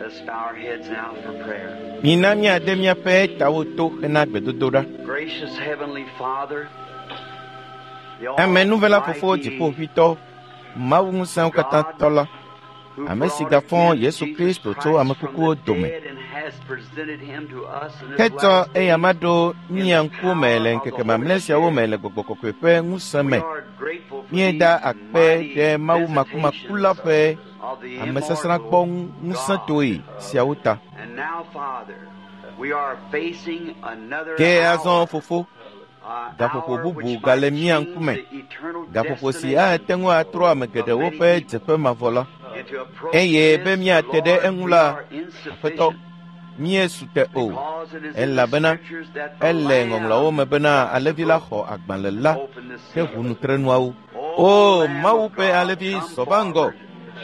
Let's bow our heads now for prayer. Mina míade míaƒe tawo to hena gbedodoɖa. Gracious Heavenly Father, the Amenuvela Fofo Almighty Dziƒoʋĩtɔ, Mawu ŋusẽwo katã tɔ la, who ame si brought gafɔ again Yesu Jesus Kristo tso Christ ame from kukuwo the dome, dead and has presented him to us in this hetsɔ last day. eyama ɖo mía in the ŋkume power le of the ŋkeke Holy mamlɛ siawo Spirit. me le Gbɔgbɔ Kɔkɔe ƒe ŋusẽ We me. are grateful for Míeda these akpe mighty ɖe Mawu makumaku la visitations ƒe of the amesasrãkpɔ immortal God. ŋusẽtoe siawo ta. And now, Father, we are facing another Ke azɔ hour, Fofo, an gaƒoƒo hour bubu which gale might mía change ŋkume, the eternal gaƒoƒo si destination ate ŋu atrɔ ame of geɖewo many ƒe people. dzeƒe mavɔ la. And to approach Eye be this, míate ɖe Lord, eŋu we la, are Aƒetɔ, insufficient míesu te o, because it is in the elabena scriptures that the ele ŋɔŋlɔawo Lamb me bena alẽvi la broke xɔ agbalẽ la open the heʋu seal. nutrenuawo. O O Lamb Mawu of ƒe God, alẽvi come zɔ va ŋgɔ, forward.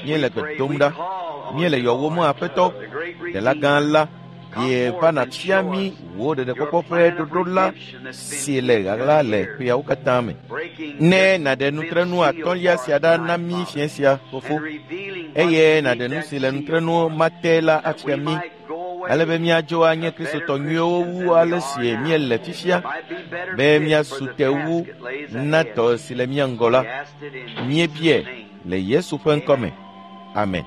míele We gbe pray, dom we ɖa, call on míele you, yɔwòm Lord, Aƒetɔ, the great Ɖela gã Redeemer. la, Come ye va forth and nàfia show mí us wò your ɖeɖekpɔkpɔ ƒe plan of ɖoɖo la redemption that's been si le hid ɣaɣla down le here, ƒeawo katã me. breaking Ne this nàɖe fifth nutrenu seal atɔ̃lia for sia us ɖa na tonight, mí Father, fiẽ sia, Fofo, and revealing what's eye beneath nàɖe nu that si le seal, nutrenu ma te la that afia we mí, might go ale be away míadzo anye a better Kristotɔ nyuiwo Christians wu than we ale are si now. míele fifia, Might be better be fit for míasu the te wu task that lays na ahead. dɔ si le mía ŋgɔ We la. asked it in Jesus' Míebie name. le Yesu ƒe ŋkɔ me. Amen. Amen.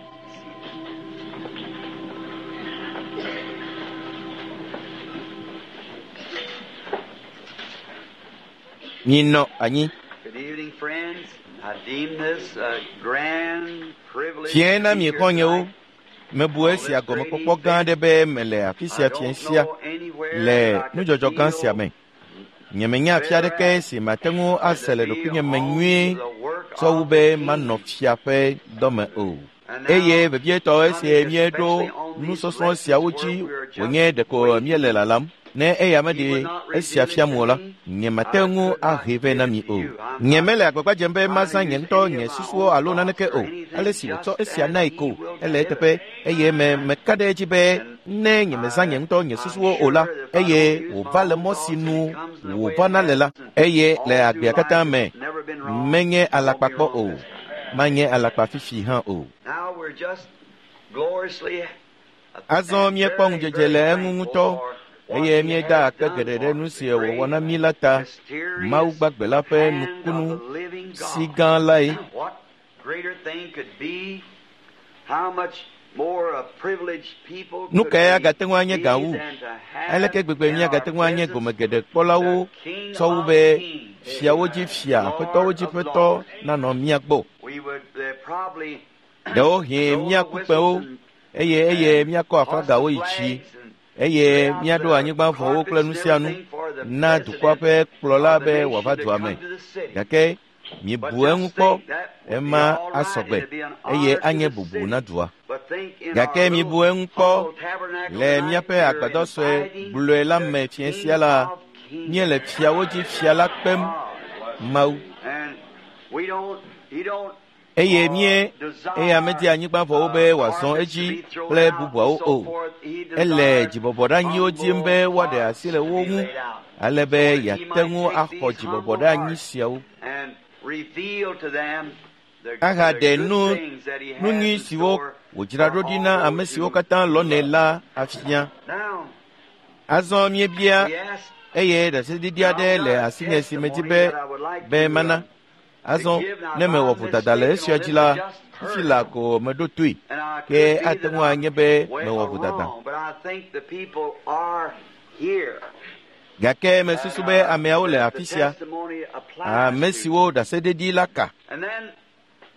Minɔ anyi. Good evening, friends. I deem this a grand privilege Fiẽ to na be mi here xɔ̃nyewo. tonight Mebu on esia this great gɔmekpɔkpɔ gã event. aɖe be mele afi I sia fiẽ don't sia know anywhere le that I could nudzɔdzɔ gã sia feel me. Nyemenya afi better aɖeke at si mate ŋu than ase to le be ɖokuinye me on nyuie the work tsɔ wu of be the manɔ King. fia ƒe dɔme o. And Eye now, vevietɔ esie coming míeɖo especially on these nusɔsrɔ̃ lessons siawo where dzi we are just wònye ɖeko waiting, míele lalam. Ne eya he meɖe would not esia reveal it fiam to o la, me. nyemate I ŋu could not ahee vɛ give na it mi to o. you. I'm not Nyemele agbagba dzem be trying to mazã nye use ŋutɔ any nye of my susuwo own alo thoughts naneke or o. Ale anything, si wòtsɔ just esia as nae he ko, will ele give it. eteƒe eye me meka ɖe edzi be And ne nyemezã nye I, ŋutɔ nye I'm susuwo o la, sure that if I eye don't use my wòva le own mɔ si thoughts and nu it comes in the way it wòvana le has, la, and eye le all through agbea katã life me it's never been wrong, menye won't be alakpa kpɔ wrong o, this time. manye alakpa fifi hã o. Now we're just gloriously Azɔ and míekpɔ very, ŋudzedze very le eŋu thankful ŋutɔ for what eye he míeda has akpe done geɖe ɖe for nu us, si the wòwɔ great na mí la ta. Mawu mysterious gbagbe la ƒe hand of nukunu the living si God. gã lae. What greater thing could be? How much more a privileged people Nu could kae we agate ŋu anye be gã wu? than to have Aleke gbegbe in our míagate ŋu anye presence gome geɖe kpɔlawo the King tsɔ wu of be Kings, fiawo dzi fia, aƒetɔwo Lord dzi of ƒetɔ Lords? nanɔ mía gbɔ. We would probably Ɖewohĩ blow the míaku whistles kpẽwo and, eye eye and míakɔ hoist the aflagawo yi dzi flags and eye lay out míaɖo the anyigba vɔwo kple carpets nu and sia nu everything for the na dukɔa president ƒe kplɔla of the be nation wòava to dua come me. to the city. Gake But miebu eŋu just kpɔ, think that would be ema all right asɔ and gbe it'd be an eye honor to anye the bubu city. na dua. But think in our Gake little miebu eŋu kpɔ humble tabernacle le tonight, míaƒe we're agbadɔ sue inviting gblɔe la the me fiẽ King sia la, of Kings. míele fiawo dzi fia la kpem God. Mawu. And we don't, he don't Eye mie eya medi desire anyigba vɔwo be wòazɔ carpets to edzi be thrown kple out and bubuawo so o. forth. He Ele desires dzibɔbɔɖeanyiwo dim be humble woaɖe hearts asi le to wo be ŋu laid out ale so be that he yeate might ŋu take axɔ these humble dzibɔbɔɖeanyi hearts siawo and reveal to them the ahaɖe good nu things that he nu has nyui in siwo store wòdzra for ɖo ɖi all na ame those siwo who katã lɔnɛ love. la afia. Now, Azɔ míebia we ask, eye ɖaseɖiɖi now aɖe I've le got a asinye si medi testimony be that I would like be to, mana. to Azɔ give. Now, ne if mewɔ I'm vodada le mistaken esia on dzi this, la, I just fifi heard la it. ko meɖo toe. And I Ke could be ate that ŋu I'm anye be way mewɔ vodada. wrong, but I think the people are here. Gake And mesusu be ameawo le that the afi sia, testimony applies ame to. siwo ɖaseɖiɖi la ka. And then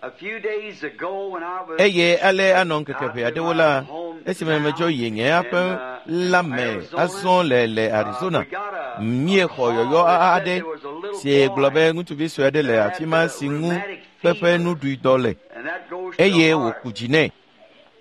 a few days ago when I was Eye ale anɔ ŋkeke out ʋɛ to aɖewo my la, esime medzɔ hometown yi nye in, aƒe la me Arizona, azɔ le le we Arizona, got a míexɔ call yɔyɔ that said aɖe there was a little si gblɔ boy be ŋutsuvi sue aɖe le that afi had ma si ŋu rheumatic kpeƒe fever, nuɖuidɔ le and that goes to the eye heart. wòku dzi nɛ.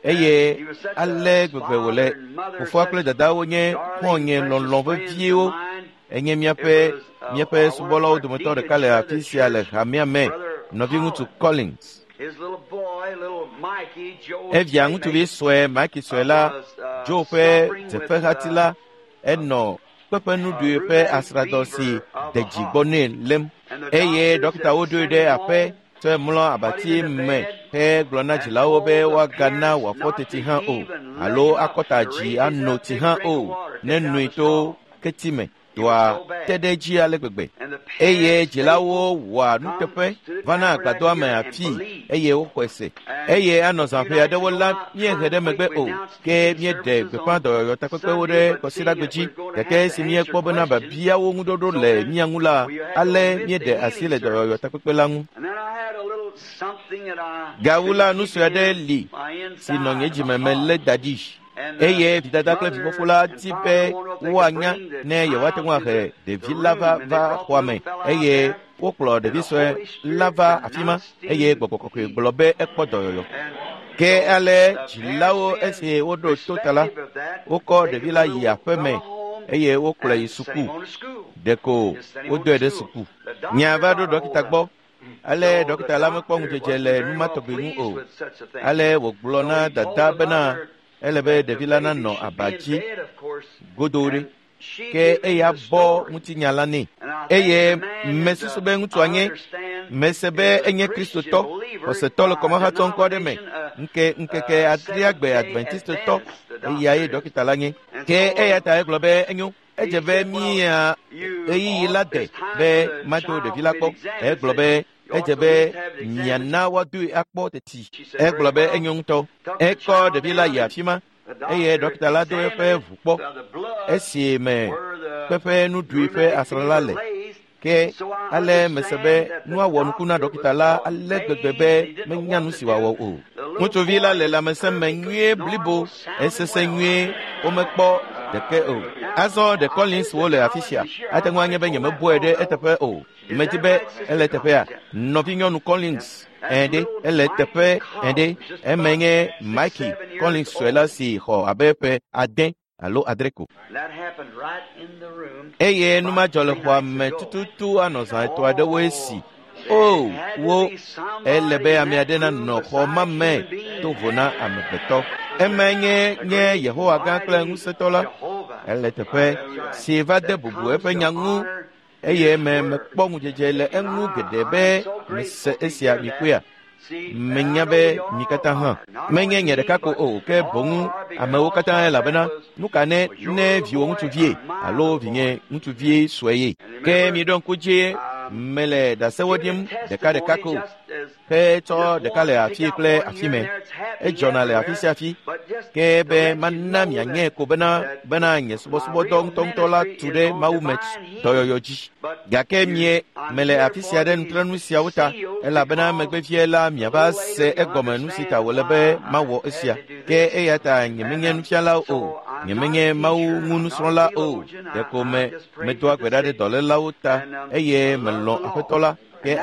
And Eye he was such a ale gbegbe father wòle. and mother, Fofoa such kple dadawo nye darling, xɔ̃nye precious lɔlɔ̃ friends of veviewo. mine. Enye It míaƒe was míaƒe one of subɔlawo our dometɔ deacons ɖeka le here at afi the sia le church, hamea me, Brother nɔviŋutsu Collins. Collins. His little boy, little Mikey, Joe's Evia ŋutsuvi playmate, sue Mike sue la, was Joe ƒe suffering with dzeƒehati la, enɔ kpeƒe nuɖui ƒe rheumatic asradɔ si fever of de the dzi heart. gbɔ nɛ lém And the eye doctors ɖɔkitawo had ɖoe sent ɖe him aƒe home Tsɔe mlɔ abati me hegblɔ na dzilawo be woagana wòafɔ teti hã o alo akɔta dzi ano tsi hã o ne noe to keti me. Dɔa te ɖe edzi ale gbegbe eye dzilawo wɔa nuteƒe vana agbadɔa me afii eye woxɔe se eye anɔ zã ƒe aɖewo la míehe ɖe megbe o ke míeɖe gbeƒã dɔyɔyɔ takpekpewo ɖe kɔsiɖagbe dzi gake esi míekpɔ bena biabiawo ŋuɖoɖo le mía ŋu la ale míeɖe asi le dɔyɔyɔ takpekpe la ŋu. Gawu la nu sue aɖe li si nɔ nye dzime me lé da ɖi. Eye vidada kple vifofo la di be woanya ne yewoate ŋu ahe ɖevi la va va xɔa me eye wokplɔ ɖevi sue la va afi ma eye gbɔgbɔ kɔkɔe gblɔ be ekpɔ dɔyɔyɔ. Ke ale dzilawo esi woɖo to ta la, wokɔ ɖevi la yi aƒe me eye wokplɔe yi suku. Ɖeko wodɔe ɖe suku. Nya va ɖo ɖɔkita gbɔ. Ale ɖɔkita la mekpɔ ŋudzedze le nu ma tɔgbi ŋu o. Ale wògblɔ na dada bena ele be ɖevi la nanɔ aba dzi godoo ɖe ke eya bɔ ŋutinya la nɛ eye mesusu be ŋutsua nye mese be enye kristotɔ xɔsetɔ le kɔmahatsɔ ŋkɔ aɖe me ŋke ŋkeke adreagbe adventistotɔ eya ye ɖɔkita la nye ke eya ta egblɔ be enyo edze be mía ɣeyiɣi la de be mado ɖevi la kpɔ egblɔ be edze be miana woadoe akpɔ teti egblɔ be enyo ŋutɔ ekɔ ɖevi la yi afi ma eye ɖɔkita la do eƒe ʋu kpɔ esi me kpeƒe nuɖui ƒe asrã la le ke ale mese be nua wɔ nuku na ɖɔkita la ale gbegbe be menya nu si wòawɔ o. Ŋutsuvi la le lãmesẽ me nyuie blibo esese nyuie womekpɔ ɖeke o. Azɔ ɖe Collins wo le afi sia ate ŋu anye be nyemebɔe ɖe eteƒe o. Medi be ele teƒea nɔvinyɔnu Collins ɛɖe ele teƒe ɛɖe eme nye Mikey Collins sue la si xɔ abe ƒe 8 alo 7 ko. Eye nu ma dzɔ le xɔa me tututu anɔ zã 3 aɖewoe si. O wo ele be ame aɖe nanɔ xɔ ma me to vo na amegbetɔ. Eme nye nye Yehowa gã kple ŋusẽtɔ la. Ele teƒe si va de bubu eƒe nya ŋu eye me mekpɔ ŋudzedze le eŋu geɖe be mese esia mikpɔea. Menya be mi katã hã menye nye ɖeka ko o ke boŋ amewo katã elabena nu ka ne ne viwò ŋutsuvie alo vinye ŋutsuvie sue ye. Ke miɖo ŋku dzi mele ɖasewo ɖim ɖeka ko hetsɔ ɖeka le afi kple afi me. Edzɔna le afi sia afi ke be mana mianye ko bena bena nye subɔsubɔdɔ ŋutɔŋutɔ la tu ɖe Mawu me dɔyɔyɔ dzi. Gake mie mele afi sia ɖe nutrenu siawo ta elabena megbevie la miava se egɔme nu si ta wòle be mawɔ esia. Ke eya ta nyemenye nufiala o, nyemenye Mawu ŋu nusrɔ̃la o. Ɖeko me medoa gbe ɖa ɖe dɔlélawo ta eye melɔ̃ Aƒetɔ la. Ke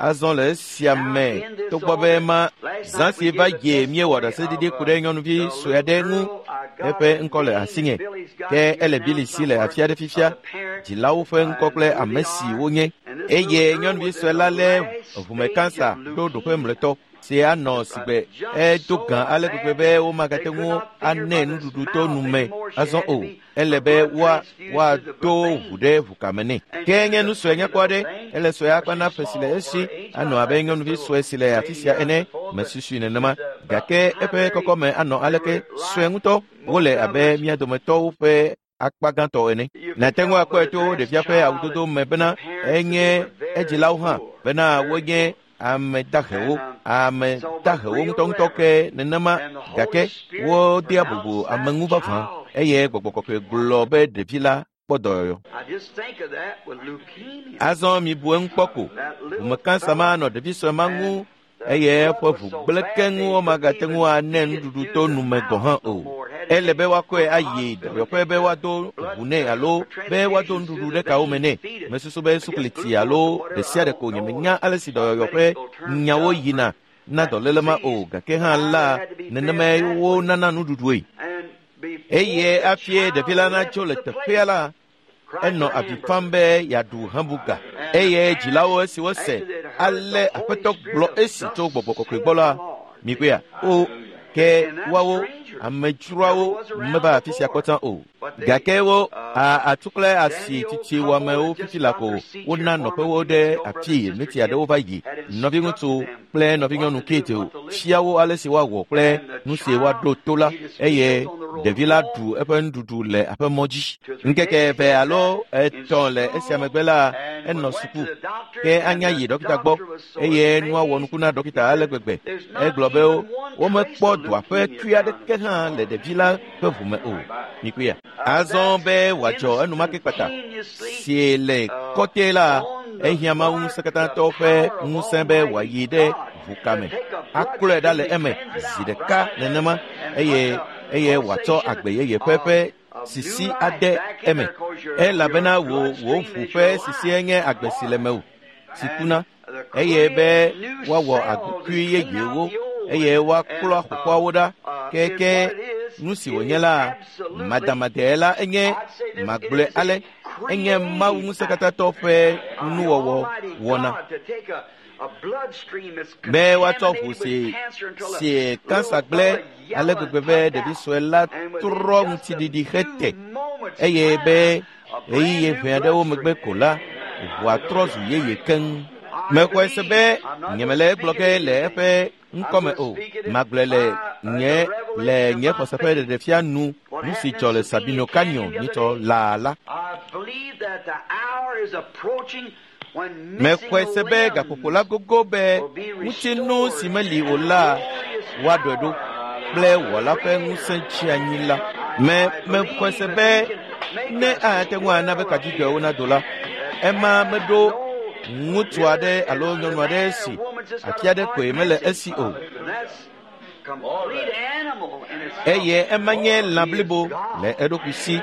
azɔ le esia me togbɔ be ma zã si va ye míewɔ ɖaseɖiɖi ku ɖe nyɔnuvi sue aɖe ŋu eƒe ŋkɔ le asinye ke ele Billy si le afi aɖe fifia dzilawo ƒe ŋkɔ kple ame si wonye eye nyɔnuvi sue la lé ʋume kansa ɖo ɖoƒe mlɔetɔ si anɔ sigbe edo gã ale gbegbe be womagate ŋu anɛ nuɖuɖu to nu me azɔ o. Ele be woado ʋu ɖe ʋukame nɛ. Ke nye nu sue nyakpɔ aɖe ele sue akpa na ƒe si le esi anɔ abe nyɔnuvi sue si le afi sia ene mesusui nenema gake eƒe kɔkɔme anɔ aleke sue ŋutɔ wole abe mía dometɔwo ƒe akpa gãtɔ ene. Nàte ŋu akpɔe to ɖevia ƒe awudodo me bena enye edzilawo hã bena wonye ame dahewo ŋutɔŋutɔ ke nenema gake wodea bubu ame ŋu vavã eye gbɔgbɔ kɔkɔe gblɔ be ɖevi la kpɔ dɔyɔyɔ. Azɔ mibu eŋu kpɔ ko ʋume kansa ma nɔ ɖevi sue ma ŋu eye eƒe ʋu gblẽ keŋ womagate ŋu anɛ nuɖuɖu to nu me gɔ̃ hã o. Ele be woakɔe ayi dɔyɔƒe be woado ʋu nɛ alo be woado nuɖuɖu ɖe kawo me nɛ. Mesusu be sukliti alo ɖe sia ɖe ko nyemenya ale si dɔyɔyɔ ƒe nyawo yina na dɔléle ma o gake hã la nenemae wonana nuɖuɖue. Eye afie ɖevi la natso le teƒea la enɔ avi fam be yeaɖu hamburger eye dzilawo esi wose ale Aƒetɔ gblɔ esi tso gbɔgbɔ kɔkɔe gbɔ la mikpɔea o Ke woawo amedzroawo meva afi sia kpɔtã o. Gake wo atsu kple asi tsitsi wɔamewo fifi la ko wona nɔƒewo ɖe afii miti aɖewo va yi. Nɔviŋutsu kple nɔvinyɔnu Kate fia wo ale si woawɔ kple nu si woaɖo to la eye ɖevi la ɖu eƒe nuɖuɖu le aƒemɔ dzi. Ŋkeke 2 alo 3 le esia megbe la enɔ suku ke anya yi ɖɔkita gbɔ eye nua wɔ nuku na ɖɔkita ale gbegbe. Egblɔ be womekpɔ dɔa ƒe tui aɖeke hã le ɖevi la ƒe ʋume o. Mikuya. Azɔ be wòadzɔ enumake kpata si le kɔte la ehiã Mawu ŋusẽkatãtɔ ƒe ŋusẽ be wòayi ɖe ʋukame aklɔe ɖa le eme zi ɖeka nenema eye wòatsɔ agbe yeye ƒe sisi ade eme elabena wò ʋu ƒe sisie nye agbe si le mewò si kuna eye be woawɔ agbekui yeyewo eye woaklɔ xoxoawo ɖa keke nu si wònye la madamadee la enye magblɔe ale enye Mawu ŋusẽkatãtɔ ƒe nuwɔwɔ wɔna be woatsɔ ʋu si kansa gblẽ ale gbegbe be ɖevi sue la trɔ ŋutiɖiɖi hete eye be ɣeyiɣi ʋɛ aɖewo megbe ko la ʋua trɔ zu yeye keŋ. Mexɔe se be nyemele egblɔ ge le eƒe ŋkɔme o. Magblɔe le nye xɔse ƒe ɖeɖefia nu nu si dzɔ le Sabino Canyon nyitsɔ laa la. Mexɔe se be gaƒoƒo la gogo be ŋutinu si meli o la woaɖɔe ɖo kple wɔla ƒe ŋusẽ tsi anyi la. Mexɔe se be ne ate ŋu ana be kadzidzɔewo nado la, ema meɖo ŋutsu aɖe alo nyɔnu aɖe si afi aɖe koe mele esi o. Eye ema nye lã blibo le eɖokui si.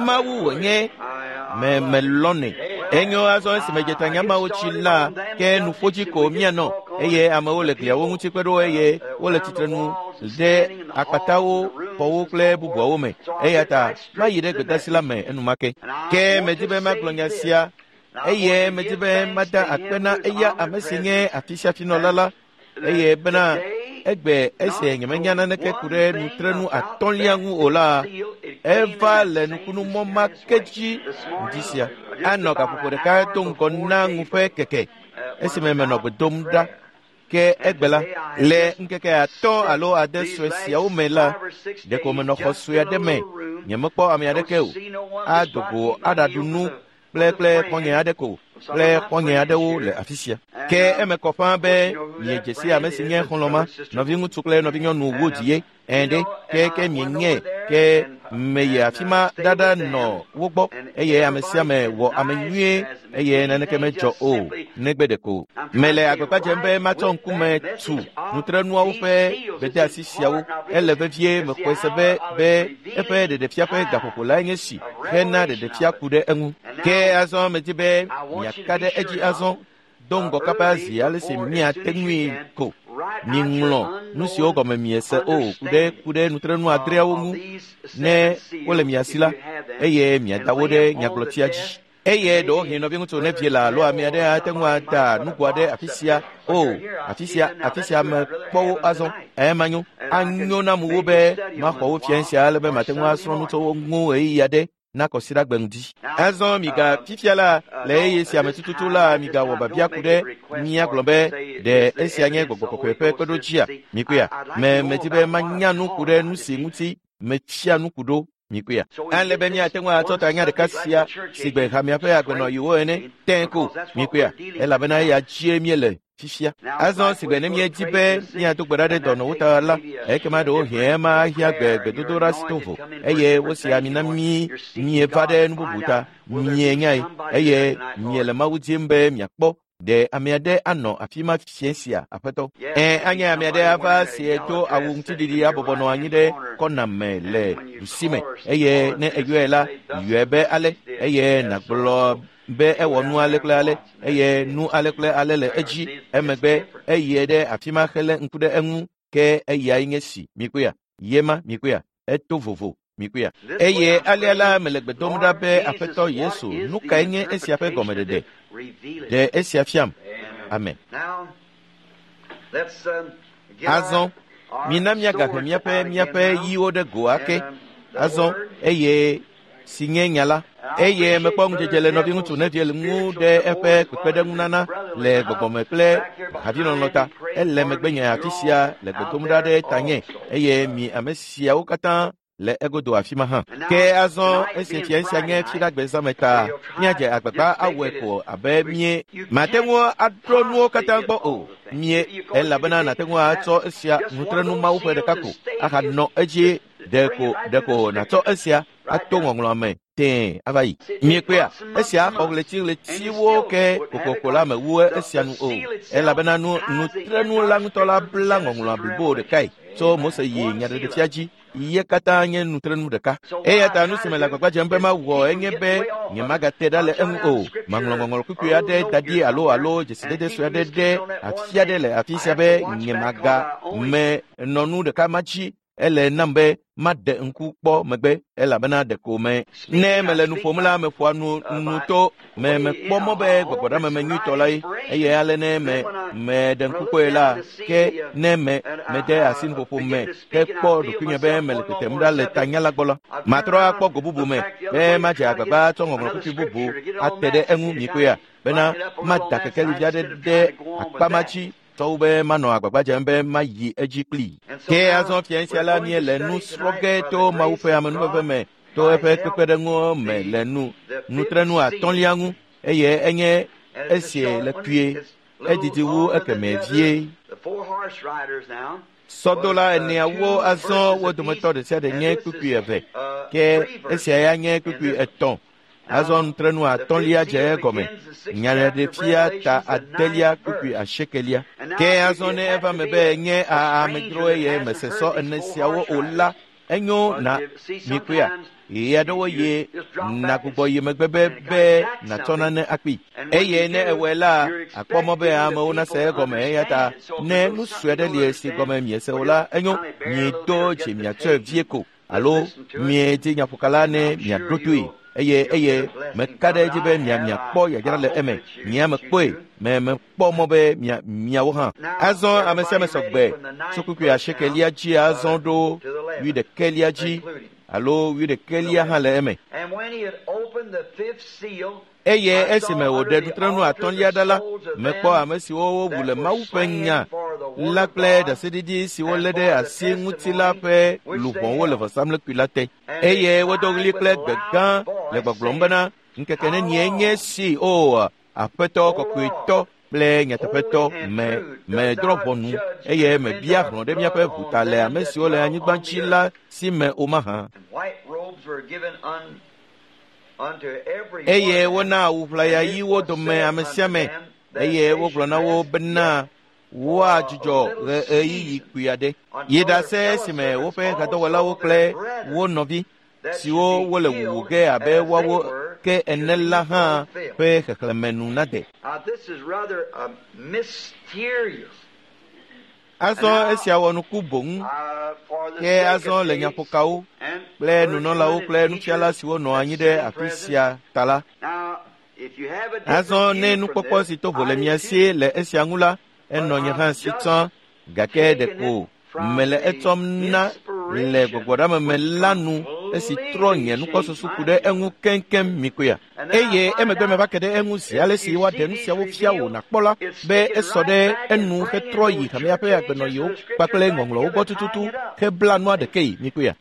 Mawu wònye melɔnɛ. Enyo azɔ esime dzetanyamawo tsi la ke nuƒodzi ko míanɔ eye amewo le gliawo ŋuti kpe ɖo eye wole tsitrenu ɖe akpatawo, xɔwo kple bubuawo me. Eya ta mayi ɖe gbedasi la me enumake. Ke medi be magblɔ nya sia eye medi be mada akpe na eya ame si nye afisiafinɔla la eye bena egbe esi nyemenya naneke ku ɖe nutrenu 5lia ŋu o la eva le nukunumɔ ma ke dzi ŋdi sia. Anɔ gaƒoƒo ɖeka do ŋgɔ na ŋu ƒe keke esime menɔ gbe dom ɖa. Ke egbe la le ŋkeke 5 alo 6 sue siawo me la ɖeko menɔ xɔ sue aɖe me nyemekpɔ ame aɖeke o. Ado go aɖaɖu nu kple xɔ̃nye aɖe ko kple xɔ̃nye aɖewo le afi sia. Ke eme kɔ ƒãa be miedze si ame si nye xɔlɔ̃ ma, nɔviŋutsu kple nɔvinyɔnu Wood ye. Ɛ̃ ɖe ke mienye ke meyi afi ma ɖaɖa nɔ wo gbɔ eye ame sia ame wɔ ame nyuie eye naneke medzɔ o negbe ɖeko. Mele agbagba dzem be matsɔ ŋkume tu nutrenuawo ƒe gbedeasi siawo. Ele vevie mexɔe se be eƒe ɖeɖefia ƒe gaƒoƒo lae nye si hena ɖeɖefia ku ɖe eŋu. Ke azɔ medi be miaka ɖe edzi azɔ do ŋgɔ kaba zi ale si miate ŋui ko. Miŋlɔ nu siwo gɔme miese o ku ɖe nutrenu 6 ŋu ne wole mia si la eye miada wo ɖe nyagblɔtia dzi. Eye ɖewohĩ nɔviŋutsu nevie la alo ame aɖe ate ŋu ada nugo aɖe afi sia o afi sia mekpɔ wo azɔ. Ema nyo anyo nam wo be maxɔ wo fia sia ale be mate ŋu asrɔ̃ nu tso wo ŋu ɣeyiɣi aɖe na kɔsiɖagbe ŋdi. Azɔ miga fifia la le eye sia me tututu la migawɔ babia ku ɖe míagblɔ be ɖe esia nye gbɔgbɔ kɔkɔe ƒe kpeɖodzia. Mikuya. Medi be manya nu ku ɖe nu si ŋuti metsia nu ku ɖo. Mikuya. Ale be míate ŋu atsɔ tanya ɖeka sia si gbe hamea ƒe agbenɔyiwo ene tẽ ko. Mikuya. Elabena eya dzie míele fifia. Azɔ si gbe ne míedi be míado gbe ɖa ɖe dɔnɔwo ta la ekema ɖewohĩ ema ahiã gbedodoɖa si to vo eye wosi ami na mí mieva ɖe nu bubu ta mienyae eye miele Mawu dim be miakpɔ ɖe ame aɖe anɔ afi ma fia sia aƒetɔ. Anye ame aɖe ava sie do awu ŋutiɖiɖi abɔbɔ nɔ anyi ɖe kɔna me le ɖusime eye ne eyɔe la yɔe be ale eye nàgblɔ be ewɔ nu ale kple ale eye nu ale kple ale le edzi emegbe eye ɖe afi ma hele ŋku ɖe eŋu ke eyae nye si. Mikuya. Yema mikuya. Eto vovo. Mikuya. Eye alea la mele gbe dom ɖa be Aƒetɔ Yesu nu kae nye esia ƒe gɔmeɖeɖe? Ɖe esia fiam. Amen. Azɔ Mina míagahe míaƒe míaƒe ɣiwo ɖe go ake azɔ eye si nye nya la. Eye mekpɔ ŋudzedze le nɔviŋutsu Neville ŋu ɖe eƒe kpekpeɖeŋunana le gbɔgbɔme kple havilɔlɔ̃ ta. Ele megbenye afi sia le gbe dom ɖa ɖe tanye eye mi ame siawo katã le egodo afi ma hã. Ke azɔ esi fia sia nye fiɖagbe zãme ta, míadze agbagba awɔe ko abe mie mate ŋu aɖo nuwo katã gbɔ o. Mie elabena nàte ŋu atsɔ esia nutrenu Mawu ƒe ɖeka ko ahanɔ edzi ɖeko nàtsɔ esia ato ŋɔŋlɔa me tẽe ava yi. Miekpea, esia xɔ ɣletiɣletiwo ke kokoko la mewu esia nu o, elabena nutrenu la ŋutɔ la bla ŋɔŋlɔa blibo ɖekae tso Mose yi nyaɖeɖefia dzi. Ye katã nye nutrenu ɖeka. Eya ta nu si me le agbagba dzem be mawɔ enye be nyemagate ɖa le eŋu o. Maŋlɔ ŋɔŋlɔ kpukpui aɖe da ɖi alo dzesidede sue aɖe ɖe afi aɖe le afi sia be nyemaga me nɔ nu ɖeka ma dzi. Ele nam be maɖe ŋku kpɔ megbe elabena ɖeko me. Ne mele nu ƒom la, meƒoa nu to me mekpɔ mɔ be gbɔgbɔɖameme nyuitɔ la ye eye ale ne me meɖe ŋku kpɔe la ke ne me mede asi nuƒoƒo me hekpɔ ɖokuinye be mele tetem ɖa le tanya la gbɔ la, matrɔ akpɔ go bubu me be madze agbagba tsɔ ŋɔŋlɔ kpukpui bubu ate ɖe eŋu mikpɔea bena mada kekelivi aɖe ɖe akpa ma dzi tɔwo be manɔ agbagba dzem be mayi edzi kplii. Ke azɔ fia sia la míele nu srɔ̃ ge to Mawu ƒe amenuveve me to eƒe kpekpeɖeŋu me le nutrenu atɔ̃lia ŋu eye enye esi le kpuie edidi wu ekemɛ vie. Sɔdola eneawo azɔ wo dometɔ ɖe sia ɖe nye kpukpui eve ke esia ya nye kpukpui etɔ̃. Azɔ nutrenu atɔ̃lia dze egɔme nyaɖeɖefia ta adelia kpukpui asiekelia. Ke azɔ ne eva me be nye amedzro eye mese sɔ ene siawo o la, enyo na mikpɔea ɣeyiɣi aɖewo ye nagbugbɔ yi megbe be nàtsɔ nane akpee. Eye ne ewɔe la, akpɔ mɔ be amewo nase egɔme eya ta ne nu sue aɖe li si gɔme miese o la, enyo miedo dzi miatsɔe vie ko alo miedi nyaƒokala ne miaɖo toe. Eye meka ɖe edzi be miakpɔ yayra le eme. Nye mekpɔe me mekpɔ mɔ be miawo hã. Azɔ ame sia ame sɔgbe tso kpukpui asiekelia dzi azɔ ɖo wuiɖekɛlia dzi alo wuiɖekɛlia hã le eme. Eye esime wòɖe nutrenu atɔ̃lia ɖa la, mekpɔ ame siwo wowu le Mawu ƒe nya la kple ɖaseɖiɖi si wolé ɖe asi ŋuti la ƒe luʋɔwo le vɔsamlekpui la te. Eye wodo ɣli kple gbe gã le gbɔgblɔm bena, ŋkeke nenie nye si o Aƒetɔ kɔkɔetɔ kple nyateƒetɔ me medrɔ̃ ʋɔnu eye mebia hlɔ̃ ɖe míaƒe ʋu ta le ame siwo le anyigba dzi la si me o mahã. Eye wona awu ʋlaya ɣiwo dome ame sia ame eye wogblɔ na wo bena woadzudzɔ ɣeyiɣi kpui aɖe. Yi ɖase esime woƒe hadɔwɔlawo kple wo nɔvi siwo wole wuwu ge abe woawo ke ene la hã ƒe xexlẽme nu nade. Azɔ esia wɔ nuku boŋ ke azɔ le nyaƒokawo kple nunɔlawo kple nufiala siwo nɔ anyi ɖe afi sia ta la. Azɔ ne nukpɔkpɔ si to vo le mia si le esia ŋu la, enɔ nye hã si tsã gake ɖeko mele etsɔm na le gbɔgbɔɖameme la nu esi trɔ nye nukpɔsusu ku ɖe eŋu keŋkeŋ mikpɔea. Eye emegbe meva ke ɖe eŋu zi ale si woaɖe nu siawo fia wò nàkpɔ la be esɔ ɖe enu hetrɔ yi hamea ƒe agbenɔɣiwo kpakple ŋɔŋlɔwo gbɔ tututu hebla nua ɖekee mikpɔea.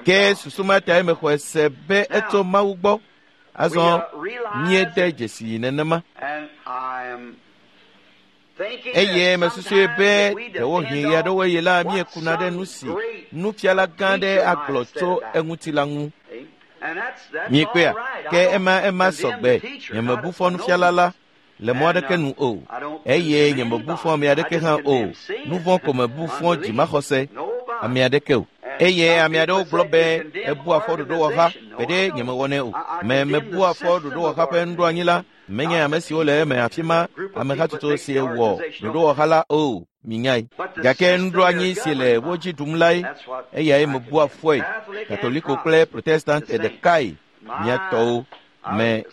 Ke susu ma tae mexɔe se be etso Mawu gbɔ. Azɔ míede dzesi nenema. Eye mesusue be ɖewohĩ ɣe aɖewo ɣi la míekuna ɖe nu si nufiala gã aɖe agblɔ tso eŋuti la ŋu. Miekpɔea? Ke ema sɔgbe. Nyemebu fɔ nufiala la le mɔ aɖeke nu o eye nyemebu fɔ ame aɖeke hã o. Nu vɔ̃ ko mebu fɔ dzimaxɔse ame aɖeke o. Eye ame aɖewo gblɔ be ebua fɔ ɖoɖowɔha gbeɖe nyemewɔnɛ o. Mebua fɔ ɖoɖowɔha ƒe nuɖoanyi la. Menye ame siwo le eme afi ma amehatsotso si wɔ ɖoɖowɔha la o minyae. Gake nuɖoanyi si le wo dzi ɖum lae eyae mebua fɔe. Katoliko kple Protestant ɖekae mía tɔwo me.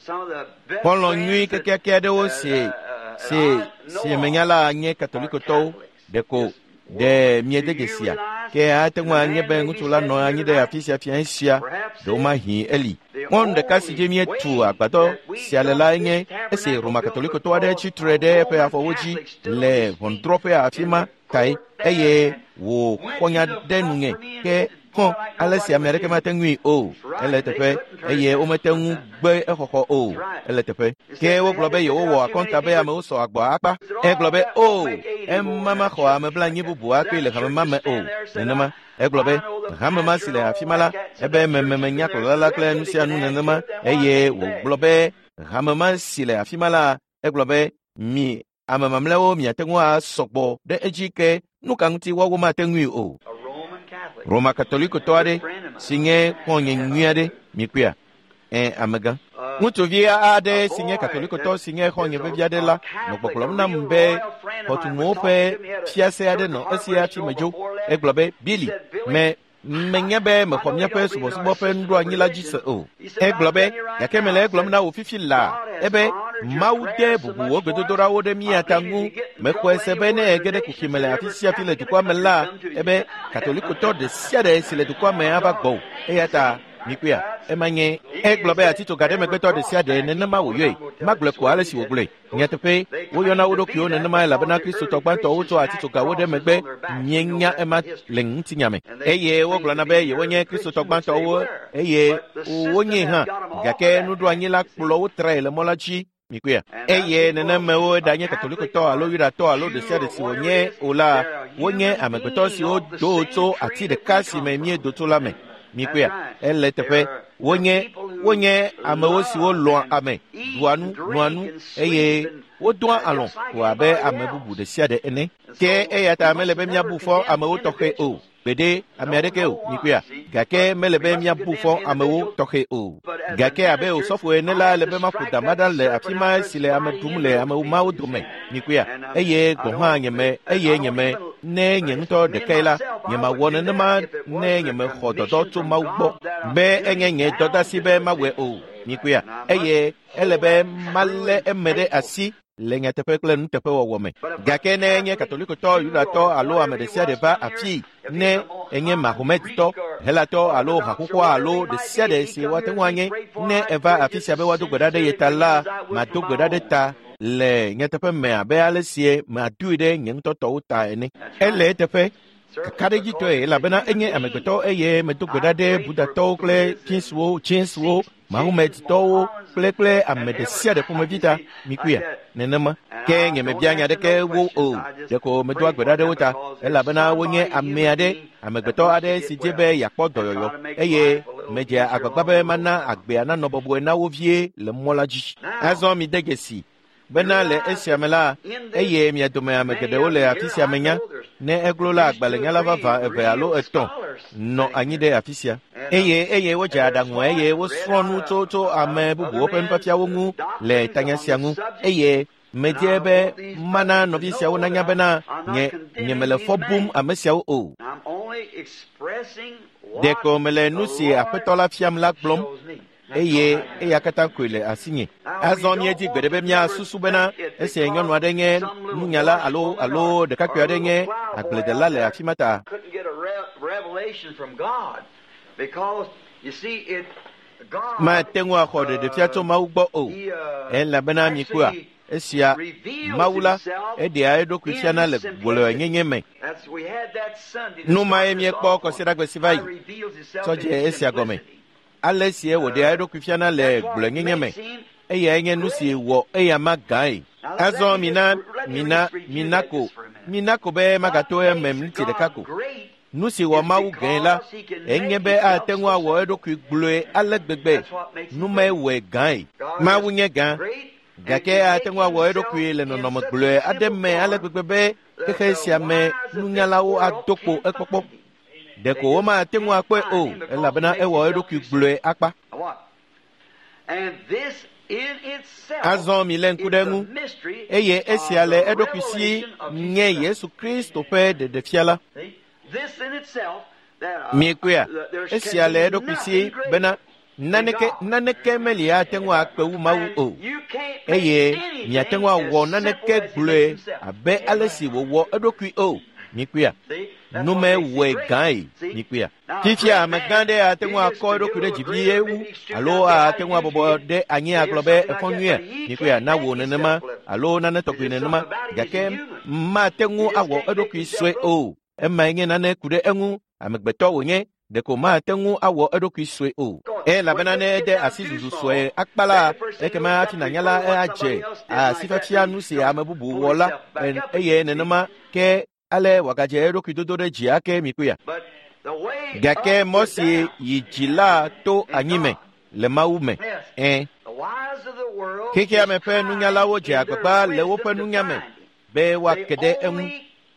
Xɔlɔ̃ nyui kekeake aɖewo si menya la nye Katolikotɔwo. Ɖeko ɖe miede dzesia ke ate ŋu anye be ŋutsu la nɔ anyi ɖe afi sia fia sia ɖewomahi eli. Mɔnu ɖeka si dzi míetu agbadɔ sia le lae nye esi Roma Katolikotɔ aɖe tsi tre ɖe eƒe afɔwo dzi le ʋɔnudrɔ̃ƒe afi ma tae eye wòxɔ nya ɖe nunye ke hɔn ale si ame aɖeke mate ŋui o. Ele teƒe eye womete ŋu gbe exɔxɔ o. Ele teƒe. Ke wogblɔ be yewowɔ akɔnta be amewo sɔ agbɔ akpa. Egblɔ be o, ema maxɔ ame blanyi bubu akpe le hame ma me o. Nenema. Egblɔ be hame ma si le afi ma la, ebe mememenya kplɔla la kple nu sia nu nenema eye wògblɔ be hame ma si le afi ma la, egblɔ be mi ame mamlɛawo miate ŋu asɔgbɔ ɖe edzi ke nu ka ŋuti woawo mate ŋui o. Roma Katolikotɔ aɖe si nye xɔ̃nye nyui aɖe mikpɔea? Ẽ, amegã. Ŋutsuvi aɖe si nye Katolikotɔ si nye xɔ̃nye vevi aɖe la nɔ gbɔgblɔm nam be xɔtunuwo ƒe fiase aɖe nɔ esi hafi medzo. Egblɔ be, Billy, menya be mexɔ míaƒe subɔsubɔ ƒe nuɖoanyi la dzi se o. Egblɔ be, gake mele egblɔm na wò fifi laa, ebe Mawu de bubu wò gbedodoɖawo ɖe mía ta ŋu. Mexɔe se be ne ege ɖe kuxi me le afi sia afi le dukɔa me la, ebe Katolikotɔ ɖe sia ɖe si le dukɔa me ava gbɔwò. Eya ta mikpɔea, ema nye. Egblɔ be atitsoga ɖe megbetɔ ɖe sia ɖe nenema wòyɔe. Magblɔe ko ale si wògblɔe. Nyateƒe, woyɔna wo ɖokuiwo nenema elabena Kristotɔ gbãtɔwo tsɔ atitsogawo ɖe megbe mienya ema le ŋutinya me. Eye wogblɔna be yewonye Kristotɔ gbãtɔwo eye wonye hã, gake nuɖoanyi la kplɔ wo trae le mɔ la dzi. Mikpɔea? Eye nenemewo ɖanye Katolikotɔ alo Yudatɔ alo ɖe sia ɖe si wònye o la, wonye amegbetɔ siwo do tso ati ɖeka si me míedo tso la me. Mikpɔea? Ele teƒe. Wonye amewo siwo lɔ̃a ame, ɖua nu, nɔa nu eye wodoa alɔ̃ ko abe ame bubu ɖe sia ɖe ene. Ke eya ta mele be míabu fɔ amewo tɔxɛ o. Gbeɖe ame aɖeke o, mikpɔea? Gake mele be míabu fɔ amewo tɔxɛ o. Gake abe osɔfo ene la, ele be maƒo dama ɖa le afi ma si le ame ɖum le ame mawo dome, mikpɔea? Eye gɔ̃ hã nyeme, eye nyeme, ne nye ŋutɔ ɖekae la, nyemawɔ nenema ne nyemexɔ dɔdɔ tso Mawu gbɔ be enye nye dɔdasi be mawɔe o, mikpɔea? Eye ele be malé eme ɖe asi le nyateƒe kple nuteƒewɔwɔ me. Gake ne enye Katolikotɔ, Yudatɔ alo ame ɖe sia ɖe va afii, ne enye Mahometɔ, Helatɔ alo haxoxoa alo ɖe sia ɖe si woate ŋu anye, ne eva afi sia be woado gbe ɖa ɖe ye ta la, mado gbe ɖa ɖe ta le nyateƒe me abe ale sie madoe ɖe nye ŋutɔ tɔwo ta ene. Ele eteƒe kakaɖedzitɔe elabena enye amegbetɔ eye medo gbe ɖa ɖe Budatɔwo kple Chinsuwo, Mahometɔwo kple ame ɖe sia ɖe ƒomevi ta. Mikpɔea? Nenema. Ke nyemebia nya ɖeke wo o. Ɖeko medoa gbe ɖa ɖe wo ta elabena wonye ame aɖe, amegbetɔ aɖe si dze be yeakpɔ dɔyɔyɔ eye medzea agbagba be mana agbea nanɔ bɔbɔe na wo vie le mɔ la dzi. Azɔ mide dzesi bena le esia me la, eye mia dome ame geɖewo le afi sia menya, ne eglo la agbalẽnyala vavã eve alo etɔ̃ nɔ anyi ɖe afi sia. Eye wodze aɖaŋu eye wosrɔ̃ nu tso ame bubuwo ƒe nufiafiawo ŋu le tanya sia ŋu. Eye medie be mana nɔvi siawo nanya bena nye mele fɔ bum ame siawo o. Ɖeko mele nu si Aƒetɔ la fiam la gblɔm eye eya katã koe le asinye. Azɔ míedi gbe ɖe be míasusu bena esi nyɔnu aɖe nye nunyala alo ɖekakpui aɖe nye agbledela le afi ma ta. Mate ŋu axɔ ɖeɖefia tso Mawu gbɔ o, elabena mikpɔa, esia Mawu la eɖea eɖokui fiana le gblɔenyenye me. Nu mae míekpɔ kɔsiɖagbe si va yi tsɔ dze esia gɔme. Ale sie wòɖea eɖokui fiana le gblɔenyenye me, eyae nye nu si wɔ eyama gãe. Azɔ mina ko be magato eme miniti ɖeka ko. Nu si wɔ Mawu gãe la, enye be ate ŋu awɔ eɖokui gblɔe ale gbegbe. Nu mae wɔe gãe. Mawu nye gã, gake ate ŋu awɔ eɖokui le nɔnɔme gblɔe aɖe me ale gbegbe be xexe sia me nunyalawo ado kpo ekpɔkpɔ. Ɖeko womate ŋu akpɔe o, elabena ewɔ eɖokui gblɔe akpa. Azɔ milé ŋku ɖe eŋu, eye esia le eɖokui si nye Yesu Kristo ƒe ɖeɖefia la. Miekpɔea? Esia le eɖokui si bena Naneke meli ate ŋu akpe wu Mawu o, eye miate ŋu awɔ naneke gblɔe abe ale si wòwɔ eɖokui o. Mikpɔea, nume wɔe gãe. Mikpɔea, fifia amegã ɖe ate ŋu akɔ eɖokui ɖe dzi vie wu alo ate ŋu abɔbɔ ɖe anyi agblɔ be efɔ nyuia. Mikpɔea, na wò nenema alo nane tɔgbi nenema, gake mate ŋu awɔ eɖokui sue o. Emae nye nane ku ɖe eŋu. Amegbetɔ wònye, ɖeko mate ŋu awɔ eɖokui sue o. Elabena ne ede asi zuzu sue akpa la, ekema hafi nànya la adze asifiafia nu si ame bubu wɔ la, eye nenema ke ale wòagadze eɖokui dodo ɖe dzi ake. Mikpɔea, gake mɔ si yi dzi la to anyi me le Mawu me. Xexea me ƒe nunyalawo dze agbagba le woƒe nunya me be woake ɖe eŋu.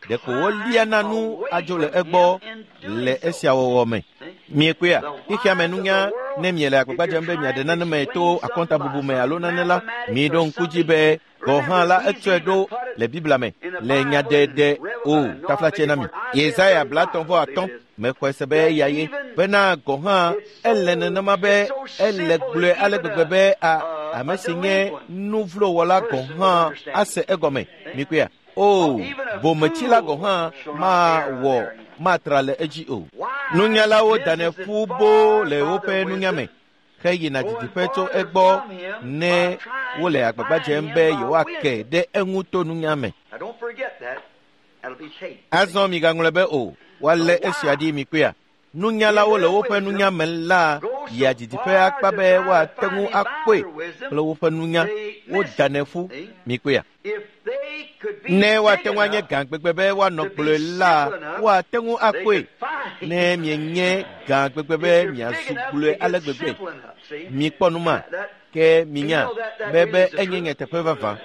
Ɖeko woliana nu adzo le egbɔ le esia wɔwɔ me. Miekpɔea, xexea me nunya, ne miele agbagba dzem be miaɖe nane me to akɔntabubu me alo nane la, miɖo ŋku dzi be gɔ̃ hã la etsɔe ɖo le Biblia me le nyaɖeɖe o taflatse na mi. Yesaya 35 mexɔe se be eya ye bena gɔ̃ hã ele nenema be ele gblɔe ale gbegbe be ame si nye nuvlowɔla gɔ̃ hã ase egɔme. Mikpɔea, o bometsila gɔ̃ hã mawɔ matra le edzi o. Nunyalawo danɛ ƒu boo le woƒe nunya me heyina didiƒe tso egbɔ ne wole agbagba dzem be yewoake ɖe eŋu to nunya me. Azɔ migaŋlɔe be o, woalé esia ɖi. Mikpɔea, nunyalawo le woƒe nunya me la yia didiƒe akpa be woate ŋu akpɔe kple woƒe nunya. Wodanɛ ƒu. Mikpɔea, ne woate ŋu anye gã gbegbe be woanɔ gblɔe la, woate ŋu akpɔe. Ne mienye gã gbegbe be miazu gblɔe ale gbegbe, mikpɔ nu ma ke minya be enye nyateƒe vavã.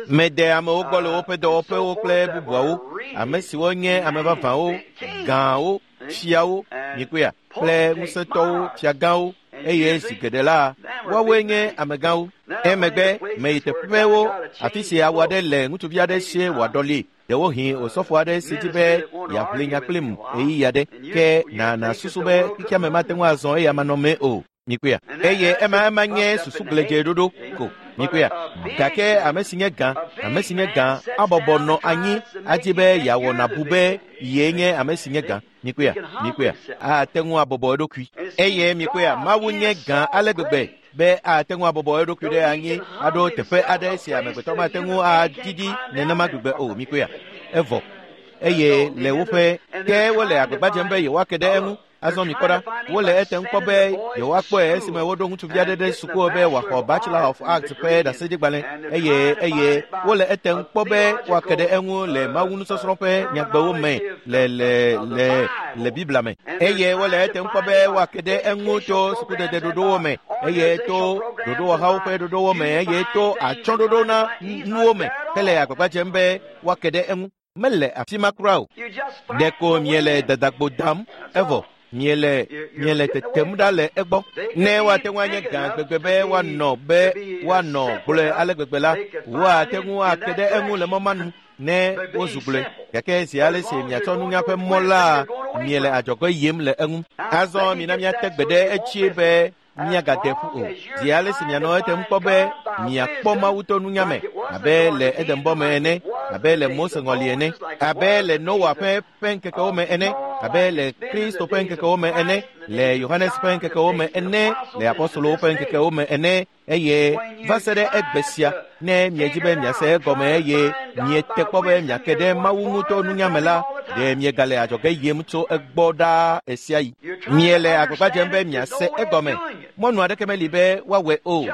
Mede amewo gbɔ le woƒe dɔwɔƒewo kple bubuawo, ame siwo nye ame vavãwo, gãwo, fiawo, mikpɔea, kple ŋusẽtɔwo, fiagãwo, eye zi geɖe la, woawoe nye amegãwo. Emegbe meyi teƒewo afi si awu aɖe le ŋutsuvi aɖe sie wòaɖɔli. Ɖewohĩ osɔfo aɖe si dzi be yeaʋli nya kplim ɣeyiɣi aɖe, ke nàna susu be xexea me mate ŋu azɔ eya manɔmee o. Mikpɔea, eye ema nye susu gledze ɖoɖo ko. Mikpɔea, gake ame si nye gã, ame si nye gã abɔbɔ nɔ anyi adi be yeawɔ nàbu be yee nye ame si nye gã. Mikpɔea, mikpɔea, ate ŋu abɔbɔ eɖokui. Eye mikpɔea, Mawu nye gã ale gbegbe be ate ŋu abɔbɔ eɖokui ɖe anyi aɖo teƒe aɖe si amegbetɔ mate ŋu adidi nenema gbegbe o. Mikpɔea, evɔ. Eye le woƒe ke wole agbagba dzem be yewoake ɖe eŋu. Azɔ mikpɔ ɖa, wole etem kpɔ be yewoakpɔe esime woɖo ŋutsuvi aɖe ɖe suku be wòaxɔ Bachelor of Arts ƒe ɖaseɖigbalẽ, eye wole etem kpɔ be woake ɖe eŋu le mawunusɔsrɔ̃ ƒe nyagbewo me le le le le Biblia me, eye wole etem kpɔ be woake ɖe eŋu to sukudede ɖoɖowo me, eye to ɖoɖowɔhawo ƒe ɖoɖowo me, eye to atsyɔ̃ɖoɖo na nuwo me, hele agbagba dzem be woake ɖe eŋu. Mele afi ma kura o. Ɖeko miele dadagbo dam, evɔ miele tetem ɖa le egbɔ. Ne woate ŋu anye gã gbegbe be woanɔ gblɔe ale gbegbe la, woate ŋu ake ɖe eŋu le mɔ ma nu ne wozu gblɔe. Gake zi ale si miatsɔ nunya ƒe mɔ la, miele adzɔge yim le eŋu. Azɔ mina miate gbe ɖe etsie be miagade ƒu o. Zi ale si mianɔ etem kpɔ be miakpɔ Mawu to nunya me, abe le Edenbɔ me ene, abe le Mose ŋɔli ene, abe le Noa ƒe ŋkekewo me ene, abe le Kristo ƒe ŋkekewo me ene, le Yohanes ƒe ŋkekewo me ene, le apostolowo ƒe ŋkekewo me ene, eye va se ɖe egbe sia, ne miedzi be miase egɔme eye miete kpɔ be miake ɖe Mawu ŋu to nunya me la, ɖe miegale adzɔge yim tso egbɔ ɖaa ɣesiaɣi. Miele agbagba dzem be miase egɔme. Mɔnu aɖeke meli be woawɔe o.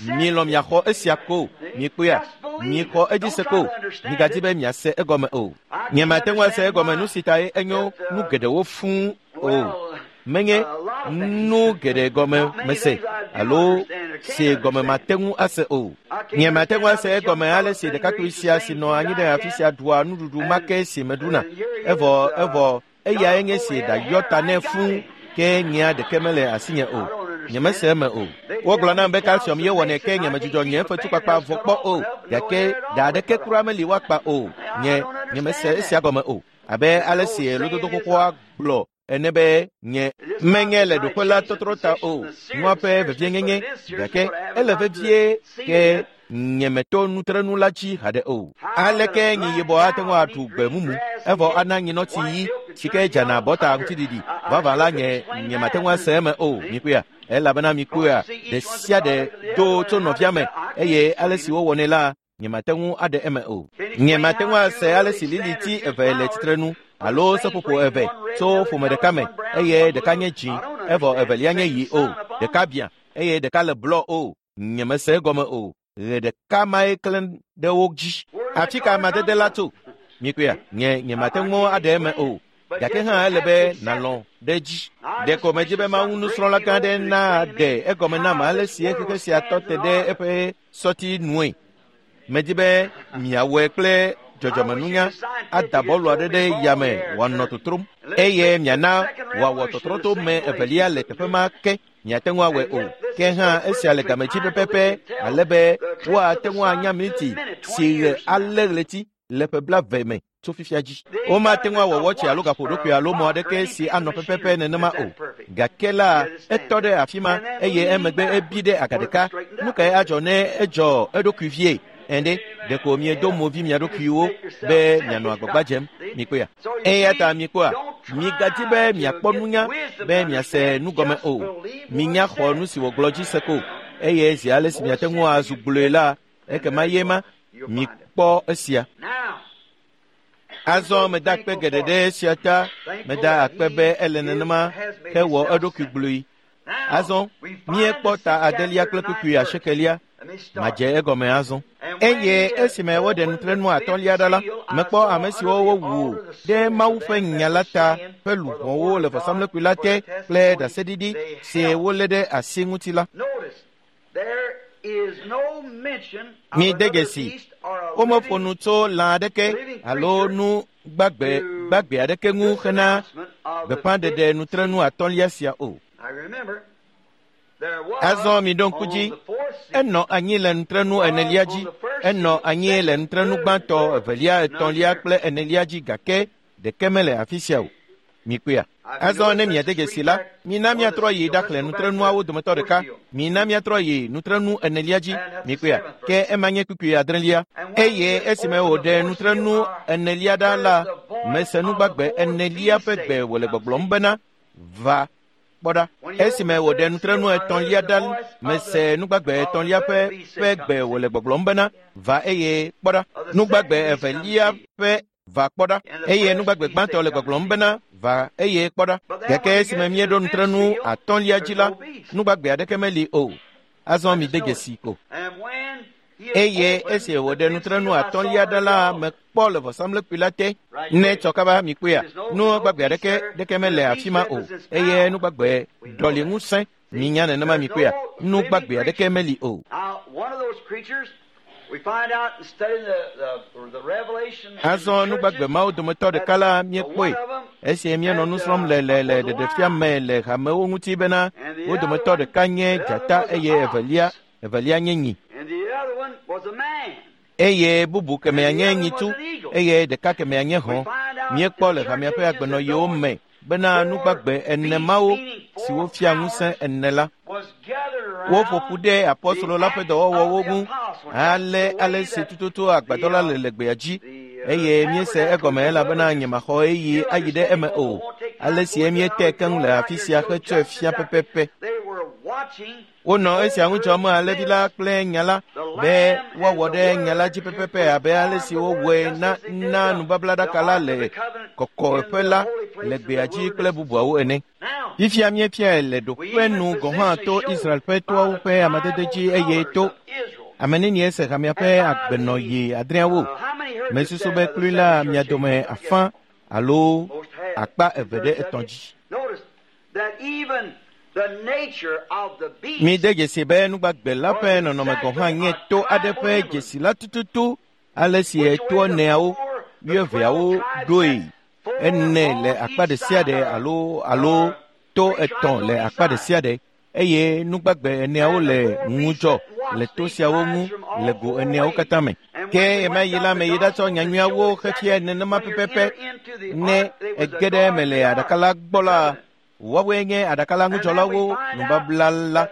Milɔ̃ miaxɔ esia ko. Mikpɔea, mixɔ edzi se ko. Migadzi be miase egɔme o. Nyemate ŋu ase egɔme nu si tae enyo nu geɖewo fũu o. Menye nu geɖe gɔme mese alo si gɔme mate ŋu ase o. Nyemate ŋu ase egɔme ale si ɖekakpui sia si nɔ anyi ɖe afi sia ɖua nuɖuɖu ma ke si meɖuna. Evɔ eyae nye si ɖayɔ ta nɛ fũu, ke nyea ɖeke mele asinye o. Nyemese eme o. Wogblɔ nam be calcium ye wɔnɛ ke nyemedzudzɔ nye fetukpakpa vɔ kpɔ o, gake ɖa aɖeke kura meli woakpa o. Nye nyemese esia gɔme o. Abe ale si lododo xoxoa gblɔ ene be nye menye le ɖoƒe la tɔtrɔ ta o, nua ƒe vevienyenye, gake ele vevie ke nyemeto nutrenu la dzi haɖe o. Aleke nyi yibɔ ate ŋu aɖu gbe mumu evɔ ana nyinɔtsi ɣi si ke dzana bɔta ŋutiɖiɖi vavã la nye nyemate ŋu ase eme o. Mikpɔea? Elabena mikpɔea, ɖe sia ɖe do tso nɔvia me eye ale si wowɔnɛ la nyemate ŋu aɖe eme o. Nyemate ŋu ase ale si liliti eve le tsitrenu alo seƒoƒo eve tso ƒome ɖeka me eye ɖeka nye dzĩ evɔ evelia nye ɣi o, ɖeka biã eye ɖeka le blɔ o. Nyemese egɔme o. Ɣe ɖeka mae klẽ ɖe wo dzi. Afi ka amadede la tso? Mikpɔea? Nye nyemate ŋu aɖe eme o. Gake hã ele be nàlɔ̃ ɖe edzi. Ɖeko medzi be Mawu nusrɔ̃la gã aɖe naɖe egɔme nam ale si xexe sia tɔ te ɖe eƒe sɔti nue. Medzi be miawɔe kple dzɔdzɔmenunya ada bɔlu aɖe ɖe yame wòanɔ totrom eye miana wòawɔ tɔtrɔ to me evelia le teƒe ma ke. Miate ŋu awɔe o. Ke hã esia le game dzi pɛpɛpɛ ale be woate ŋu anya miniti si ɣe alé ɣleti le ƒe 20 me tso fifia dzi. Womate ŋu awɔ wɔtsi alo gaƒoɖokui alo mɔ aɖeke si anɔ pɛpɛpɛ nenema o. Gake la etɔ ɖe afi ma eye emegbe ebi ɖe aga ɖeka. Nu kae adzɔ ne edzɔ eɖokui vie? Ende ɖeko miedo movi mia ɖokuiwo be mianɔ agbagba dzem. Mikpɔea? Eya ta mikpɔa, migadi be miakpɔ nunya be miase nu gɔme o. Minya xɔ nu si wògblɔ dzi se ko eye zi ale si miate ŋu azu gblɔe la, ekema ye ma mikpɔ esia. Azɔ meda akpe geɖe ɖe esia ta. Meda akpe be ele nenema hewɔ eɖokui gblɔe. Azɔ míekpɔ ta adelia kple kpukpui asiekelia. Madze egɔme azɔ. Eye esime woɖe nutrenu atɔ̃lia ɖa la, mekpɔ ame siwo wowu ɖe Mawu ƒe nya la ta ƒe luʋɔwo le vɔsamlekpui la te kple ɖaseɖiɖi si wolé ɖe asi ŋuti la. Mide dzesi, womeƒo nu tso lã aɖeke alo nu gbagbe gbagbe aɖeke ŋu hena gbeƒãɖeɖe nutrenu atɔ̃lia sia o. Azɔ miɖo ŋku dzi, enɔ anyi le nutrenu enelia dzi, enɔ anyi le nutrenu gbãtɔ, evelia, etɔ̃lia kple enelia dzi gake ɖeke mele afi sia o. Mikpɔea? Azɔ ne miade dzesi la, mina miatrɔ yi ɖaxlẽ nutrenuawo dometɔ ɖeka. Mina miatrɔ yi nutrenu enelia dzi. Mikpɔea? Ke ema nye kpukpui adrelia. Eye esime wòɖe nutrenu enelia ɖa la, mese nugbagbe enelia ƒe gbe wòle gbɔgblɔm bena, va kpɔ ɖa. Esime wòɖe nutrenu etɔ̃lia ɖa, mese nugbagbe etɔ̃lia ƒe gbe wòle gbɔgblɔm bena, va eye kpɔ ɖa. Nugbagbe evelia ƒe va kpɔ ɖa. Eye nugbagbe gbãtɔ le gbɔgblɔm bena, va eye kpɔ ɖa. Gake esime míeɖo nutrenu atɔ̃lia dzi la, nugbagbe aɖeke meli o. Azɔ mide dzesi ko. Eye esi wòɖe nutrenu atɔ̃lia ɖa la, mekpɔ le vɔsamlekpui la te. Ne tsɔ kaba mikpɔea, nugbagbe aɖeke ɖeke mele afi ma o. Eye nugbagbe ɖɔli ŋusẽ. Minya nenema mikpɔea, nugbagbe aɖeke meli o. Azɔ nugbagbe mawo dometɔ ɖeka la míekpɔe esi míenɔ nu srɔ̃m le le le ɖeɖefia me le hamewo ŋuti bena wo dometɔ ɖeka nye dzata eye evelia nye nyi. Eye bubu kemea nye nyitu eye ɖeka kemea nye hɔ̃. Míekpɔ le hamea ƒe agbenɔɣiwo me bena nugbagbe ene mawo siwo fia ŋusẽ ene la, woƒo ƒu ɖe apɔstolo la ƒe dɔwɔwɔwo ŋu ale ale si tututu agbadɔ la le le gbea dzi eye míese egɔme elabena nyemaxɔ ɣeyiɣi ayi ɖe eme o. Ale si míete keŋ le afi sia hetsɔe fia pɛpɛpɛ. Wonɔ esia ŋu dzɔm alẽvi la kple nya la be woawɔ ɖe nya la dzi pɛpɛpɛ abe ale si wowɔe na nubablaɖaka la le kɔkɔeƒe la le gbea dzi kple bubuawo ene. Fifia míefiae le ɖoƒe nu gɔ̃ hã to Israel ƒe toawo ƒe amadede dzi eye to ame nenie se hamea ƒe agbenɔɣi adreawo. Mesusu be klui la mia dome afã alo akpa eve ɖe etɔ̃ dzi. Mide dzesi be nugbagbe la ƒe nɔnɔme gɔ̃ hã nye to aɖe ƒe dzesi la tututu ale si etoa eneawo, wuieveawo ɖoe ene le akpa ɖe sia ɖe alo to etɔ̃ le akpa ɖe sia ɖe eye nugbagbe eneawo le ŋudzɔ. le to siawo ŋu le go eneawo katã me. Ke ɣemaɣi la meyi ɖatsɔ nyanyuiawo xefia nenema pɛpɛpɛ ne ege ɖe eme le aɖaka la gbɔ la, woawoe nye aɖaka la ŋudzɔlawo nubabla la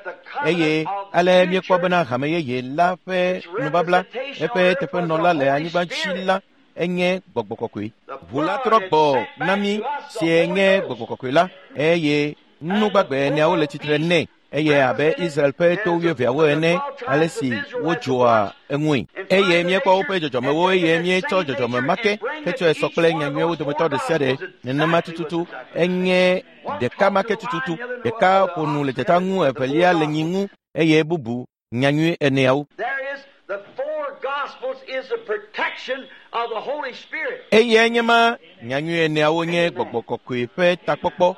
eye ale míekpɔ bena hame yeye la ƒe nubabla eƒe teƒenɔla le anyigba dzi la enye gbɔgbɔ kɔkɔe. Ʋu la trɔ gbɔ na mí sie nye gbɔgbɔ kɔkɔe la eye nugbagbe eneawo le tsitre nɛ eye abe Israel ƒe to wuieveawo ene ale si wodzoa eŋui. Eye míekpɔ woƒe dzɔdzɔmewo eye míetsɔ dzɔdzɔme ma ke hetsɔe sɔ kple nyanyuiwo dometɔ ɖe sia ɖe nenema tututu enye ɖeka ma ke tututu. Ɖeka ƒo nu le dzata ŋu, evelia le nyi ŋu eye bubu nyanyui eneawo. There is the four gospels is the protection of the Holy Spirit. Eye nye ma nyanyui eneawo nye gbɔgbɔ kɔkɔe ƒe takpɔkpɔ.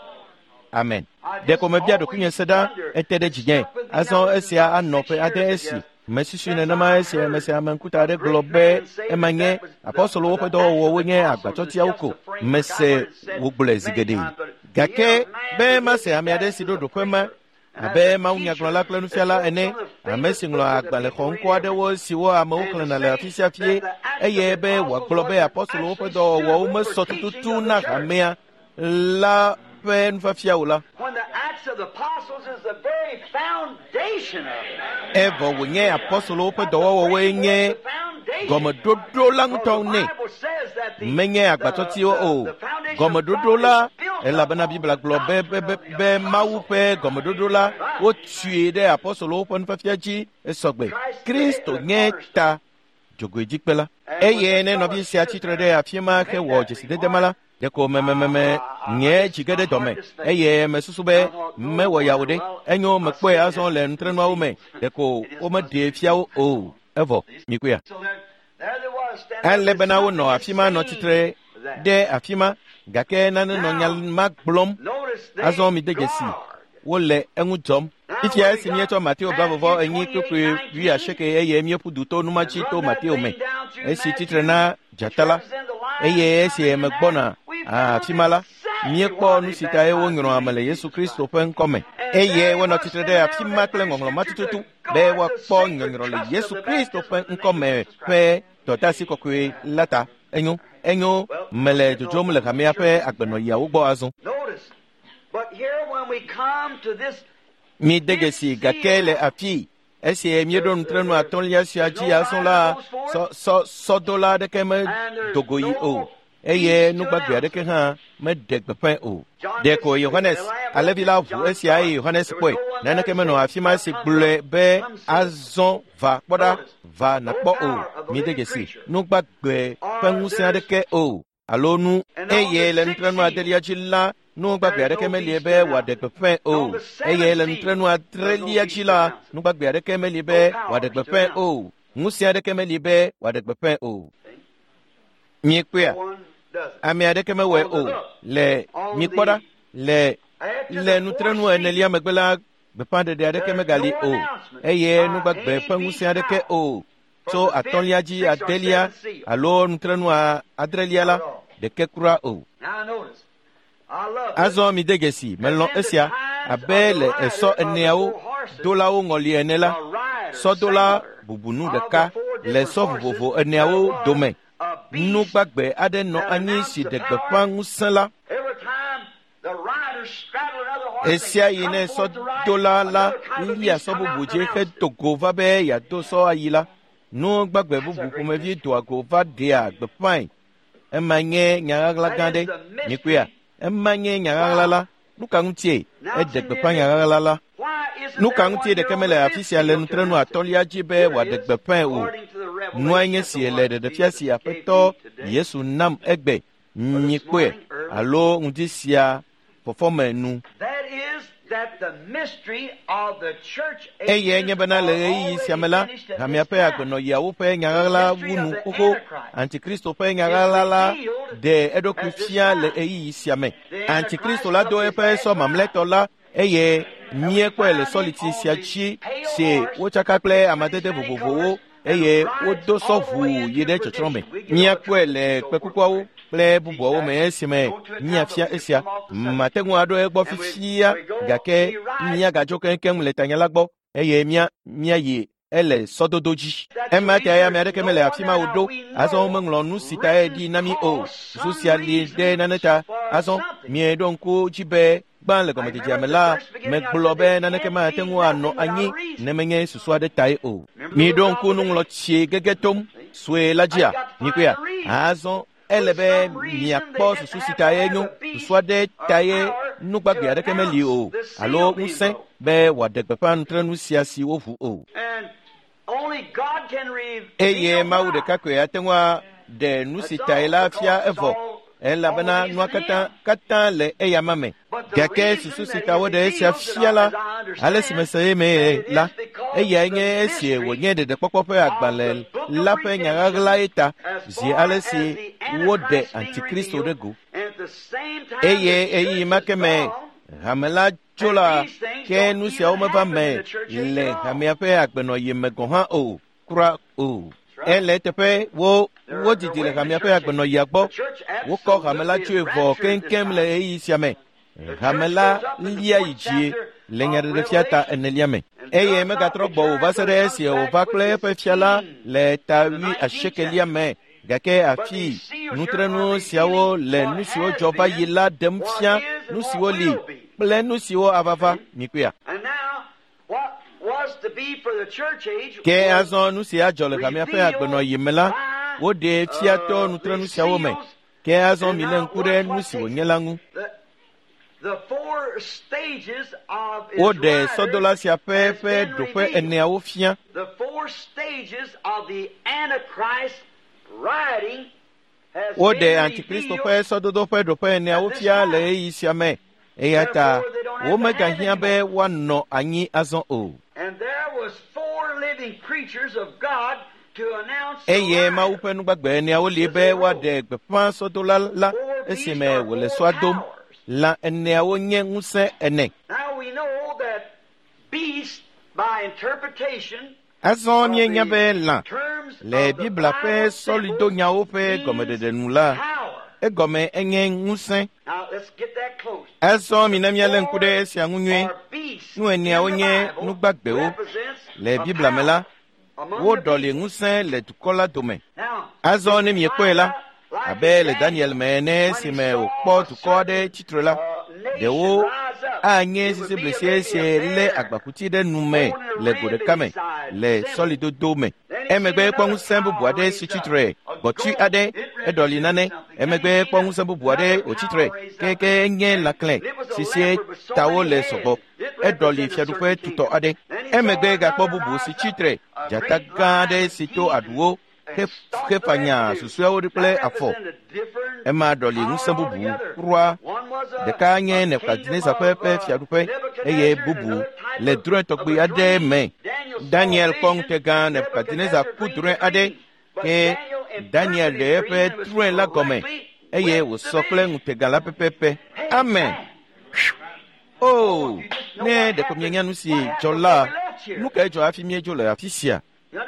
Amen. Ɖeko mebia ɖokuinye se ɖa ete ɖe dzinye. Azɔ esia anɔ ƒe ade esi. Mesusui nenema esi ame sia ame ŋkuta aɖe gblɔ be ema nye apɔstolowo ƒe dɔwɔwɔwo nye agbatsɔtiawo ko. Mese wogblɔe zi geɖe. Gake be mase ame aɖe si ɖo ɖoƒe ma abe mawunyagblɔla kple nufiala ene, ame si ŋlɔ agbalẽ xɔŋkɔ aɖewo siwo amewo xlẽna le afi sia fie eye be wòagblɔ be apɔstolowo ƒe dɔwɔwɔwo mesɔ tututu na hamea la ƒe nufiafia o la. When the Acts of the Apostles is the very foundation of it. Evɔ wònye apɔstolowo ƒe dɔwɔwɔwoe nye gɔmeɖoɖo la ŋutɔ nɛ. Menye agbatsɔtiwo o. Gɔmeɖoɖo la elabena Biblia gblɔ be be be be Mawu ƒe gɔmeɖoɖo la wotui ɖe apɔstolowo ƒe nufiafia dzi esɔgbe. Kristo nye ta dzogoedzikpe la. Eye ne nɔvi sia tsitre ɖe afi ma hewɔ dzesidede ma la, ɖeko memememe nye dzi ge ɖe dɔme eye mesusu be mewɔ yawo ɖe enyo mekpɔe azɔ le nutrenuawo me ɖeko womeɖee fia wo o evɔ mikuya. So there, there they was standing Ale there bena with wonɔ afi ma nɔ tsitre ɖe afi ma gake nane nɔ nya ma gblɔm Notice they azɔ mide dzesi guard. wole eŋu dzɔm. Fifia esi míetsɔ Mateo blavɔvɔ enyi kpukpui wuiasieke eye míeƒu du to numatsi to Mateo me esi tsitre na dzata la eye esi megbɔna afi ma la míekpɔ nu si tae wonyrɔ ame le Yesu Kristo ƒe ŋkɔ me eye wonɔ tsitre ɖe afi ma kple ŋɔŋlɔ ma tututu be woakpɔ nyɔnyrɔ le Yesu Kristo ƒe ŋkɔ me ƒe dɔdeasi kɔkɔe la ta. Enyo, enyo, mele dzodzom le hamea ƒe agbenɔɣiawo gbɔ azɔ. Notice. But here when we come to this Mide dzesi gake le afi esi míeɖo nutrenu atɔ̃lia sia dzi azɔ la sɔ sɔ sɔdola aɖeke medo go yi o eye nugbagbe aɖeke hã meɖe gbeƒãe o. Ɖeko Yohanes alẽvi la ʋu esia eye Yohanes kpɔe. Naneke menɔ afi ma si gblɔe be azɔ va kpɔ ɖa va nàkpɔ o. Mide dzesi nugbagbe ƒe ŋusẽ aɖeke o alo nu eye le nutrenu adelia dzi la nugbagbe aɖeke meli be wòaɖe gbeƒãe o eye le nutrenu adrelia dzi la nugbagbe aɖeke meli be wòaɖe gbeƒãe o ŋusẽ aɖeke meli be wòaɖe gbeƒãe o. Miekpɔea? one doesn't. Ame aɖeke mewɔe o le mikpɔ ɖa le le nutrenu enelia megbe la gbeƒãɖeɖe aɖeke megali o eye nugbagbe ƒe ŋusẽ aɖeke o tso atɔ̃lia dzi adelia alo nutrenu adrelia la ɖeke kura o. Now notice. I love this. Azɔ mide dzesi melɔ̃ esia abe le esɔ eneawo dolawo ŋɔli ene la sɔdola bubunu ɖeka le sɔ vovovo eneawo dome nugbagbe aɖe nɔ anyi si ɖe gbeƒã ŋusẽ la Every time the rider straddled another horse, and ɣesiaɣi ne come forth to ride, sɔdola la another kind of lia beast sɔ come bubu out dzi and announce hedo go va be yeado sɔ ayi la nugbagbe bubu ƒomevi doa go va ɖea gbeƒãe ema nye nyaɣaɣla gã ɖe mikpɔea ema nye nyaɣaɣla la nu ka ŋutie eɖe gbeƒã nyaɣaɣla la Why isn't nu ka there ŋutie one ɖeke here mele on afi this sia le field to nutrenu announce it? atɔ̃lia dzi be Here wòaɖe it is, gbeƒãe o according to the revelation nua nye of si the le one ɖeɖefia Jesus si gave aƒetɔ me today. Yesu nam egbe mikpɔe alo ŋdi sia fɔfɔme nu That is that the mystery of the church eye ages nye bena le are ɣeyiɣi sia me already la finished at hamea this ƒe time. agbenɔɣiawo ƒe nyaɣaɣla wu nu xoxo antikristo ƒe nyaɣaɣla la ɖe eɖokui fia le ɣeyiɣi sia me antikristo la do eƒe sɔ mamlɛtɔ la eye míekpɔe le sɔliti sia dzi si wotsaka kple amadede vovovowo eye wodo sɔ ʋuu yi ɖe tsɔtsrɔ̃ me míakpɔe le kpekukuawo kple bubuawo me esime míafia esia mate ŋu aɖo egbɔ fifia gake míagadzo keŋkeŋ le tanya la gbɔ eye mía míayi Ele sɔdodo dzi. Ema ta ame aɖeke mele afi ma o ɖo. Azɔ womeŋlɔ nu si tae ɖi na mí o. Susu sia li ɖe nane ta. Azɔ mieɖo ŋku dzi be gbã le gɔmedzedzea me la, megblɔ be naneke mate ŋu anɔ anyi ne menye susu aɖe tae o. Miɖo ŋku nuŋlɔtsi gege tom sue la dzia? Mikpɔea? Azɔ ele be miakpɔ susu si tae nyo. Susu aɖe tae nugbagbe aɖeke meli o alo ŋusẽ be wòaɖe gbeƒã nutrenu sia si woʋu o. Eye Mawu ɖeka koe ate ŋu aɖe nu si tae la fia evɔ, elabena nua katã le eyama me. Gake susu si ta woɖe esia fia la, ale si mese eme la, eyae nye esi wònye ɖeɖekpɔkpɔ ƒe agbalẽ la ƒe nya ɣaɣlae ta zi ale si woɖe Antikristo ɖe go. Eye ɣeyiɣi ma ke me hame la tso la, ke nu siawo meva me le hamea ƒe agbenɔɣi me gɔ̃ hã o, kura o. Ele eteƒe wodzidzi le hamea ƒe agbenɔɣia gbɔ. Wokɔ hame la tsoe vɔ keŋkeŋ le ɣeyiɣi sia me. Hame la lia yi dzie le nyaɖeɖefia ta enelia me. Eye megatrɔ gbɔ o va se ɖe esi wòva kple eƒe fia la le ta 80 me. Gake afi nutrenu siawo le nu siwo dzɔ va yi la ɖem fia nu siwo li kple nu siwo ava va. Mikpɔea? Ke azɔ nu si adzɔ le hamea ƒe agbenɔɣi me la, woɖee fia to nutrenu siawo me. Ke azɔ milé ŋku ɖe nu si wònye la ŋu. Woɖe sɔdola sia ƒe ɖoƒe eneawo fia. Woɖe Antikristo ƒe sɔdodo ƒe ɖoƒe eneawo fia le ɣeyiɣi sia me. Eya ta womegahiã be woanɔ anyi azɔ o. Eye Mawu ƒe nugbagbe eneawo li be woaɖe gbeƒã sɔdola la esime wòle sɔa dom. Lã eneawo nye ŋusẽ ene. Azɔ míenya be lã le Biblia ƒe sɔlidonyawo ƒe gɔmeɖeɖe nu la, egɔme enye ŋusẽ. Azɔ mina míalé ŋku ɖe esia ŋu nyuie. Nu eneawo nye nugbagbewo. Le Biblia me la, woɖɔli ŋusẽ le dukɔ la dome. Azɔ ne miekpɔe la, abe le Daniel me ene esime wòkpɔ dukɔ aɖe tsitre la, ɖewo anye sisiblisi si lé agbakuti ɖe nu me le go ɖeka me le sɔlidodo me. Emegbe kpɔ ŋusẽ bubu aɖe si tsitre, gbɔtui aɖe eɖɔli nane. Emegbe kpɔ ŋusẽ bubu aɖe wòtsitre, keke nye lãklẽ si sie tawo le sɔgbɔ. Eɖɔli fiaɖuƒe tutɔ aɖe. Emegbe gakpɔ bubu si tsitre, dzata gã aɖe si to aɖuwo xefanya susuewo kple afɔ. Ema ɖɔli ŋusẽ bubu kura. Ɖeka nye Nebukadnezar ƒe fiaɖuƒe eye bubu le drɔ̃e tɔgbi aɖe me. Daniel kpɔ ŋutegã Nebukadnezar ku drɔ̃e aɖe ke Daniel ɖe eƒe drɔ̃e la gɔme eye wòsɔ kple ŋutega la pɛpɛpɛ. Amen. O, ne ɖeko mienya nu si dzɔ la, nu kae dzɔ hafi míedzo le afi sia?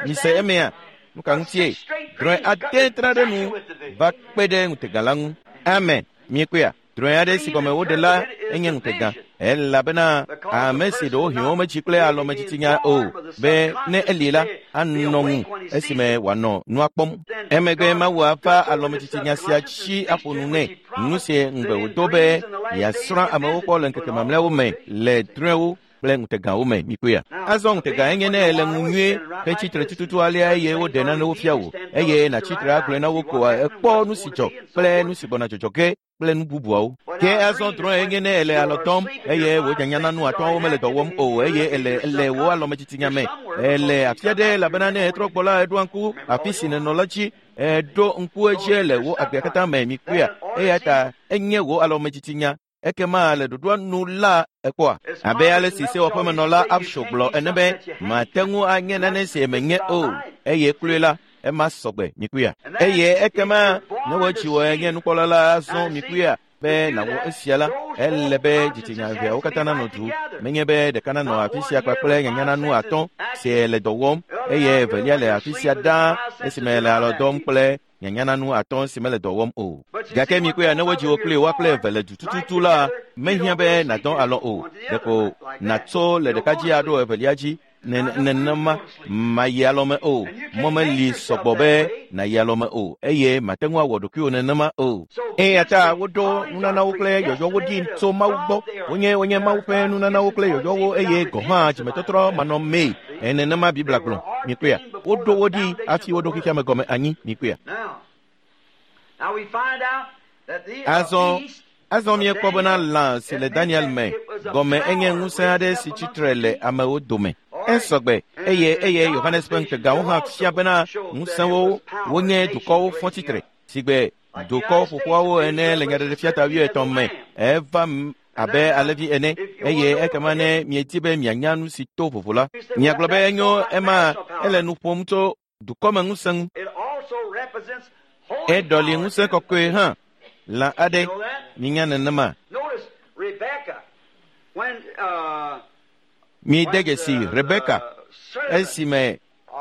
Mise emea? Nu ka ŋutie? Drɔ̃e ade tra ɖe nu va kpe ɖe ŋutega la ŋu. Amen. Miekpɔea? Drɔ̃e aɖe si gɔme woɖe la enye ŋutega, elabena ame si ɖewohĩ wometsi kple alɔmetsitsinya o be ne eli la anɔ ŋu esime wòanɔ nua kpɔm. Emegbe Mawu ava alɔmetsitsinya sia dzi aƒo nu nɛ. Nu si ŋugbe wòdo be yeasrɔ̃ amewo kpɔ le ŋkeke mamlɛawo me le drɔ̃ewo kple ŋutegawo me. Mikpɔea? Azɔ ŋutega enye ne ele ŋu nyuie hetsitre tututu alea eye woɖe nanewo fia wò eye nàtsitre agblɔe na wo ko ekpɔ nu si dzɔ kple nu si gbɔna dzɔdzɔ ge kple nu bubuawo. Ke azɔ drɔ̃e enye ne ele alɔ dɔm eye wò nyanya nu atɔ̃awo mele dɔ wɔm o eye ele wò alɔmetsitsinya me. Ele afi aɖe elabena ne etrɔ gbɔ la eɖoa ŋku afi si nènɔ la dzi. Eɖo ŋku edzi le wò agbea katã me. Mikpɔea? Eya ta enye wò alɔmetsitsinya. Ekema le ɖoɖoa nu la ekpɔa. Abe ale si sewɔƒemenɔla Absho gblɔ ene be mate ŋu anye nane si menye o eye kloe la ema sɔgbe. Mikpɔea? Eye ekema ne wò dziwɔ nye nukpɔla la azɔ mikpɔea be nàwɔ esia la, ele be dzitsinya eveawo katã nanɔ du. Menye be ɖeka nanɔ afi sia kpakple nyanyananu atɔ̃ si le dɔ wɔm eye evelia le afi sia ɖaa esime le alɔ dɔm kple nyanyananu atɔ̃ si mele dɔ wɔm o. Gake mikpɔea ne wodzi wò kple woa kple eve le du tututu la, mehiã be nàdɔ alɔ o. Ɖeko nàtso le ɖeka dzi aɖo evelia dzi. Nenema mayi alɔme o. Mɔ meli sɔgbɔ be nàyi alɔme o eye mate ŋu awɔ ɖokuiwò nenema o. Eya ta woɖo nunanawo kple yɔyɔwo ɖi tso Mawu gbɔ. Wonye Mawu ƒe nunanawo kple yɔyɔwo eye gɔ̃ hã dzimetɔtrɔ manɔmee. Nenema Biblia gblɔ. Mikpɔea? Woɖo wo ɖi hafi woɖo xexea me gɔme anyi. Mikpɔea? Azɔ míekpɔ bena lã si le Daniel me gɔme enye ŋusẽ aɖe si tsitre le amewo dome. Esɔgbe eye Yohanes ƒe ŋutegawo hã fia bena ŋusẽwo wonye dukɔwo fɔ tsitre sigbe dukɔ ƒoƒoawo ene le Nyaɖeɖefia ta 80 me. Eva abe alẽvi ene eye ekema ne miedi be mianya nu si to vovo la, miagblɔ be enyo ema ele nu ƒom tso dukɔme ŋusẽ ŋu. Eɖɔli ŋusẽ kɔkɔe hã lã aɖe. Minya nenema. Mide dzesi Rebeka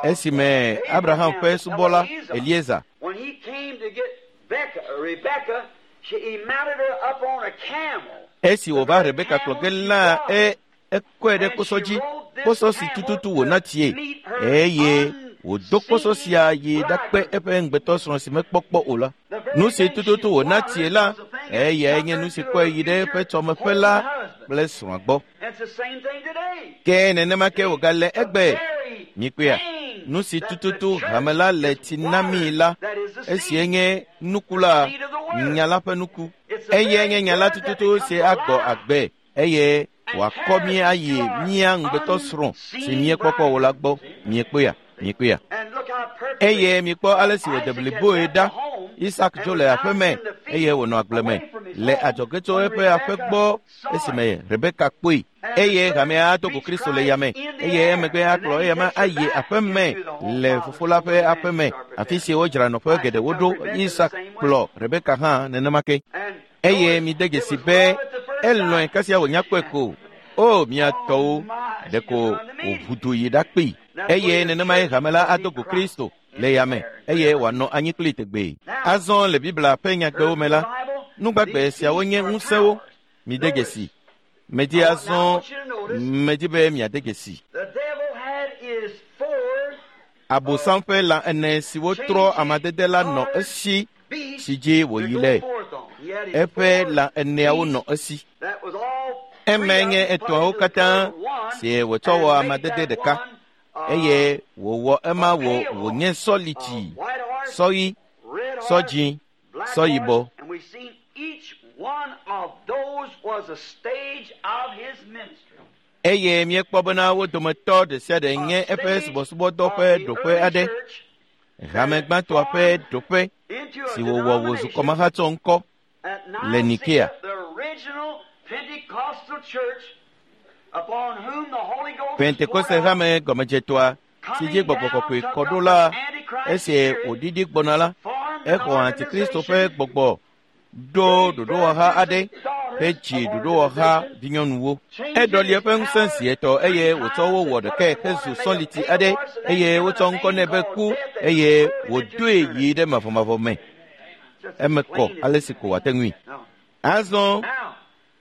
esime Abraham ƒe subɔla Eliezer esi wòva Rebeka kplɔ ge la, ekɔe ɖe kposɔ dzi, kposɔ si tututu wòna tsie, eye wòdo kposɔ sia yi ɖakpe eƒe ŋugbetɔsrɔ̃ si mekpɔ kpɔ o la. Nu si tututu wòna tsie la, eyae nye nu si kɔe yi ɖe eƒe tsɔmeƒe la kple srɔ̃a gbɔ. Ke nenema ke wògale egbe. Mikpɔea? Nu si tututu hame la le tsi na mí la, esie nye nuku la, nya la ƒe nuku. Eyae nye nya la tututu si agbɔ agbe eye wòakɔ mí ayi mía ŋugbetɔsrɔ̃ si míekpɔkpɔ o la gbɔ. Miekpɔea? Mikpɔea? Eye mikpɔ ale si wòde bliboe ɖa. Isak dzo le aƒe me eye wònɔ agble me le adzɔge tso eƒe aƒe gbɔ esime Rebeka kpɔe. Eye hamea do go Kristo le yame eye emegbe akplɔ eyama ayi aƒe me le fofo la ƒe aƒe me, afi si wodzra nɔƒe geɖewo ɖo. Isak kplɔ Rebeka hã nenema ke. Eye mide dzesi be elɔ̃e kasia wònya kpɔe ko. O mia tɔwo, ɖeko wòʋu du yi ɖakpee. Eye nenemae hame la ado go Kristo le yame eye wòanɔ anyi kpli tegbee. Azɔ le Biblia ƒe nyagbewo me la, nugbagbe siawo nye ŋusẽwo. Mide dzesi. Medi azɔ, medi be miade dzesi. Abosam ƒe lã ene siwo trɔ amadede la nɔ esi si dzi wòyi le. Eƒe lã eneawo nɔ esi. Emae nye etɔ̃awo katã si wòtsɔ wɔ amadede ɖeka eye wòwɔ ema wònye sɔlitsi, sɔɣi, sɔdzĩ, sɔyibɔ. Eye míekpɔ bena wo dometɔ ɖe sia ɖe nye eƒe subɔsubɔdɔ ƒe ɖoƒe aɖe, hame gbãtɔa ƒe ɖoƒe si wòwɔ wòzu kɔmahatsɔ ŋkɔ le Nikea. Pentekoste hame gɔmedzetɔa si dzi gbɔgbɔ kɔkɔe kɔ ɖo la, esi wòɖiɖi gbɔna la, exɔ Antikristo ƒe gbɔgbɔ ɖo ɖoɖowɔha aɖe hedzi ɖoɖowɔha vinyɔnuwo. Eɖɔli eƒe ŋusẽ zi etɔ̃ eye wòtsɔ wo wɔ ɖekae hezu sɔliti aɖe eye wotsɔ ŋkɔ nɛ be ku eye wòdoe yi ɖe mavɔmavɔ me. Eme kɔ ale si ko wòate ŋui.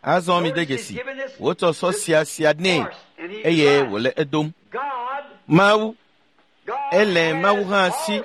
Azɔ mide dzesi, wotsɔ sɔ sia nɛ eye wòle edom. Mawu, ele Mawu hã si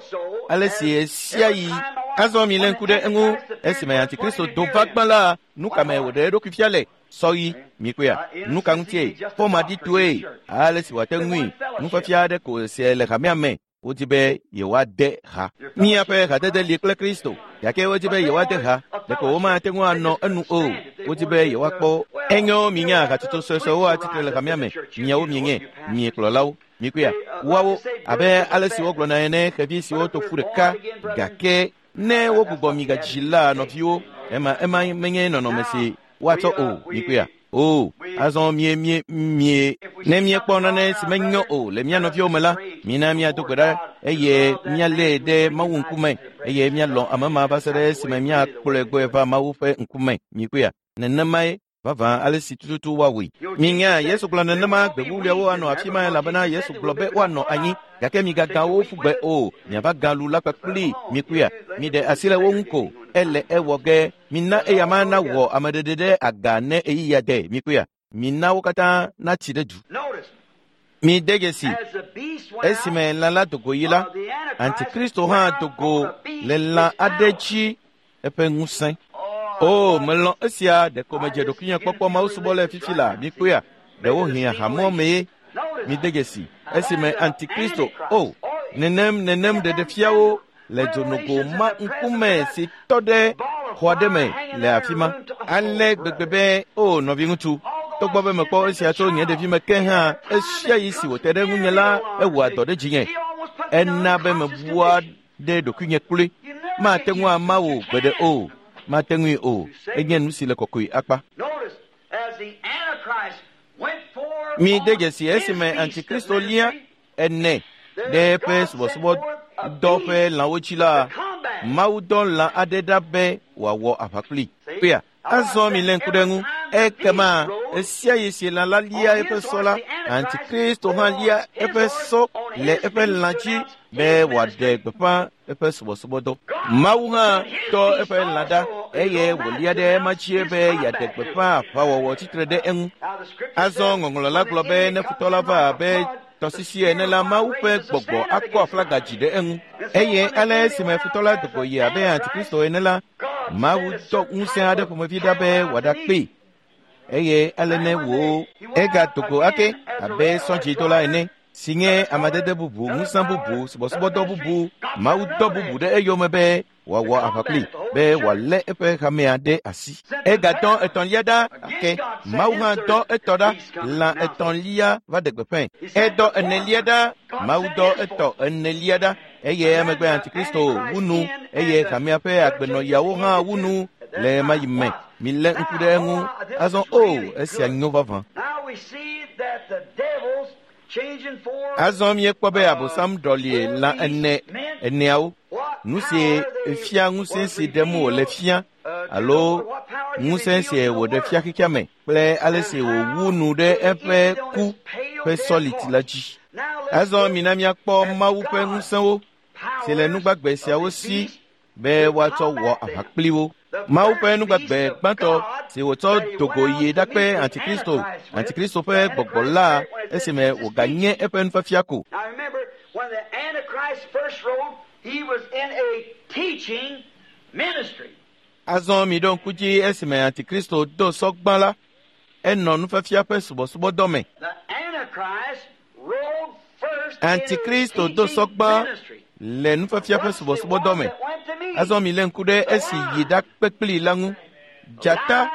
ale si ɣe sia ɣi. Azɔ milé ŋku ɖe eŋu esime Antikristo do va gbã la, nu ka me wòɖe eɖokui fia le? Sɔɣi, mikpɔea? Nu ka ŋutie? Fɔmaɖitɔe ale si wòate ŋui. Nufiafia aɖe ko sie le hamea me. Wodi be yewoade ha. Míaƒe hadede li kple Kristo, gake wodi be yewoade ha. Ɖeko womate ŋu anɔ enu o. Wodi be yewoakpɔ. Enyo minya hatsotso suesuewo atsitre le hamea me. Miawo mienye miekplɔlawo. Mikpɔea? Woawo abe ale si wogblɔna ene, xevi siwo to ƒu ɖeka, gake ne wogbugbɔ mi gadzi la nɔviwo, ema menye nɔnɔme si woatsɔ o. Mikpɔea? O, azɔ mie ne míekpɔ nane si menyo o le mía nɔviwo me la, mina míado gbe ɖa eye míalée ɖe Mawu ŋkume eye míalɔ̃ ame ma va se ɖe esime míakplɔe gbɔe va Mawu ƒe ŋkume. Mikpɔea? Nenemae vavã ale si tututu woawɔe. Minya Yesu gblɔ nenema gbe wuwluiawo anɔ afi ma elabena Yesu gblɔ be woanɔ anyi, gake migagã wo ƒu gbe o, miava gã lu la kpakpli. Mikpɔea? Miɖe asi le wo ŋu ko. Ele ewɔ ge. Mina eyama nawɔ ameɖeɖe ɖe aga ne ɣeyiɣia de. Mikpɔea? Mina wo katã natsi ɖe du. Mi de dzesi, esime lã la do go yi la, Antikristo hã do go le lã aɖe dzi eƒe ŋusẽ. O, melɔ̃ esia ɖeko medze ɖokuinye kpɔkpɔ Mawu subɔlae fifi la, mikpɔea, ɖewohĩ ahamɔ mee. Mi de dzesi, esime Antikristo, o, nenem nenem ɖeɖefiawo le dzonogo ma ŋkume si tɔ ɖe xɔ aɖe me le afi ma. Ale gbegbe be, o nɔviŋutsu, togbɔ be mekpɔ esia tso nye ɖevime ke hã, esia yi si wòte ɖe ŋunye la, ewɔa dɔ ɖe dzinye. Ena be mebua ɖe ɖokuinye kloe. Mate ŋu ama wò gbeɖe o. Mate ŋui o. Enye nu si le kɔkɔe akpa. Mi de dzesi esime Antikristo lia ene ɖe eƒe subɔsubɔdɔ ƒe lãwo dzi la, Mawu dɔ lã aɖe ɖa be wòawɔ aʋa kplii. Kpea, azɔ mi lé ŋku ɖe eŋu. Ekema esia yi si lã la lia eƒe sɔ la, Antikristo hã lia eƒe sɔ le eƒe lã dzi be wòaɖe gbeƒã eƒe subɔsubɔdɔ. Mawu hã tɔ eƒe lã ɖa eye wòlia ɖe ema dzi be yeaɖe gbeƒã aʋawɔwɔ tsitre ɖe eŋu. Azɔ ŋɔŋlɔ la gblɔ be ne futɔ la va abe tɔsisi ene la, Mawu ƒe gbɔgbɔ akɔ aflaga dzi ɖe eŋu. Eye ale esime futɔ la do go yi abe Antikristo ene la, Mawu dɔ ŋusẽ aɖe ƒomevi ɖa be wòaɖakpee. Eye ale ne wò egado go ake abe sɔdzidola ene, si nye amadede bubu, ŋusẽ bubu, subɔsubɔdɔ bubu, Mawu dɔ bubu ɖe eyome be wòawɔ aʋa kplii, be wòalé eƒe hamea ɖe asi. Egadɔ etɔ̃lia ɖa ake, Mawu hã dɔ etɔ ɖa, lã etɔ̃lia va ɖe gbeƒãe. Edɔ enelia ɖa, Mawu dɔ etɔ enelia ɖa, eye emegbe Antikristo wu nu, eye hamea ƒe agbenɔyawo hã wu nu le ɣemaɣi me. Milé ŋku ɖe eŋu. Azɔ o, esia nyo vavã. Azɔ míekpɔ be Abosam ɖɔli lã ene eneawo. Nu si fia ŋusẽ si ɖem wòle fia alo ŋusẽ si wòɖe fia xexea me kple ale si wòwu nu ɖe eƒe ku ƒe sɔliti la dzi. Azɔ mina míakpɔ Mawu ƒe ŋusẽwo si le nugbagbe siawo si be woatsɔ wɔ aʋa kpli wo. Mawu ƒe nugbagbe gbãtɔ si wòtsɔ do go yi ɖakpe Antikristo, Antikristo ƒe gbɔgbɔ la esime wòganye eƒe nufiafia ko. Azɔ mi ɖo ŋku dzi esime Antikristo do sɔ gbã la, enɔ nufiafia ƒe subɔsubɔdɔ me. Antikristo do sɔ gbã le nufiafia ƒe subɔsubɔdɔ me. Azɔ mi lé ŋku ɖe esi yi ɖakpe kplii la ŋu. Dzata,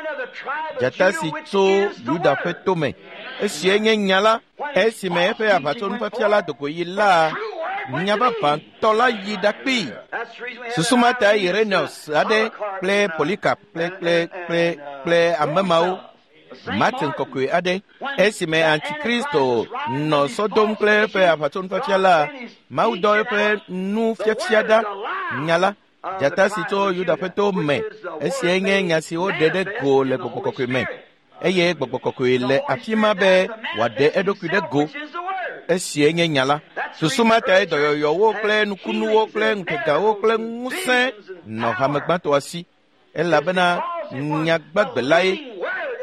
dzata si tso Yuda ƒe tome. Esie nye nya la, esime eƒe aʋatsonufiafia la do go yi la, nya vavãtɔ la yi ɖakpee. Susu ma ta Irenaeus aɖe kple Polycarp kple kple kple kple ame mawo, Martin kɔkɔe aɖe, esime Antikristo nɔ sɔ dom kple eƒe aʋatsonufiafia la, Mawu dɔ eƒe nufiafia ɖa, nya la, dzata si tso Yuda ƒe to me. Esiae nye nya si woɖe ɖe go le gbɔgbɔ kɔkɔe me, eye gbɔgbɔ kɔkɔe le afi ma be wòaɖe eɖokui ɖe go. Esiae nye nya la. Susu ma tae dɔyɔyɔwo kple nukunuwo kple ŋutegawo kple ŋusẽ nɔ hame gbãtɔa si, elabena nya gbagbe lae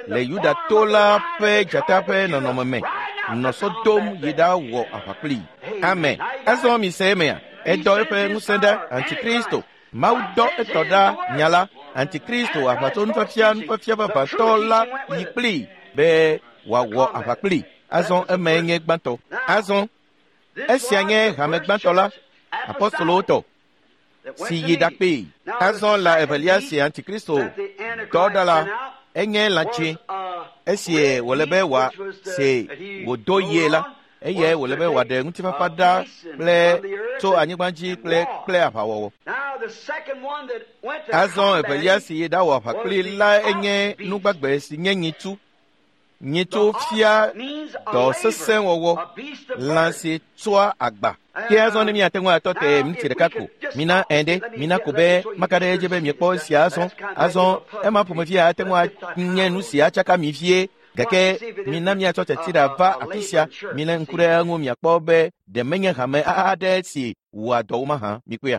le Yuda to la ƒe dzata ƒe nɔnɔme me nɔ sɔ dom yi ɖawɔ aʋa kplii. Amen. Azɔ mi se emea, edɔ eƒe ŋusẽ ɖa Antikristo. Mawu dɔ etɔ ɖa nya la, Antikristo aʋatso nufiafia nufiafia vavãtɔ la yi kplii be wòawɔ aʋa kplii. Azɔ emae nye gbãtɔ. Azɔ esia nye hame gbãtɔ la, apostolowo tɔ, si yi ɖakpee. Azɔ lã evelia si Antikristo dɔ ɖa la, enye lã tsɛ. Esi wòle be wòase wòdo yie la, eye wòle be wòaɖe ŋutifafa ɖa kple tso anyigba dzi kple kple aʋawɔwɔ. Azɔ evelia si yi ɖawɔ aʋa kpli la enye nugbagbe si nye nyitsu. Nyitsu fia dɔ sesẽ wɔwɔ, lã si tsɔa agba. Ke azɔ ne míate ŋu atɔ te miniti ɖeka ko, mina ẽ ɖe, mina ko be maka ɖe edzi be miekpɔ esia azɔ. Azɔ ema ƒomevi ate ŋu anye nu si atsaka mi vie, gake mina míatsɔ tsatsi ɖa va afi sia. Milé ŋku ɖe eŋu miakpɔ be ɖe menye hame aɖe si wɔa dɔ wo mahã. Mikpɔea?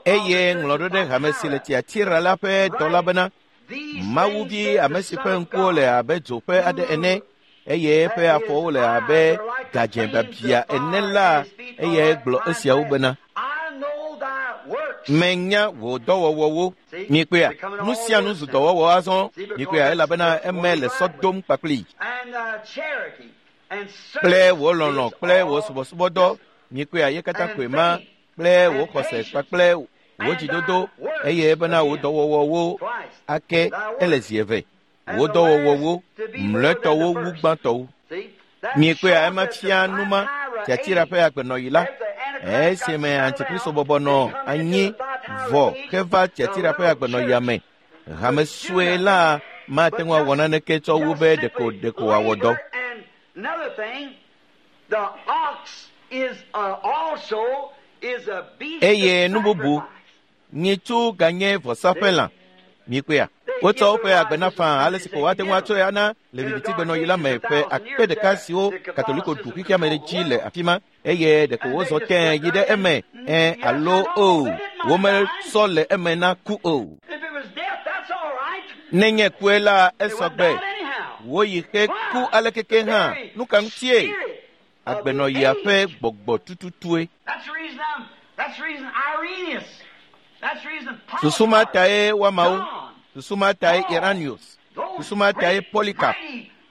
Eye ŋlɔ ɖo ɖe hame si le Tiatira la ƒe dɔla bena, Mawuvi ame si ƒe ŋkuwo le abe dzo ƒe aɖe ene, eye eƒe afɔwo le abe gadzẽ biabia ene la, eyae gblɔ esiawo bena, menya wò dɔwɔwɔwo. Mikpɔea, nu sia nu zu dɔwɔwɔ azɔ. Mikpɔea, elabena eme le sɔ dom kpakpli kple wò lɔlɔ̃ kple wò subɔsubɔdɔ. Mikpɔea, ye katã koe ma kple wò xɔse kpakple wò dzidodo, eye bena wò dɔwɔwɔwo ake ele zi eve. Wò dɔwɔwɔwo mlɔetɔwo wu gbãtɔwo. Mikpɔea, ema fia numa Tiatira ƒe agbenɔɣi la, esime Antikristo bɔbɔ nɔ anyi vɔ heva Tiatira ƒe agbenɔɣia me. Hame sue la mate ŋu awɔ naneke tsɔ wu be ɖeko wòawɔ dɔ. Eye nu bubu, nyitsu ganye vɔsaƒe lã. Mikpɔea, wotsɔ woƒe agbe na faa ale si ko woate ŋu atsɔe ana le vivitigbenɔɣi la me ƒe akpe ɖeka siwo Katoliko ɖu xexea me dzi le afi ma, eye ɖeko wozɔ tẽe yi ɖe eme, ẽ alo o, womesɔ le eme na ku o. Nenye kue la, esɔgbe. Woyi xe ku alekeke hã. Nu ka ŋutie? Agbenɔɣia ƒe gbɔgbɔ tututue. Susu ma tae woamawo, susu ma tae Irenaeus, susu ma tae Polycarp,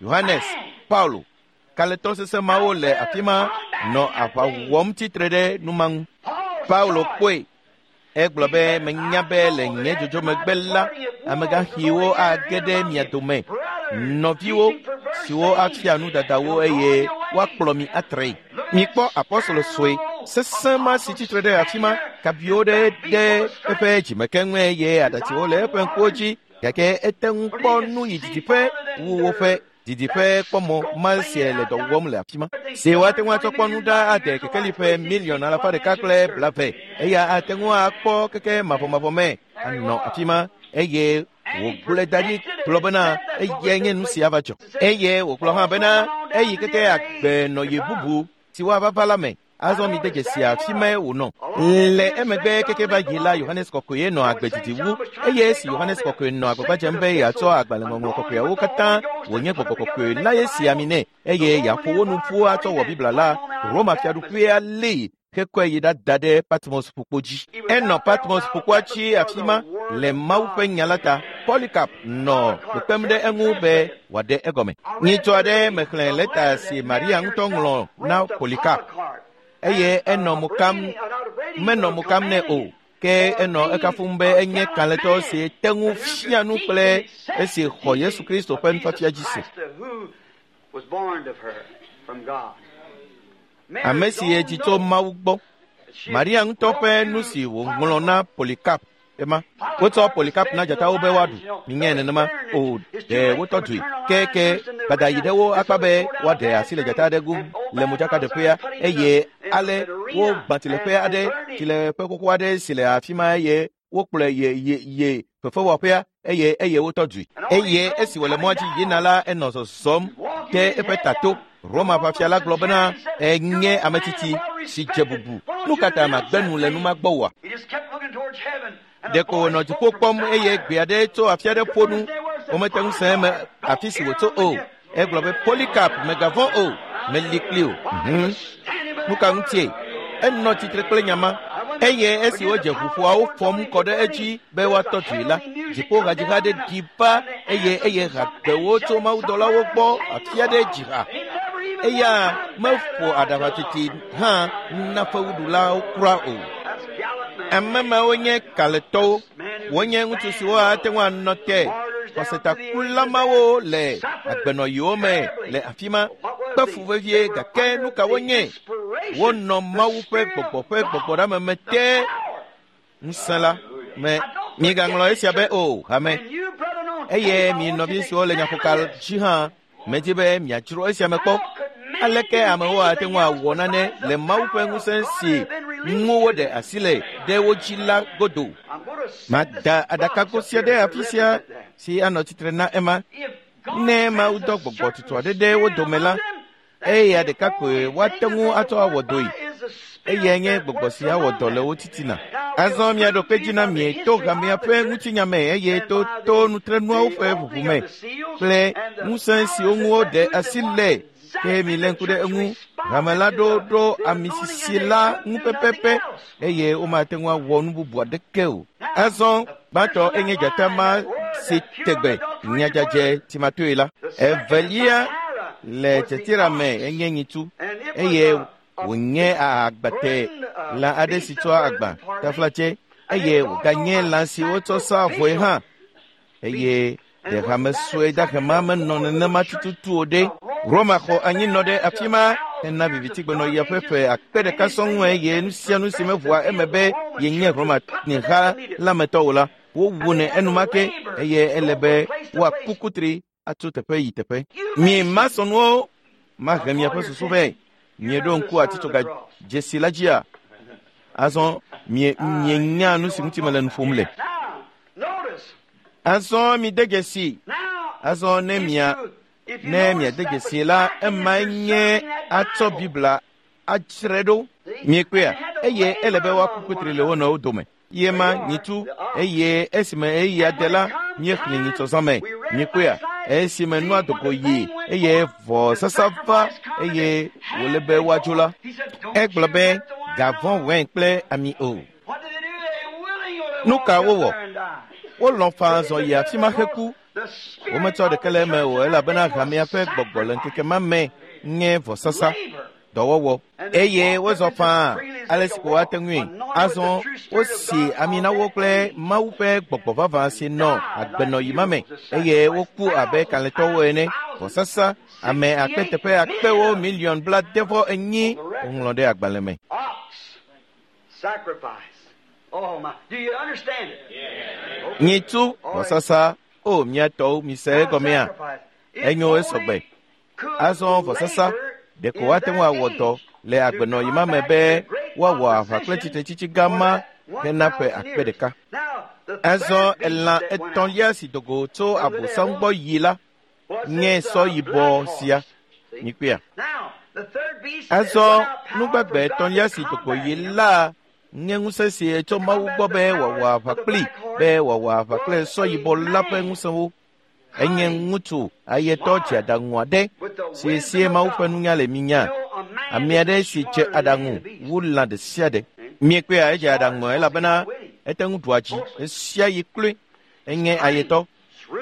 Yohanes, Paulo, kalẽtɔ sesẽ mawo le afi ma nɔ aʋa wɔm tsitre ɖe nu ma ŋu. Paulo kpɔe. Egblɔ be, menya be le nye dzodzo megbe la, amegãxiwo age ɖe mia dome, nɔviwo siwo afia nu dadawo eye woakplɔ mi atree. Mikpɔ apɔstolo sue sesẽ ma si tsitre ɖe afi ma, kabiwo ɖe ɖe eƒe dzimekeŋue eye aɖatsiwo le eƒe ŋkuwo dzi, gake ete ŋu kpɔ nu yi didiƒe wu woƒe didiƒe kpɔmɔ ma sie le dɔ wɔm le afi ma. Si woate ŋu atsɔ kpɔ nu ɖa ade kekeli ƒe miliɔn alafa ɖeka kple blave. Eya ate ŋu akpɔ keke mavɔmavɔ me anɔ afi ma, eye wògblɔe da ɖi gblɔ bena eyae nye nu si ava dzɔ. Eye wògblɔ hã bena eyi keke agbenɔɣi bubu si woava va la me. Azɔ mi de dzesi afi mae wònɔ. Le emegbe keke va yi la, Yohanes Kɔkɔe nɔ agbe didi wu, eye esi Yohanes Kɔkɔe nɔ agbagba dzem be yeatsɔ agbalẽŋɔŋlɔ kɔkɔeawo katã wònye gbɔgbɔ kɔkɔe la ye si ami nɛ, eye yeaƒo wo nu ƒu atsɔ wɔ Biblia la, Roma fiaɖuƒea lée hekɔe yi ɖada ɖe Patmos ƒukpo dzi. Enɔ Patmos ƒukpoa dzi afi ma le Mawu ƒe nya la ta. Polycarp nɔ kpekpem ɖe eŋu be wòaɖe egɔme. Nyitsɔ aɖe mexlẽ lɛta si Maria ŋutɔ ŋlɔ na Polycarp, eye enɔ mo kam, menɔ mo kam nɛ o, ke enɔ ekafum be enye kalẽtɔ si te ŋu fia nu kple esi xɔ Yesu Kristo ƒe nufiafia dzi se. Ame si edzi tso Mawu gbɔ. Maria ŋutɔ ƒe nu si wòŋlɔ na Polycarp ema. Wotsɔ Polycarp na dzatawo be woaɖu. Minyae nenema o, ɖe wotɔ dzoe. Ke gbada yi ɖe wo akpa be woaɖe asi le dzata aɖe ŋu le modzakaɖeƒea, eye ale wogbã tsileƒe aɖe, tsileƒe xoxo aɖe si le afi ma, eye wokplɔe ye fefewɔƒea, eye wotɔ dzoe. Eye esi wòle mɔa dzi yina la, enɔ zɔzɔm ɖe eƒe tato. Roma ʋafia la gblɔ bena, enye ame tsitsi si dze bubu. Nu ka ta magbe nu le nu ma gbɔ oa? Ɖeko wònɔ dziƒo kpɔm eye gbe aɖe tso afi aɖe ƒo nu. Womete ŋu se eme afi si wòtso o. Egblɔ be, Polycarp, mègavɔ̃ o, meli kpli o. Nu ka ŋutie? Enɔ tsitre kple nya ma. Eye esi wodze ʋuƒoawo fɔm kɔ ɖe edzi be woatɔ dzoe la, dziƒo hadziha aɖe ɖi va eye eye hagbewo tso mawudɔlawo gbɔ afi aɖe dzi ha. Eya meƒo aɖaʋatiti hã na fewuɖulawo kura o. Ame mawo nye kalẽtɔwo. Wonye ŋutsu siwo ate ŋu anɔ te xɔsetakula mawo le agbenɔɣiwo me le afi ma, kpe fu vevie, gake nu ka wonye? Wonɔ Mawu ƒe gbɔgbɔ ƒe gbɔgbɔɖeameme te ŋusẽ la me. Migaŋlɔ esia be o, hame. Eye mi nɔvi siwo le nyaƒoka dzi hã, medi be miadzro esia me kpɔ. Aleke amewo ate ŋu awɔ nane le Mawu ƒe ŋusẽ si ŋu woɖe asi le ɖe wo dzi la godo? Mada aɖakago sia ɖe afi sia si anɔ tsitre na ema. Ne Mawu dɔ gbɔgbɔ tutu aɖe ɖe wo dome la, eya ɖeka koe woate ŋu atsɔ awɔ dɔe. Eyae nye gbɔgbɔ si awɔ dɔ le wo titina. Azɔ miaɖo kpe dzi na mi to hamea ƒe ŋutinya me eye to to nutrenuawo ƒe ʋuʋu me kple ŋusẽ siwo ŋu woɖe asi le ke milé ŋku ɖe eŋu. Hame la ɖo ɖo ami sisi la ŋu pɛpɛpɛ eye womate ŋu awɔ nu bubu aɖeke o. Azɔ gbãtɔ enye dzata ma si tegbe nyadzadze timatoe la. Evelia le tiatira me enye nyitsu eye wònye agbate lã aɖe si tsɔa agba taflatse eye wòganye lã si wotsɔ saa vɔe hã eye ɖe hame sue dahe ma menɔ nenema tututu o ɖe. Roma xɔ anyinɔ ɖe afi ma hena vivitigbenɔɣia ƒe ƒe akpe ɖeka sɔŋ eye nu sia nu si meʋua eme be yenye Roma ha la me tɔ o la, wowunɛ enumake eye ele be woaku kutri atso teƒe yi teƒe. Mi masɔnuwo mahe miaƒe susu vɛ. Mieɖo ŋku atitsoga dzesi la dzia? Azɔ mienya nu si ŋuti mele nu ƒom le. Azɔ mide dzesi. Azɔ ne ne miade dzesi la, emae nye atsɔ Biblia adzrae ɖo. Miekpɔea? Eye ele be woaku kutri le wo nɔewo dome. Ye ma nyitsu eye esime eya de la, míexlẽ nyitsɔzã me. Miekpɔea? Esime nua dogo yi eye vɔsasa va eye wòle be woadzo la, egblɔ be gavɔ̃ wɛn kple ami o. Nu ka wowɔ? Wolɔ̃ faa zɔ yi afi ma heku. Wometsɔ ɖeke le eme o elabena hamea ƒe gbɔgbɔ le ŋkeke ma me nye vɔsasa, dɔwɔwɔ. Eye wozɔ faa ale si ko woate ŋui. Azɔ wosi ami na wo kple Mawu ƒe gbɔgbɔ vavã si nɔ agbenɔyi ma me eye woku abe kalẽtɔwo ene. Vɔsasa ame akpe teƒe akpewo miliɔn 74 woŋlɔ ɖe agbalẽ me. Nyitsu vɔsasa o mia tɔwo mise egɔmea? Enyo esɔgbe. Azɔ vɔsasa ɖeko woate ŋu awɔ dɔ le agbenɔyi ma me be woawɔ aʋa kple tsitretsitsi gã ma hena ƒe akpe ɖeka. Azɔ elã etɔ̃lia si dogo tso Abosam gbɔ yi la nye sɔ yibɔ sia. Mikpɔea? Azɔ nugbagbe etɔ̃lia si dogo yi la nye ŋusẽ si tso Mawu gbɔ be wòawɔ aʋa kpli be wòawɔ aʋa kple sɔ yibɔ la ƒe ŋusẽwo. Enye ŋutsu ayetɔ dze aɖaŋu aɖe si sie Mawu ƒe nunya le minya. Ame aɖe si dze aɖaŋu wu lã ɖe sia ɖe. Miekpɔea edze aɖaŋu elabena ete ŋu ɖua dzi ɣesia ɣi kloe. Enye ayetɔ.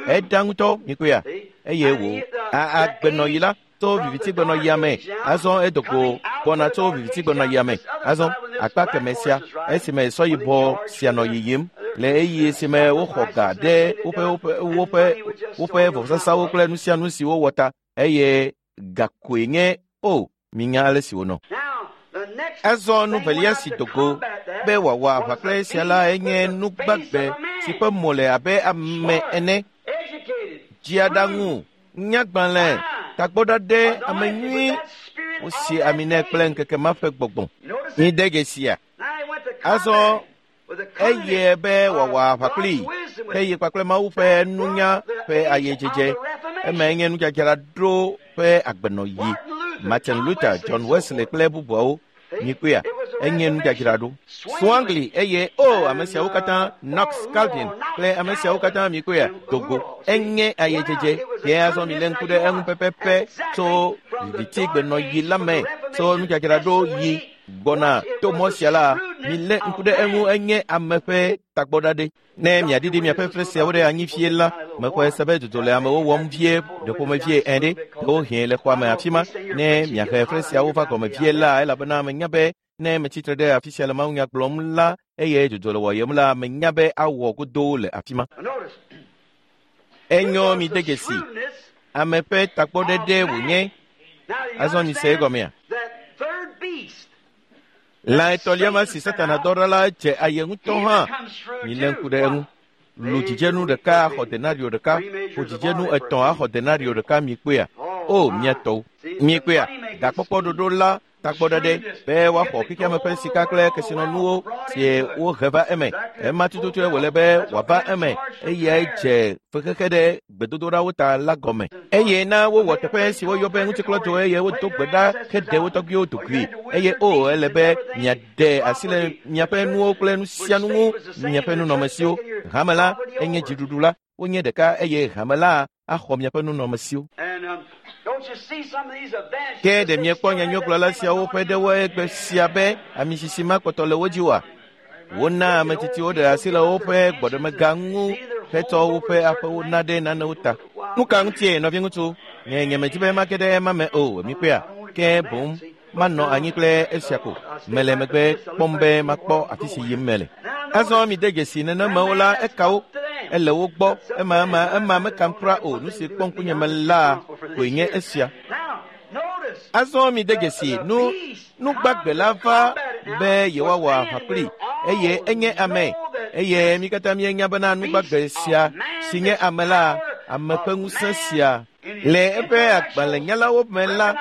Eɖa ŋutɔ miekpɔea eye wò agbenɔɣi la tso vivitigbenɔɣia me. Azɔ edogo gbɔna tso vivitigbenɔɣia me. Azɔ akpa keme sia esime sɔ yibɔ sia nɔ yiyim le ɣeyiɣi si me woxɔ ga ɖe woƒe vɔsasawo kple nu sia nu si wowɔ ta eye gakoe nye o minya ale si wònɔ. Azɔ nu velia si dogo be wòawɔ aʋa kple esia la enye nugbagbe si ƒe mo le abe ame ene. Dziaɖaŋu, nyagbalẽ, tagbɔɖaɖɛ, ame nyui, wosi ami nɛ kple ŋkeke ma ƒe gbɔgbɔ. Mide dzesia? Azɔ eye be wòawɔ aʋa kplii eye kpakple Mawu ƒe nunya ƒe ayedzedze. Emae nye nudzadzraɖo ƒe agbenɔɣi. Martin Luther, John Wesley kple bubuawo. Mikpɔea? Enye nudzadzraɖo. Zwingli eye o ame siawo katã, Knox, Calvin kple ame siawo katã mikpɔea? Dogo. Enye ayedzedze. Ke azɔ milé ŋku ɖe eŋu pɛpɛpɛ tso vivitigbenɔɣi la me tso nudzadzraɖo yi gbɔna to mɔ sia la, milé ŋku ɖe eŋu enye ame ƒe tagbɔɖaɖɛ. Ne miaɖiɖi miaƒe fre siawo ɖe anyi fie la, mexɔe se be dzodzo le amewo wɔm vie ɖeƒomevie ene ɖe, ɖewohĩ le xɔa me afi ma. Ne miahe fre siawo va gɔme vie la, elabena menya be ne metsitre ɖe afi sia le mawunya gblɔm la eye dzodzo le wɔyem la, menya be awɔ godoo le afi ma. Enyo mi de dzesi. Ame ƒe tagbɔɖeɖe wònye. Azɔ mise egɔmea? Lã etɔ̃lia ma si Satana dɔ ɖa la dze aye ŋutɔ hã. Milé ŋku ɖe eŋu. Lu dzidzenu ɖeka axɔ denario ɖeka, ƒo dzidzenu etɔ̃ axɔ denario ɖeka mikpɔea? O mia tɔwo. Mikpɔea? Gakpɔkpɔ ɖoɖo la Tagbɔɖeɖe be woaxɔ xexeame ƒe sika kple kesinɔnuwo si wohe va eme. Ema tututue wòle be wòava eme eyae dze fexexe ɖe gbedodoɖawo ta la gɔme. Eye na wowɔ teƒe si woyɔ be ŋutiklɔdzo eye wodo gbe ɖa heɖe wo tɔgbuiwo dokui. Eye o ele be miaɖe asi le miaƒe nuwo kple nu sia nu ŋu, miaƒe nunɔamesiwo. Hame la enye dziɖuɖu la, wonye ɖeka eye hame la axɔ miaƒe nunɔamesiwo. Ke ɖe miekpɔ nyanyuigblɔla siawo ƒe ɖewo egbe sia be amisisi ma kpɔtɔ le wo dzi oa? Wona ame tsitsiwo ɖe asi le woƒe gbɔɖemega ŋu hetsɔ woƒe aƒewo na ɖe nanewo ta. Nu ka ŋutie nɔviŋutsu? Nye nyemedi be mage ɖe ema me o, mikpɔea? Ke boŋ manɔ anyi kple esia ko. Mele megbe kpɔm be makpɔ afi si yim mele. Azɔ mide dzesi nenemewo la eka wo. Ele wo gbɔ ema ema ema mekam kura o. Nu si kpɔ ŋkunye me la koe nye esia. Azɔ mide dzesi nu nugbagbe la va be yewoawɔ aʋa kpli eye enye ame eye mi katã mienya bena nugbagbe sia si nye ame la ame ƒe ŋusẽ sia le eƒe agbalẽnyalawo me la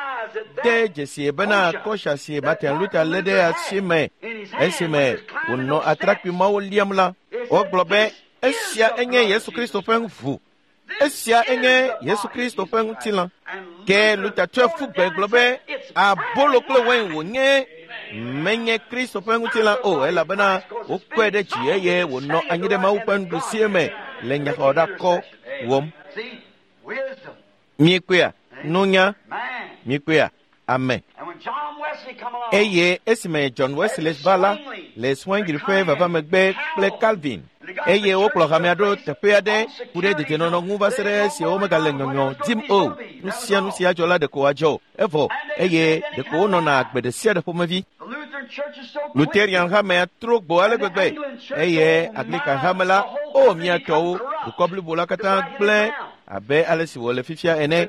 de dzesi bena kɔsia si Martin Luther lé ɖe asi me esime wònɔ atrakpui mawo liam la wogblɔ be esia enye Yesu Kristo ƒe ʋu. Esia enye Yesu Kristo ƒe ŋutilã. Ke Luther tsɔe ƒu gbe gblɔ be abolo kple wain wònye menye Kristo ƒe ŋutilã o elabena wokɔe ɖe dzi eye wònɔ anyi ɖe Mawu ƒe nuɖusie me le nyaxɔɖakɔ wɔm. Miekpɔea? Nunya. Miekpɔea? Ame. Eye esime John Wesley va la le Zwingli ƒe vava megbe kple Calvin eye wokplɔ hamea ɖo teƒe aɖe ku ɖe dedienɔnɔ ŋu va se ɖe esi womegale nyɔnyɔ dim o. Nu sia nu sia dzɔ la ɖeko wòadzɔ evɔ eye ɖeko wonɔna agbe ɖe sia ɖe ƒomevi. Lutherian hamea trɔ gbo ale gbegbe eye Anglican hame la o mia tɔwo dukɔ blibo la katã gblẽ abe ale si wòle fifia ene.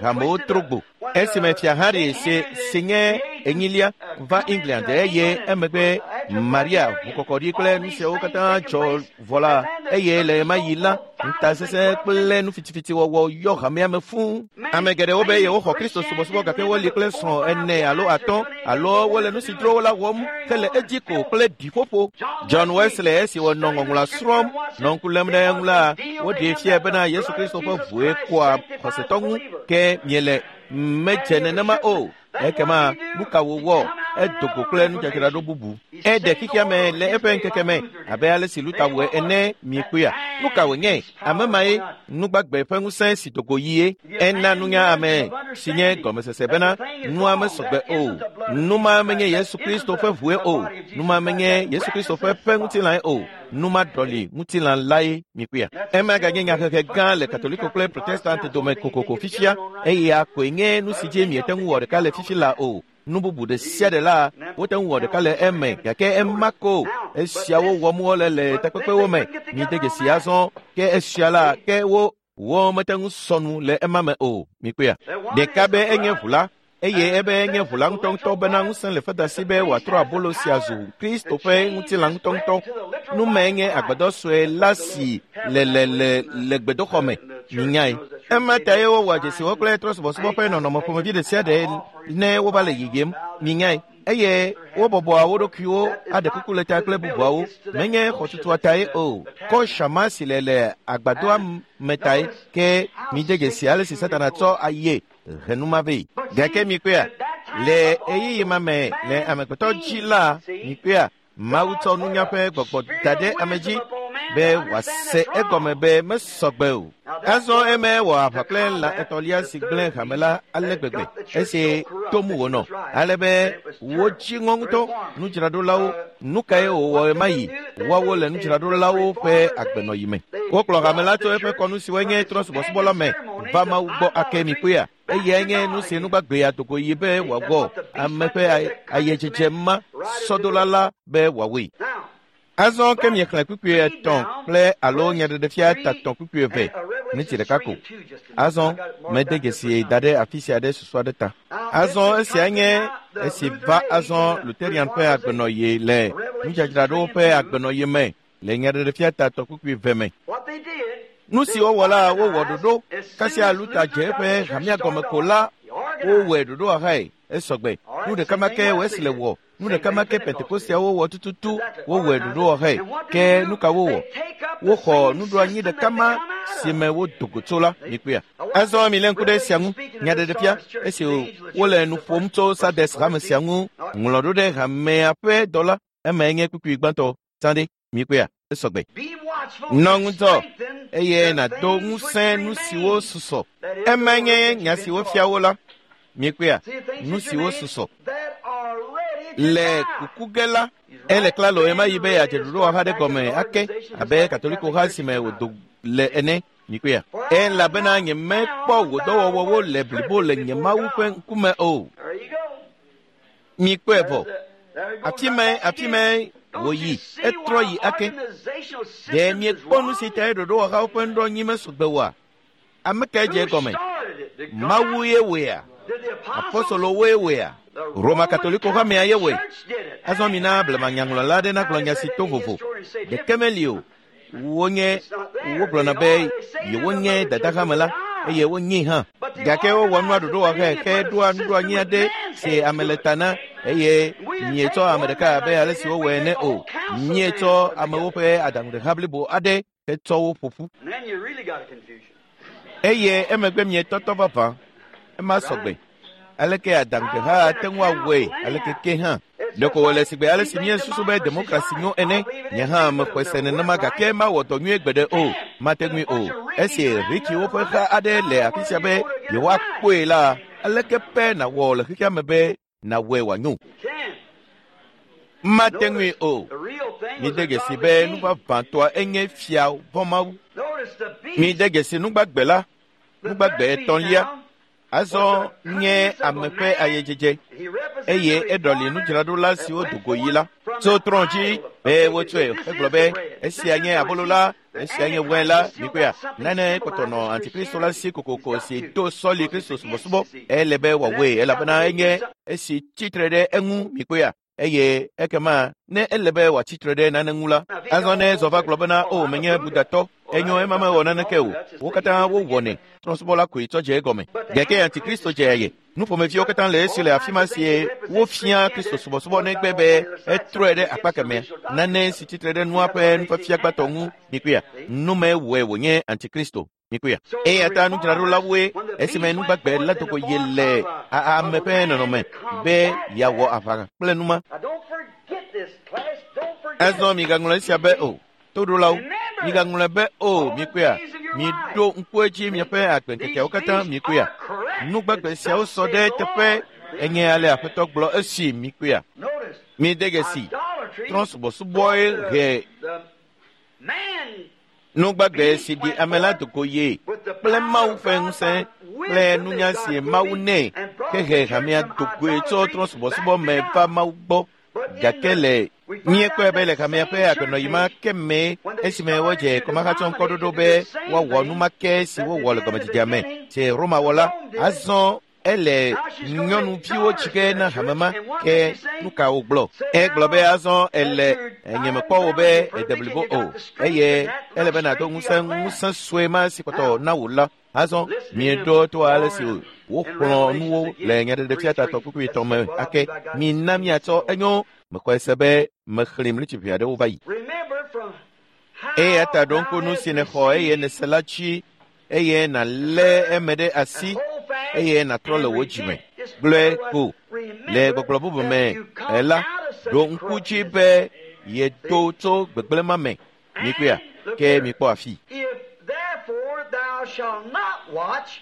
Hamewo trɔ gbo. Esime fia Harry si nye enyilia va England eye emegbe Maria ʋukɔkɔɖi kple nu siawo katã dzɔ vɔ la eye le ɣemaɣi yi la ŋutasesẽ kple nu fitifitiwɔwɔ yɔ hamea me fũu. Ame geɖewo be yewoxɔ Kristo subɔsubɔ gake woli kple srɔ̃ ene alo atɔ̃ alo wole nu si dzro wo la wɔm hele edzi ko kple ɖiƒoƒo. John Wesley esi wònɔ ŋɔŋlɔa srɔ̃m nɔ ŋku lém ɖe eŋu la woɖee fiae bena Yesu Kristo ƒe ʋue kɔa xɔsetɔ ŋu ke miele medze nenema o. Ekema nu ka wòwɔ? Edo go kple nudzadzraɖo bubu. Eɖe xexea me le eƒe ŋkeke me abe ale si Luther wɔe ene miekpɔea. Nu ka wònye? Ame mae nugbagbe ƒe ŋusẽ si do go yie. Ena nunya ame si nye gɔmesese bena nua mesɔgbe o. Nu ma menye Yesu Kristo ƒe ʋue o. Nu ma menye Yesu Kristo ƒe ŋutilãe o. Nu ma ɖɔli ŋutilã lae miekpɔea. Ema ganye nyahehe gã le Katoliko kple Protestant dome kokoko fifia eya koe nye nu si dzi miete ŋu wɔ ɖeka le fifi la o. Nu bubu ɖe sia ɖe la wote ŋu wɔ ɖeka le eme gake ema ko esiawo wɔm wole le takpekpewo me. Mide dzesi azɔ ke esia la ke wo mete ŋu sɔ nu le ema me o. Mikpɔea? Ɖeka be enye ʋu la eye ebe enye ʋu la ŋutɔŋutɔ bena ŋusẽ le feda si be wòatrɔ abolo sia zu Kristo ƒe ŋutilã ŋutɔŋutɔ. Nu mae nye agbadɔ sue la si le le le le gbedoxɔ me. Minyae. Ema tae wowɔa dzesiwo kple trɔsubɔsubɔ ƒe nɔnɔme ƒomevi ɖe sia ɖe ne wova le yiyim. Minyae. Eye wobɔbɔa wo ɖokuiwo aɖe kuku le ta kple bubuawo. Menye xɔtutua tae o. Kɔsha ma si le le agbadɔa me tae ke mide dzesi ale si Satana tsɔ aye henuma vɛ. Gake mikpɔea, le ɣeyiɣi ma me le amegbetɔ dzi la mikpɔea, Mawu tsɔ nunya ƒe gbɔgbɔ da ɖe ame dzi be wòase egɔme be mesɔgbe o. Azɔ eme wɔ aʋa kple lã etɔ̃lia si gblẽ hame la ale gbegbe esi tom wònɔ ale be wodzi ŋɔ ŋutɔ nudzraɖolawo. Nu kae wòwɔ ɣemaɣi? Woawo le nudzraɖolawo ƒe agbenɔyi me. Wokplɔ hame la tso eƒe kɔnu siwoe nye trɔ̃subɔsubɔ la me va Mawu gbɔ ake mikpɔea. Eyae nye nu si nugbagbe adogo yi be wòawɔ ame ƒe ayedzedze ma sɔdola la be wòawɔe. Azɔ ke miexlẽ kpukpui etɔ̃ kple alo nyaɖeɖefia tatɔ̃ kpukpui eve miniti ɖeka ko. Azɔ mede dzesi da ɖe afi sia ɖe susu aɖe ta. Azɔ esia nye esi va azɔ Lutherian ƒe agbenɔɣi le nudzadzraɖowo ƒe agbenɔɣi me le nyaɖeɖefia tatɔ̃ kpukpui eve me. Nu si wowɔ la wowɔ ɖoɖo kasia Luther dze eƒe hamea gɔme ko la wowɔe ɖoɖo ahae. Esɔgbe. Nu ɖeka ma ke Wesley wɔ. Nu ɖeka ma ke Pentekosteawo wɔ tututu wowɔe ɖoɖowɔxɛ. Ke nu ka wowɔ? Woxɔ nuɖoanyi ɖeka ma si me wodo go tso la. Mikpɔea? Azɔ milé ŋku ɖe esia ŋu. Nyaɖeɖefia, esi wole nu ƒom tso Sardes hame sia ŋu, ŋlɔ ɖo ɖe hamea ƒe dɔla. Emae nye kpukpui gbãtɔ. Tsã ɖe. Mikpɔea? Esɔgbe. Nɔ ŋudzɔ eye nàdo ŋusẽ nu siwo susɔ. Emae nye nya si wofia wo la. Mikpɔea? Nu siwo susɔ. Le kuku ge la, ele klalo ɣemaɣi be yeadze ɖoɖowɔha ɖe gɔme ake abe Katolikoha si me wòdo le ene. Mikpɔea? Elabena nyemekpɔ wò dɔwɔwɔwo le blibo le nye Mawu ƒe ŋkume o. Mikpɔe vɔ. Afi mae wòyi, etrɔ yi ake. Ɖe miekpɔ nu si tae ɖoɖowɔhawo ƒe nuɖoanyi mesɔgbe oa? Ame kae dze egɔme? Mawu ye wɔea? Apostolowoe wɔea? Roma Katoliko hamea ye wɔe. Azɔ mina blemanyaŋlɔla aɖe nagblɔ nya si to vovo. Ɖeke meli o. Wonye wogblɔna be yewonye dadahame la eye wonyee hã. Gake wowɔ nua ɖoɖowɔxɛ heɖoa nuɖoanyi aɖe si ame le ta na eye mietsɔ ame ɖeka abe ale si wowɔe ene o. Mietsɔ amewo ƒe aɖaŋuɖeha blibo aɖe hetsɔ wo ƒo ƒu. And then you really got a confusion. Eye emegbe mietɔtɔ vavã. Ema sɔgbe. Aleke aɖaŋuɖeha ate ŋu awɔe aleke ke hã. Ɖeko wòle sigbe ale si míesusu be demokrasi nyo ene. Nye hã mexɔe se nenema gake mawɔ dɔ nyuie gbeɖe o. Mate ŋui o. Esi Rikiwo ƒe ha aɖe le afi sia be yewoakpɔe la, aleke pɛ nàwɔ le xexea me be nàwɔe wòanyo? Can. Mate ŋui o. The real thing was Mide a dzesi godly be king. nu vavãtɔa enye fia vɔ̃ Mawu. Notice the beast. Mide dzesi nugbagbe la, The nugbagbe third beast etɔ̃lia. now, Azɔ nye ame ƒe ayedzedze. he represents eye the eɖɔli reformers nudzraɖola that siwo went do go yi la forth from tso the trɔ̃ dzi idol of be David. wotsɔe This hegblɔ is be the bread. esia This nye is the abolo la receipt. The esia nye wine la Antichrist still mikpɔea got something nane kpɔtɔ nɔ symbolizes antikristo la si Christianity. kokoko He's got si to. do sɔli Because kristo he's against subɔsubɔ it, see. ele be And wòawɔe that's got elabena to enye do something. esi tsitre ɖe eŋu mikpɔea eye ekema ne ele be wòatsitre ɖe nane ŋu la Now, if he azɔ don't ne want zɔ va to, gblɔ bena oh, o I'm a menye Buddha. budatɔ Oh, enyo that ema ain't mewɔ got nothing naneke wrong o with it. That's just wo the katã beginning to wowɔnɛ begin. trɔ̃subɔla koe tsɔ dze egɔme But the gake Antichrist antikristo is dze coming. eye nuƒomeviwo katã le esi le afi ma sie wofia kristo subɔsubɔ negbe be etrɔe ɖe akpa kemɛ nane si tsitre ɖe nua ƒe nufiafia gbãtɔ ŋu mikpɔea nume wɔe wònye antikristo mikpɔea So the eya ta reformers, nudzraɖolawoe when the esime beast went nugbagbe forth la in do the go yi form le of a, ame of a ƒe man nɔnɔme to be combat yeawɔ that. aʋa kple numa Now don't forget this, class. Don't forget azɔ it. migaŋlɔ esia be o toɖolawo Remember migaŋlɔe be o all the mikpɔea days of your life. miɖo ŋku edzi See, miaƒe agbeŋkekeawo these katã beasts mikpɔea are correct. nugbagbe It's siawo thus sɔ saith ɖe the teƒe Lord. See? enye ale aƒetɔ gblɔ esi mikpɔea Notice, mide dzesi idolatry trɔ̃subɔsubɔe brought he the man nugbagbe beast si ɖi went ame la forth do go ye with the kple power Mawu of ƒe God ŋusẽ by kple wisdom nunya that si God gave Mawu him nɛ and brought the hehe church hamea from do goe tso idolatry trɔ̃subɔsubɔ back to me va God. Mawu gbɔ But in gake the le we find míekpɔe out be le that hamea ƒe same church agbenɔɣi ma age ke mee when they esime started wodze to kɔmahatsɔŋkɔɖoɖo denominate to be do the same woawɔ nu thing ma ke si that they wowɔ le did in the gɔmedzedzea me beginning, si Roma wɔ la Rome did. azɔ ele Now she's going to make nyɔnuviwo daughters tsi to ge that na hame church. ma And what ke does she say? nu ka wògblɔ Said egblɔ be now azɔ that ele you're nye mekpɔ dying wò down, be you're ede perfect, and blibo you o got the strength eye and that ele little be nàdo strength you ŋusẽ got left. ŋusẽ sue ma si kpɔtɔ Now, na wò la azɔ listen to him mieɖo to ale si warn in woxlɔ̃ Revelations nuwo le again, nyaɖeɖefia 3 tatɔ 3. kpukpui Let's etɔ̃ see me what I ake believe I got just mina a few minutes miatsɔ ago. enyo mexɔe se be mexlẽ mlitsi aɖewo va yi Remember from eya how ta ɖo thou ŋku nu hast si nèxɔ eye received nèse la dzi eye nàlé and heard eme ɖe and asi hold fast eye nàtrɔ le and wò dzime repent. Just gblɔe otherwise, ko le remember gbɔgblɔ bubu that me you come ela out of such ɖo ŋku dzi corruption. be yedo See? tso gbegblẽ ma me mikpɔea And look ke here. mikpɔ afi If therefore thou shalt not watch,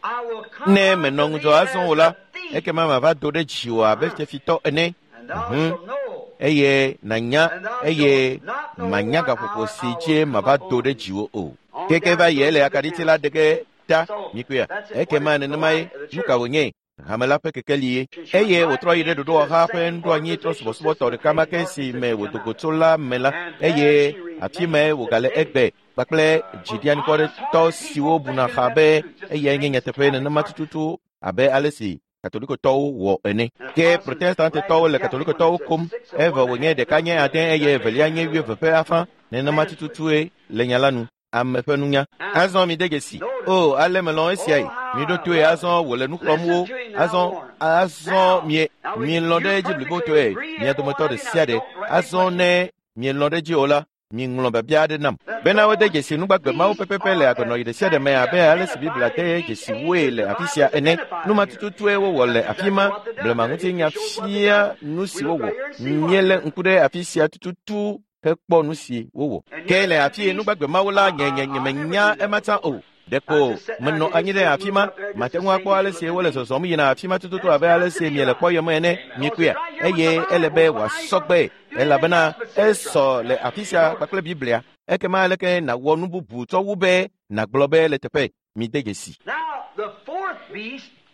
I will come ne unto menɔ ŋudzɔ thee azɔ as o la a thief, ekema mava do ɖe dziwò abe huh? fiafitɔ ene And thou Mhm. shalt know, eye nànya and thou eye shalt not know manya what gaƒoƒo hour si I dzi will come mava do upon ɖe thee. dziwò o On keke down va it yi goes ele to the akaɖiti la council. ɖe ge ta So mikpɔea that's it. What ekema is the nenema ye light of the nu ka church? wònye hame la ƒe kekeli ye And she went eye right wòtrɔ yi ɖe into the ɖoɖowɔha ƒe same nuɖoanyi organizational trɔ̃subɔsubɔtɔ system ɖeka ma ke patriarchy si that me she wòdo come go out tso of. la me la And there eye she afi mae remains wògale today. egbe kpakple But dziɖianikɔɖetɔ honest-hearted siwo people buna thinking xa that's be the truth, just the eyae nye same as nyateƒe Catholics nenema are. tututu abe ale si Katolikotɔwo wɔ ene. And Ke Protestants Protestantetɔwo rag le the Catholic when Katolikotɔwo they said kom 6 of evɔ 1 and a wònye half ɖeka dozen nye the ade other. eye That makes evelia nye wuieve ƒe afã. Nenema man's wisdom. tututue le nya la nu. Ame ƒe nunya. Now, Azɔ mide dzesi. notice, O, ale melɔ̃ esiae. oh, how Miɖo toe azɔ wòle nu xlɔ̃m wo. Azɔ azɔ mie mielɔ̃ ɖe edzi blibotɔe mia dometɔ ɖe sia ɖe. Azɔ ne mielɔ̃ ɖe edzi o la, miŋlɔ biabia aɖe nam bena wode dzesi nugbagbe mawo pɛpɛpɛ le agbenɔɣi ɖe sia ɖe me abe ale si Biblia de dzesi woe le afi sia ene. Nu ma tututue wowɔ le afi ma. Blema ŋutinya fia nu si wowɔ. Míelé ŋku ɖe afi sia tututu hekpɔ nu si wowɔ. Ke le afi yi nugbagbe mawo la nye nye nyemenya ema tsã o. Ɖeko menɔ anyi ɖe afi ma, mate ŋu akpɔ ale si wole zɔzɔm yina afi ma tututu abe ale si miele kpɔyem ene, miekpɔea, eye ele be wòasɔ gbe elabena esɔ le afi sia kpakple Biblia. Ekema aleke nàwɔ nu bubu tsɔ wu be nàgblɔ be le teƒe mide dzesi.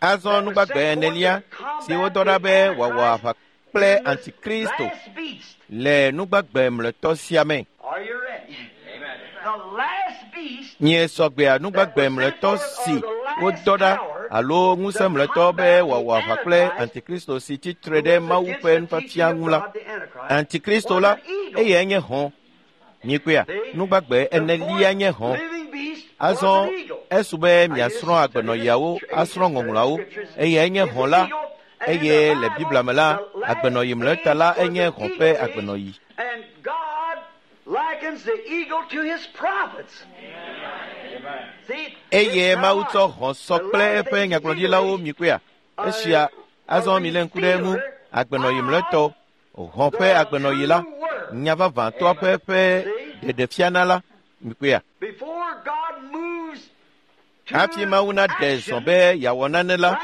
Azɔ nugbagbe enelia si wodɔ ɖa be wòawɔ aʋa kple Antikristo le nugbagbe mlɔetɔ sia me. Nye sɔgbea nugbagbe mlɔetɔ si wodɔ ɖa alo ŋusẽ mlɔetɔ be wòawɔ aʋa kple Antikristo si tsi tre ɖe Mawu ƒe nufiafia ŋu la. Antikristo la, eyae nye hɔ̃. Miekpɔea, nugbagbe enelia nye hɔ̃. Azɔ esu be miasrɔ̃ agbenɔɣiawo, asrɔ̃ ŋɔŋlɔawo. Eyae nye hɔ̃ la, eye le Biblia me la, agbenɔɣi mlɔetɔ la enye hɔ̃ ƒe agbenɔɣi. Eye Mawu tsɔ hɔ̃ sɔ kple eƒe nyagblɔɖilawo miekpɔea. Esia azɔ milé ŋku ɖe eŋu. Agbenɔɣi mlɔetɔ, hɔ̃ ƒe agbenɔɣi la, nya vavãtɔa ƒe ƒe ɖeɖefiana la, miekpɔea. Hafi Mawu naɖe zɔ be yeawɔ nane la,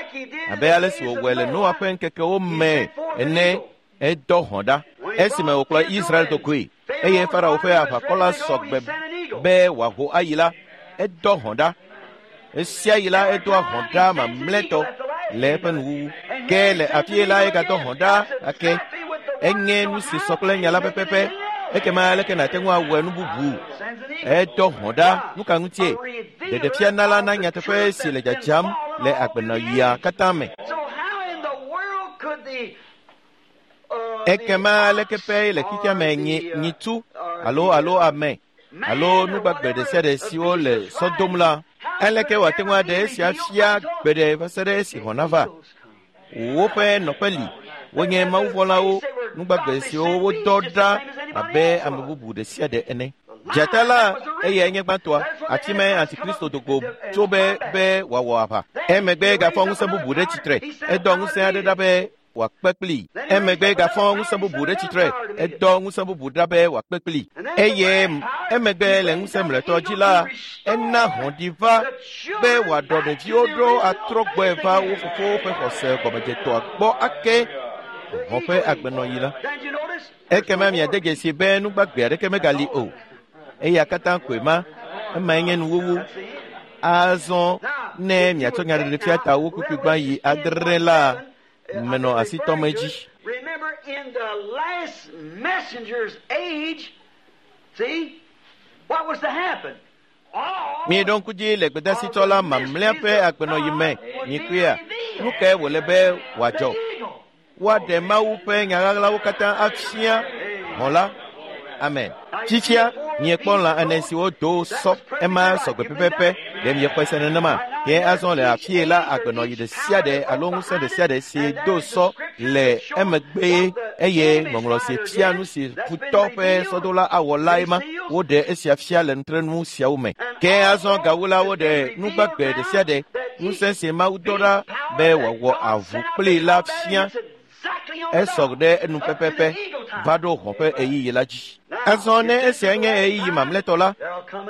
abe ale si wòwɔe le Noa ƒe ŋkekewo me ene, edɔ hɔ̃ ɖa esime wòkplɔ Israel dogoe eye Farao ƒe aʋakɔ la sɔ gbe be wòaho ayi la, edɔ hɔ̃ ɖa. Esia yi la edoa hɔ̃ ɖa mamlɛtɔ le eƒe nuwuwu. Ke le afie la egadɔ hɔ̃ ɖa ake. Enye nu si sɔ kple nya la pɛpɛpɛ. Ekema aleke nàte ŋu awɔe nu bubu? Edɔ hɔ̃ ɖa. Nu ka ŋutie? Ɖeɖefiana la na nyateƒe si le dzadzam le agbenɔɣia katã me. Ekema aleke ƒe le xexea me nyi nyitsu alo alo ame alo nugbagbe ɖe sia ɖe siwo le sɔ dom la, aleke wòate ŋu aɖe esia fia gbe ɖe va se ɖe esi hɔ̃ nava? Woƒe nɔƒe li, wonye mawuvɔ̃lawo, nugbagbe siwo wodɔ ɖa abe ame bubu ɖe sia ɖe ene. Dzata la eyae nye gbãtɔa, afi mae Antikristo do go tso be be wòawɔ aʋa. Emegbe gafɔ ŋusẽ bubu ɖe tsitre, edɔ ŋusẽ aɖe ɖa be wòakpe kplii. Emegbe gafɔ ŋusẽ bubu ɖe tsitre, edɔ ŋusẽ bubu ɖa be wòakpe kplii. Eye emegbe le ŋusẽ mlɔetɔ dzi la, ena hɔ̃ ɖi va be wòaɖɔ ɖeviwo ɖo atrɔ gbɔe va wo fofowo ƒe xɔse gɔmedzetɔa gbɔ ake hɔ̃ ƒe agbenɔɣi la. Ekema miade dzesi be nugbagbe aɖeke megali o. Eya katã koe ma, emae nye nuwuwu. Azɔ ne miatsɔ nyaɖeɖefia ta wo kpukpui gbã yi 7 la, menɔ asi tɔm edzi. Remember, in the last messenger's age, see, what was to happen? All Mieɖo ŋku dzi le gbedasitsɔ la mamlɛa ƒe agbenɔɣi me, miekpɔea, nu kae wòle be wòadzɔ? Woaɖe Mawu ƒe nya ɣaɣlawo katã afia hɔ̃ la. Amen. Fifia, miekpɔ lã ene siwo do sɔ, ema sɔgbe pɛpɛpɛ. Ɖe miexɔe se nenema? Ke azɔ le afie la agbenɔɣi ɖe sia ɖe alo ŋusẽ ɖe sia ɖe si do sɔ le emegbe eye ŋɔŋlɔ si fia nu si futɔ ƒe sɔdola awɔ lae ma, woɖe esia fia le nutrenu siawo me. Ke azɔ gawu la woɖe nugbagbe ɖe sia ɖe, ŋusẽ si Mawu dɔ ɖa be wòawɔ avu kplii la fia esɔ ɖe enu pɛpɛpɛ va ɖo hɔ̃ ƒe ɣeyiɣi la dzi. Azɔ ne esia nye ɣeyiɣi mamlɛtɔ la,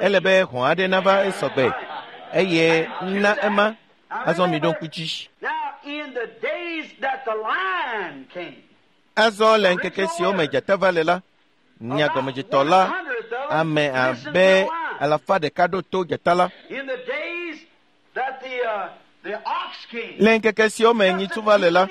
ele be hɔ̃ aɖe nava esɔgbe eye na ema. Azɔ miɖo ŋku dzi. Now, in the days that the lion came, Azɔ le ŋkeke siwo me dzata va le la, nya gɔmedzetɔ la, ame abe 100 ɖo to dzata la. in the days that the ox came, Le ŋkeke siwo me nyitsu va le la,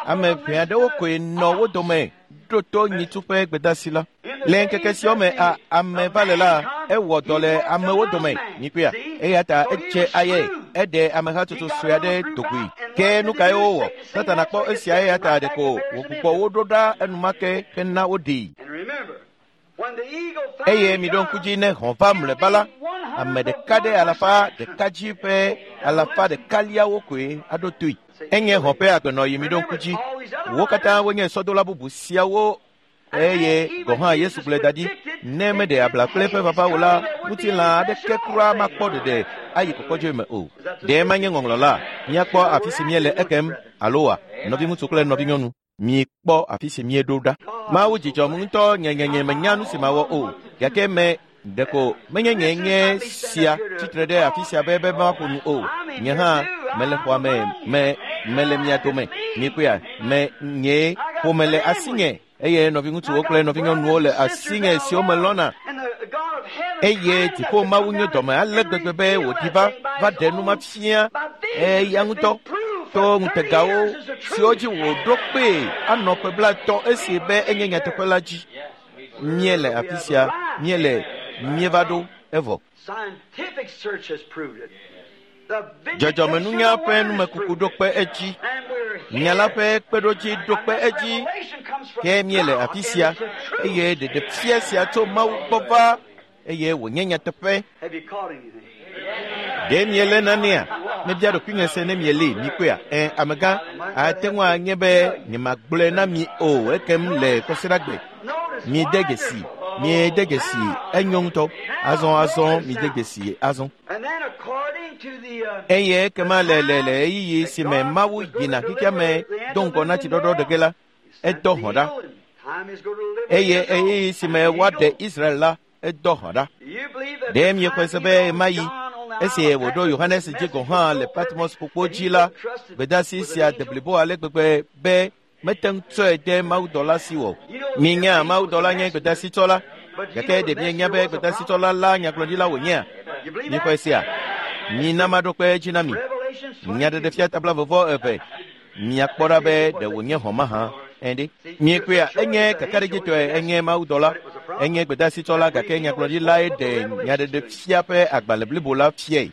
ame ʋɛ aɖewo koe nɔ wo dome ɖo to nyitsu ƒe gbedasi la. Le ŋkeke siwo me a ame va le la, ewɔ dɔ le amewo dome, mikpɔea. Eya ta edze aye, eɖe amehatsotso sue aɖe do goe. Ke nu kae wowɔ? Satana kpɔ esia eya ta ɖeko wògbugbɔ wo ɖo ɖa enumake hena woɖee. And remember, when the eagle Eye finally miɖo ŋku comes, dzi ne hɔ̃ va mlɔeba la, ame ɖeka ɖe 100 dzi ƒe 100 koe aɖo toe. Enye hɔ̃ ƒe agbenɔɣi mi ɖo ŋku dzi. Wo katã wonye sɔdola bubu siawo eye gɔ̃ hã Yesu gblɔe da ɖi ne meɖe abla kple eƒe vava o la, ŋutilã aɖeke kura makpɔ ɖeɖe ayi kɔkɔdzoe me o. Ɖe manye ŋɔŋlɔ la, míakpɔ afi si míele ekem alo wa, nɔviŋutsu kple nɔvinyɔnu, míekpɔ afi si míeɖo ɖa. Mawu dzidzɔm ŋutɔ nyenyenye menya nu si mawɔ o, gake me ɖeko menye nye nye sia tsitre ɖe afi sia be maƒo nu o. Nye hã mele xɔa me, mele mia dome. Mikpɔea, me nye ƒome le asinye eye nɔviŋutsuwo kple nɔvinyɔnuwo le asinye siwo melɔ̃na. Eye dziƒo Mawu nye dɔme ale gbegbe be wòdi va ɖe nu ma fia eya ŋutɔ to ŋutegawo siwo dzi wòɖo kpee anɔ ƒe 30 esi be enye nyateƒe la dzi. Míele afi sia, míele míeva ɖo evɔ. Dzɔdzɔmenunya ƒe numekuku ɖo kpe edzi, nya la ƒe kpeɖodzi ɖo kpe edzi, ke míele afi sia eye ɖeɖefia sia tso Mawu gbɔ va eye wònye nyateƒe. Ɖe miele nanea? Mebia ɖokuinye se ne mieli mikpɔea? Ẽ, amegã, ate ŋu anye be nyemagblɔe na mi o ekem le kɔsiɖagbe. Miede dzesi, miede dzesi, enyo ŋutɔ. Azɔ, miede dzesi azɔ. Eye ekema le ɣeyiɣi si me Mawu yina xexea me do ŋgɔ na tsiɖɔɖɔ ɖe ge la, edɔ hɔ̃ ɖa. Eye ɣeyiɣi si me woaɖe Israel la, edɔ hɔ̃ ɖa. Ɖe miexɔe se be ɣemaɣi esi wòɖo Yohanes dzi gɔ̃ hã le Patmos ƒukpo dzi la, gbedeasi sia de blibo ale gbegbe be mete ŋu tsɔe de mawudɔla si wɔ. Mienya mawudɔla nye gbedasitsɔla, gake ɖe mienya be gbedasitsɔla la nyagblɔɖila wònyea? Mixɔe sia. Mina maɖo kpe edzi na mi. Nyaɖeɖefia ta 22. Miakpɔ ɖa be ɖe wònye hɔ̃ mahã. Ɛ̃ɖe. Miekpɔea, enye kakaɖedzitɔe enye mawudɔla, enye gbedasitsɔla gake nyagblɔɖilae ɖe nyaɖeɖefia ƒe agbalẽ blibo la fiae.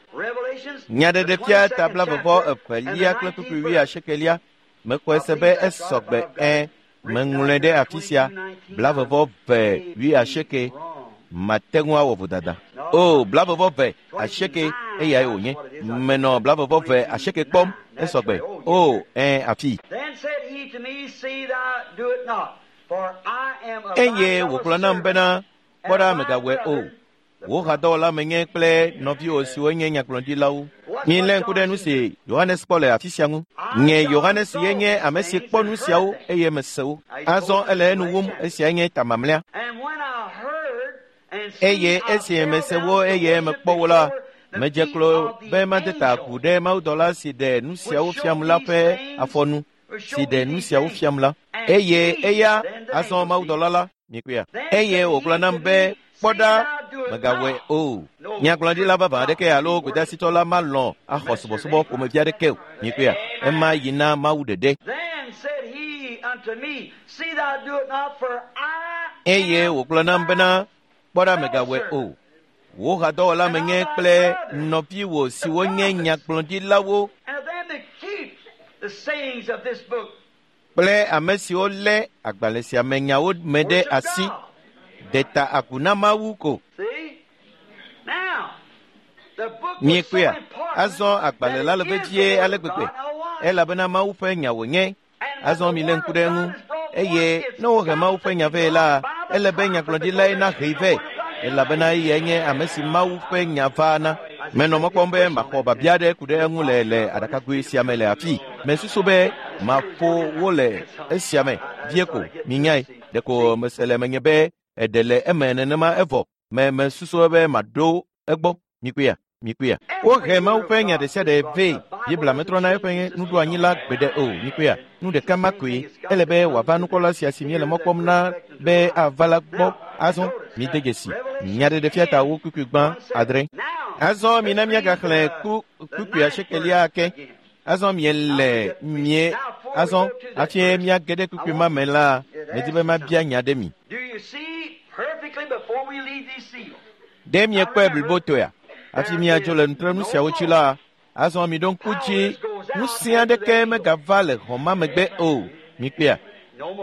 Nyaɖeɖefia ta 22 kple kpukpui 80. Mexɔe se be esɔgbe ẽ, meŋlɔe ɖe afi sia 22 80 mate ŋu awɔ vodada. O, 22 80 eyae wònye. Menɔ 22 80 kpɔm esɔgbe. O, ẽ, afi. Eye wògblɔ nam bena, kpɔ ɖa megawɔe o. Wò hadɔwɔla menye kple nɔviwò siwo nye nyagblɔɖilawo. Milé ŋku ɖe nu si Yohanes kpɔ le afi sia ŋu. Nye Yohanes ye nye ame si kpɔ nu siawo eye mese wo. Azɔ ele enu wum, esiae nye ta mamlɛa. Eye esi mese wo eye mekpɔ wo la, medze klo be made ta agu ɖe mawudɔla si ɖe nu siawo fiam la ƒe afɔnu, si ɖe nu siawo fiam la. Eye eya azɔ mawudɔla la, mikpɔea. Eye wògblɔ nam be, kpɔ ɖa, megawɔe o. Nyagblɔɖila vavã aɖeke alo gbedasitɔ la malɔ̃ axɔ subɔsubɔ ƒomevi aɖeke o. Mikpɔea, ema yi na Mawu ɖeɖe. Eye wògblɔ nam bena, kpɔ ɖa, megawɔe o. Wò hadɔwɔla menye kple nɔviwò siwo nye nyagblɔɖilawo kple ame siwo lé agbalẽ sia me nyawo me ɖe asi, de ta agu na Mawu ko. Miekpɔea, azɔ agbalẽ la le vevie ale gbegbe, elabena Mawu ƒe nya wònye. Azɔ milé ŋku ɖe eŋu, eye ne wohe Mawu ƒe nya vɛ la, ele be nyagblɔɖilae nahee vɛ, elabena eyae nye ame si Mawu ƒe nya va na. Menɔ mɔ kpɔm be maxɔ biabia aɖe ku ɖe eŋu le aɖakagoe sia me le afi. Mesusu be maƒo wo le esia me vie ko, minyae. Ɖeko mese le menye be eɖe le eme nenema evɔ. Mesusu be maɖo egbɔ. Mikpɔea, mikpɔea. Wohe Mawu ƒe nya ɖe sia ɖe vɛ. Biblia metrɔna eƒe nuɖoanyi la gbeɖe o. Mikpɔea, nu ɖeka ma koe. Ele be wòava nukpɔla sia si míele mɔ kpɔm na be ava la gbɔ. Azɔ mide dzesi nyaɖeɖefia ta wo kpukpui gbã 6. Azɔ mina míagaxlẽ kpukpui 8 ake. Azɔ miele mie azɔ hafi míage ɖe kpukpui ma me la, medi be mabia nya ɖe mi. Ɖe miekpɔe blibotɔea? Hafi míadzo le nutrenu siawo dzi la, azɔ miɖo ŋku dzi, ŋusẽ aɖeke megava le xɔ ma megbe o. Mikpɔea,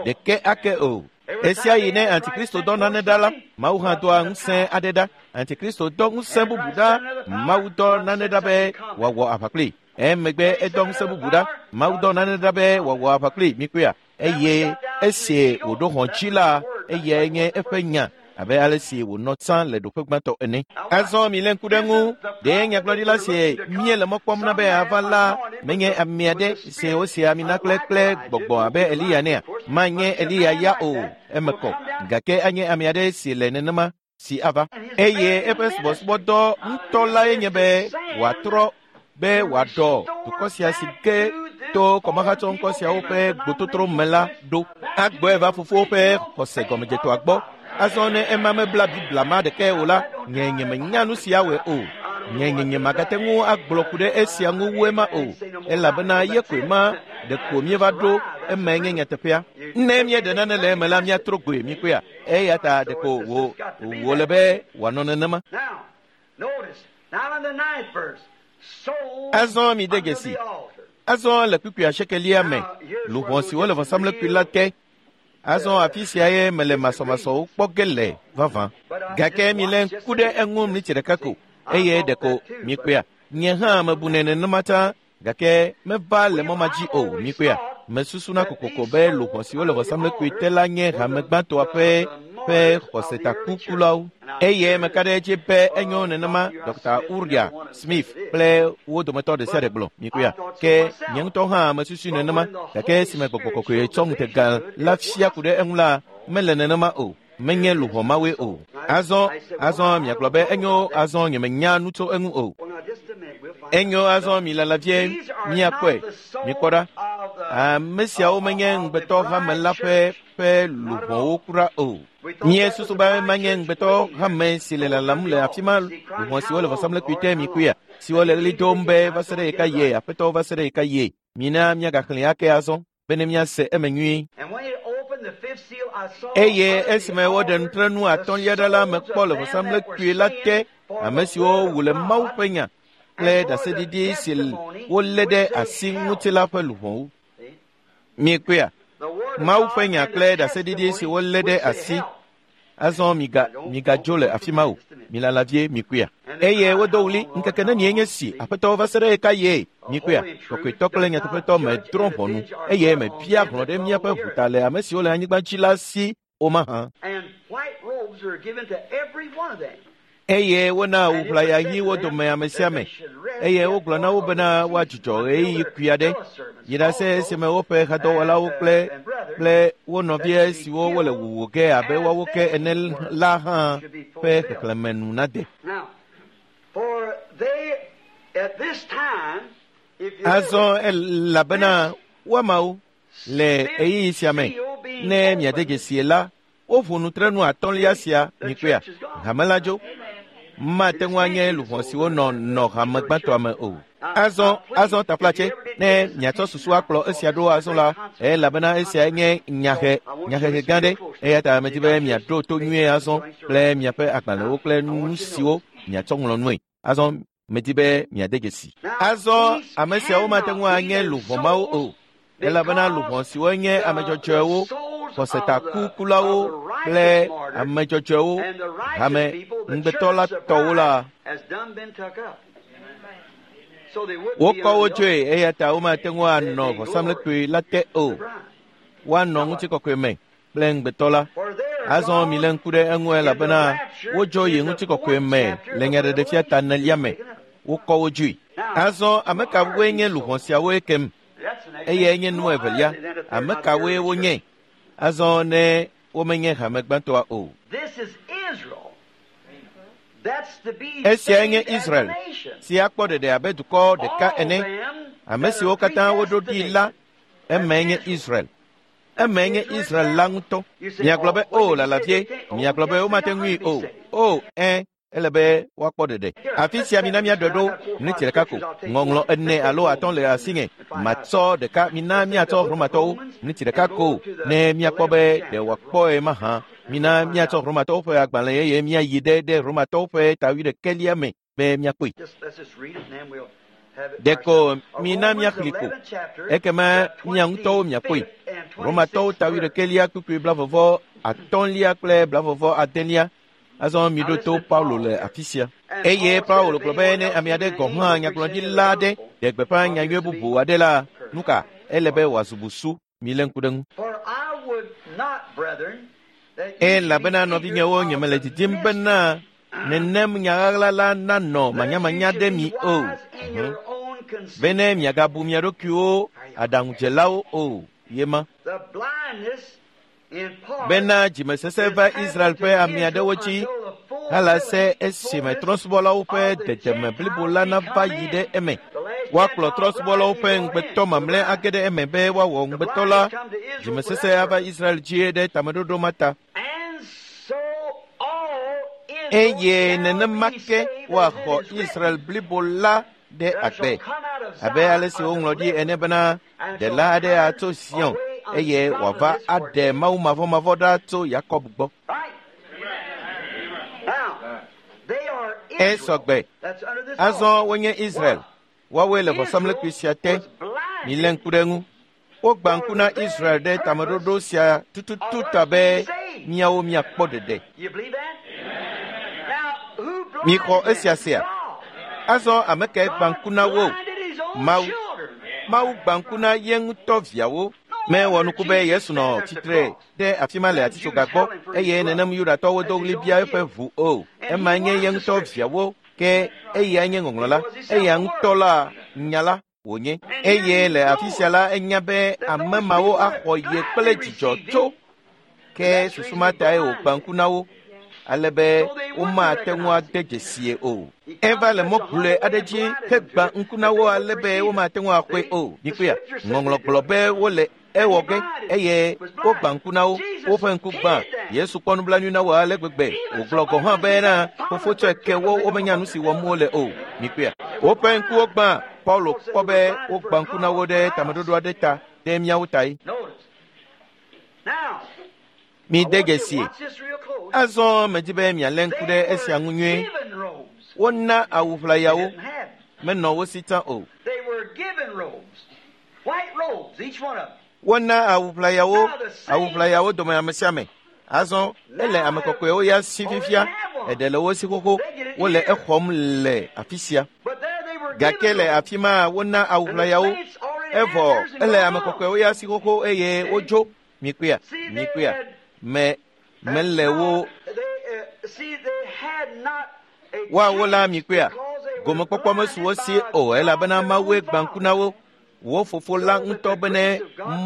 ɖeke ake o. Esia yi ne Antikristo dɔ nane ɖa la, Mawu hã doa ŋusẽ aɖe ɖa. Antikristo dɔ ŋusẽ bubu ɖa, Mawu dɔ nane ɖa be wòawɔ aʋa kpli. Emegbe edɔ ŋusẽ bubu ɖa, Mawu dɔ nane ɖa be wòawɔ aʋa kpli. Mikpɔea? Eye esi wòɖo hɔ̃ dzi la, eyae nye eƒe nya abe ale si wònɔ tsã le ɖoƒe gbãtɔ ene. Azɔ milé ŋku ɖe ŋu, ɖe nyagblɔɖila si míele mɔ kpɔm na be ava la menye ame aɖe si wosi ami na kple gbɔgbɔ abe Eliya nea? Manye Eliya ya o, eme kɔ, gake anye ame aɖe si le nenema si ava. Eye eƒe subɔsubɔdɔ ŋutɔ lae nye be wòatrɔ be wòaɖɔ dukɔ sia si ke to kɔmahatsɔ ŋkɔ siawo ƒe gbototro me la ɖo. Agbɔe va fofowo ƒe xɔse gɔmedzetoa gbɔ. Azɔ ne ema mebla Biblia ma ɖeke o la, nye nyemenya nu sia wɔe o. Nye nye magate ŋu agblɔ ku ɖe esia ŋu wu ema o, elabena ye koe ma ɖeko míeva ɖo emae nye nyateƒea. Ne míeɖe nane le eme la, míatrɔ goe míkpɔea. Eya ta ɖeko wòle be wòanɔ nenema. Azɔ mi de dzesi. Azɔ le kpukpui asiekelia me, luʋɔ siwo le vɔsamlekpui la te. Azɔ afi sia ye mele masɔmasɔwo kpɔ ge le vavã. Gake milé ŋku ɖe eŋu mlitsi ɖeka ko, eye ɖeko mikpɔea. Nye hã mebunɛ nenema tsã, gake meva le mɔ ma dzi o. Mikpɔea? Mesusuna kokoko be luʋɔ siwo le vɔsamlekpui te la nye hame gbãtɔa ƒe xɔsetakukulawo. Eye meka ɖe edzi be enyo nenema Dr. Uria Smith kple wo dometɔ ɖe sia ɖe gblɔ. Mikpɔea? Ke nye ŋutɔ hã mesusui nenema, gake esime gbɔgbɔ kɔkɔe tsɔ ŋutega la fia ku ɖe eŋu la, mele nenema o. Menye luʋɔ mawoe o. Azɔ miagblɔ be enyo, azɔ nyemenya nu tso eŋu o. Enyo, azɔ milala vie miakpɔe. Mikpɔ ɖa. Ame siawo menye ŋugbetɔ hame la ƒe luʋɔwo kura o. Míesusu be manye ŋugbetɔ hame si le lalam le afi ma, luʋɔ siwo le vɔsamlekpui te mikpɔea, siwo le ɣli dom be va se ɖe ɣeka yie, Aƒetɔ va se ɖe ɣeka yie. Mina míagaxlẽe ake azɔ bene míase eme nyuie. Eye esime woɖe nutrenu atɔ̃lia ɖa la, mekpɔ le vɔsamlekpui la te ame siwo wu le Mawu ƒe nya kple ɖaseɖiɖi si wolé ɖe asi ŋuti la ƒe luʋɔwo. Miekpɔea? Mawu ƒe nya kple ɖaseɖiɖi si wolé ɖe asi. Azɔ migadzo le afi ma o. Milala vie mikpɔea. Eye wodo ɣli, ŋkeke nenie nye si, Aƒetɔ va se ɖe ɣeka yie? Mikpɔea? Kɔkɔetɔ kple nyateƒetɔ medrɔ̃ ʋɔnu, eye mebia hlɔ̃ ɖe míaƒe ʋuta le ame siwo le anyigba dzi la si o mahã. Eye wona awu ʋlaya ɣi wo dome ame sia ame, eye wogblɔ na wo bena woadzudzɔ ɣeyiɣi kui aɖe, yi ɖase esime woƒe hadɔwɔlawo kple wo nɔvia siwo wole wuwu ge abe woawo ke ene la hã ƒe xexlẽme nu nade. Azɔ elabena woamawo le ɣeyiɣi sia me, ne miade dzesie la, woʋu nutrenu atɔ̃lia sia mikpɔea, hame la dzo. Mate ŋu anye luʋɔ siwo nɔ hame gbãtɔa me o. Azɔ taflatse, ne miatsɔ susu akplɔ esia ɖo azɔ la, elabena esia nye nyahehe gã ɖe, eya ta medi be miaɖo to nyuie azɔ kple miaƒe agbalẽwo kple nu siwo miatsɔ ŋlɔ nue. Azɔ medi be miade dzesi. Azɔ ame siawo mate ŋu anye luʋɔ mawo o, elabena luʋɔ siwo nye ame dzɔdzɔewo, xɔsetakukulawo kple ame dzɔdzɔewo, hame ŋugbetɔ la tɔwo la, wokɔ wo tsoe, eya ta womate ŋu anɔ vɔsamlekpui la te o. Woanɔ ŋutikɔkɔe me kple ŋugbetɔ la. Azɔ milé ŋku ɖe eŋu elabena wodzo yi ŋutikɔkɔe me le nyaɖeɖefia ta enelia me. Wokɔ wo dzoe. Azɔ ame kawoe nye luʋɔ siawo ekem? Eyae nye nu evelia. Ame kawoe wonye? Azɔ ne womenye hame gbãtɔa o. Esiae nye Israel, si akpɔ ɖeɖe abe dukɔ ɖeka ene. Ame siwo katã woɖo ɖi la, emae nye Israel. Emae nye Israel la ŋutɔ. Miagblɔ be, o lala vie. Miagblɔ be womate ŋui o. O, ele be woakpɔ ɖeɖe. Afi sia mina míaɖɔe ɖo miniti ɖeka ko. Ŋɔŋlɔ 4 alo 5 le asinye. Matsɔ ɖeka, mina míatsɔ Romatɔwo miniti ɖeka ko, ne míakpɔ be ɖe wòakpɔe mahã. Mina míatsɔ Romatɔwo ƒe agbalẽ eye míayi ɖe Romatɔwo ƒe ta 11 me be míakpɔe. Ɖeko mina míaxlẽ ko, ekema mia ŋutɔwo miakpɔe. Romatɔwo ta 11 kpukpui 25 kple 26. Azɔ miɖo to Paulo le afi sia. Eye Paulo gblɔ be ne ame aɖe gɔ̃ hã nyagblɔɖila aɖe ɖe gbeƒã nyanyui bubu aɖe la, nu ka ele be wòazu busu? Milé ŋku ɖe ŋu. Elabena nɔvinyewo, nyemele didim bena nenem nya ɣaɣla la nanɔ manyamanya ɖe mi o, bene miagabu mia ɖokuiwo aɖaŋudzelawo o yema. Bena dzimesesẽ va Israel ƒe ame aɖewo dzi hala se esime trɔ̃subɔlawo ƒe dedeme blibo la nava yi ɖe eme. Woakplɔ trɔ̃subɔlawo ƒe ŋugbetɔ mamlɛ age ɖe eme be woawɔ ŋugbetɔ la. Dzimesesẽ ava Israel dzi ɖe tameɖoɖo ma ta. Eye nenema ke woaxɔ Israel blibo la ɖe agbe, abe ale si woŋlɔ ɖi ene bena ɖela aɖe atso Zion eye wòava aɖe Mawu mavɔmavɔ ɖa tso Yakob gbɔ. Esɔgbe. Azɔ wonye Israel. Woawoe le vɔsamlekpui sia te. Milé ŋku ɖe ŋu. Wogbã ŋku na Israel ɖe tameɖoɖo sia tututu ta be miawo miakpɔ ɖeɖe. Mixɔ esia sea. Azɔ ame kae gbã ŋku na wo? Mawu. Mawu gbã ŋku na ye ŋutɔ viawo. Mewɔ nuku be Yesu nɔ tsitre ɖe afi ma le atitsoga gbɔ eye nenem Yudatɔwo do ɣli bia eƒe ʋu o. Ema nye ye ŋutɔ viawo, ke eyae nye ŋɔŋlɔ la. Eya ŋutɔ la nya la wònye. Eye le afi sia la enya be ame mawo axɔ ye kple dzidzɔ tso. Ke susu ma tae wògbã ŋku na wo, ale be womate ŋu ade dzesie o. Eva le mɔ gblɔe aɖe dzi hegbã ŋku na wo ale be womate ŋu axɔe o. Mikpɔea, ŋɔŋlɔ gblɔ be wole ewɔ ge eye wogbã ŋku na wo. Woƒe ŋku gbã. Yesu kpɔ nublanui na wo ale gbegbe wògblɔ gɔ̃ hã bena fofo tsɔe ke wo womenya nu si wɔm wole o. Mikpɔea, woƒe ŋkuwo gbã. Paulo kpɔ be wogbã ŋku na wo ɖe tameɖoɖo aɖe ta ɖe míawo tae. Mide dzesi. Azɔ medi be mialé ŋku ɖe esia ŋu nyuie. Wona awu ʋlayawo, menɔ wo si tsã o. Wona awu ʋlayawo, awu ʋlayawo dome ame sia ame. Azɔ ele ame kɔkɔewo ya si fifia, eɖe le wo si xoxo, wole exɔm le afi sia. Gake le afi ma wona awu ʋlayawo, evɔ ele ame kɔkɔewo ya si xoxo eye wodzo. Mikpɔea, mikpɔea, me mele wo. Woawo la mikpɔea, gomekpɔkpɔ mesu wo si o elabena Mawue gbã ŋku na wo. Wo fofo la ŋutɔ bene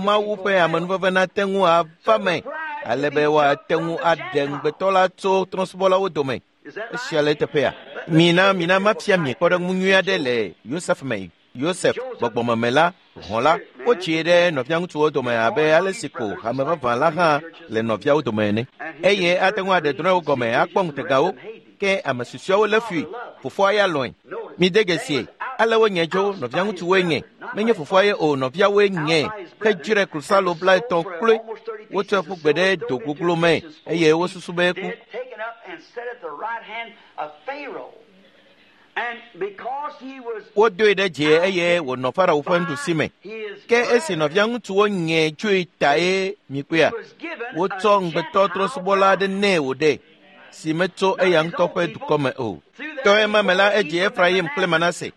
Mawu ƒe amenuveve nate ŋu ava me ale be woate ŋu aɖe ŋugbetɔ la tso trɔ̃subɔlawo dome. Esia le eteƒea. Mina mina mafia mi kpɔɖeŋu nyui aɖe le Yosef me. Yosef gbɔgbɔmeme la, hɔ̃ la, wotsie ɖe nɔviaŋutsuwo dome abe ale si ko hame vavã la hã le nɔviawo dome ene. Eye ate ŋu aɖe drɔ̃ewo gɔme akpɔ ŋutegawo, ke ame susɔeawo lé fui, fofoa ya lɔ̃e. Mide dzesi, ale wonye dzo, nɔviaŋutsuwoe nye. Menye fofoa ye o, nɔviawoe nye. Hedzrae klosalo 50 kloe. Wotsɔe ƒu gbe ɖe do goglo me eye wosusu be eku. Wodoe ɖe dzi eye wònɔ Farao ƒe nuɖusi me. Ke esi nɔviaŋutsuwo nye tsoe tae mikpɔea, wotsɔ ŋugbetɔ trɔ̃subɔla aɖe nɛ wòɖe, si metso eya ŋutɔ ƒe dukɔ me o. To ema me la edzi Efraim kple Manase,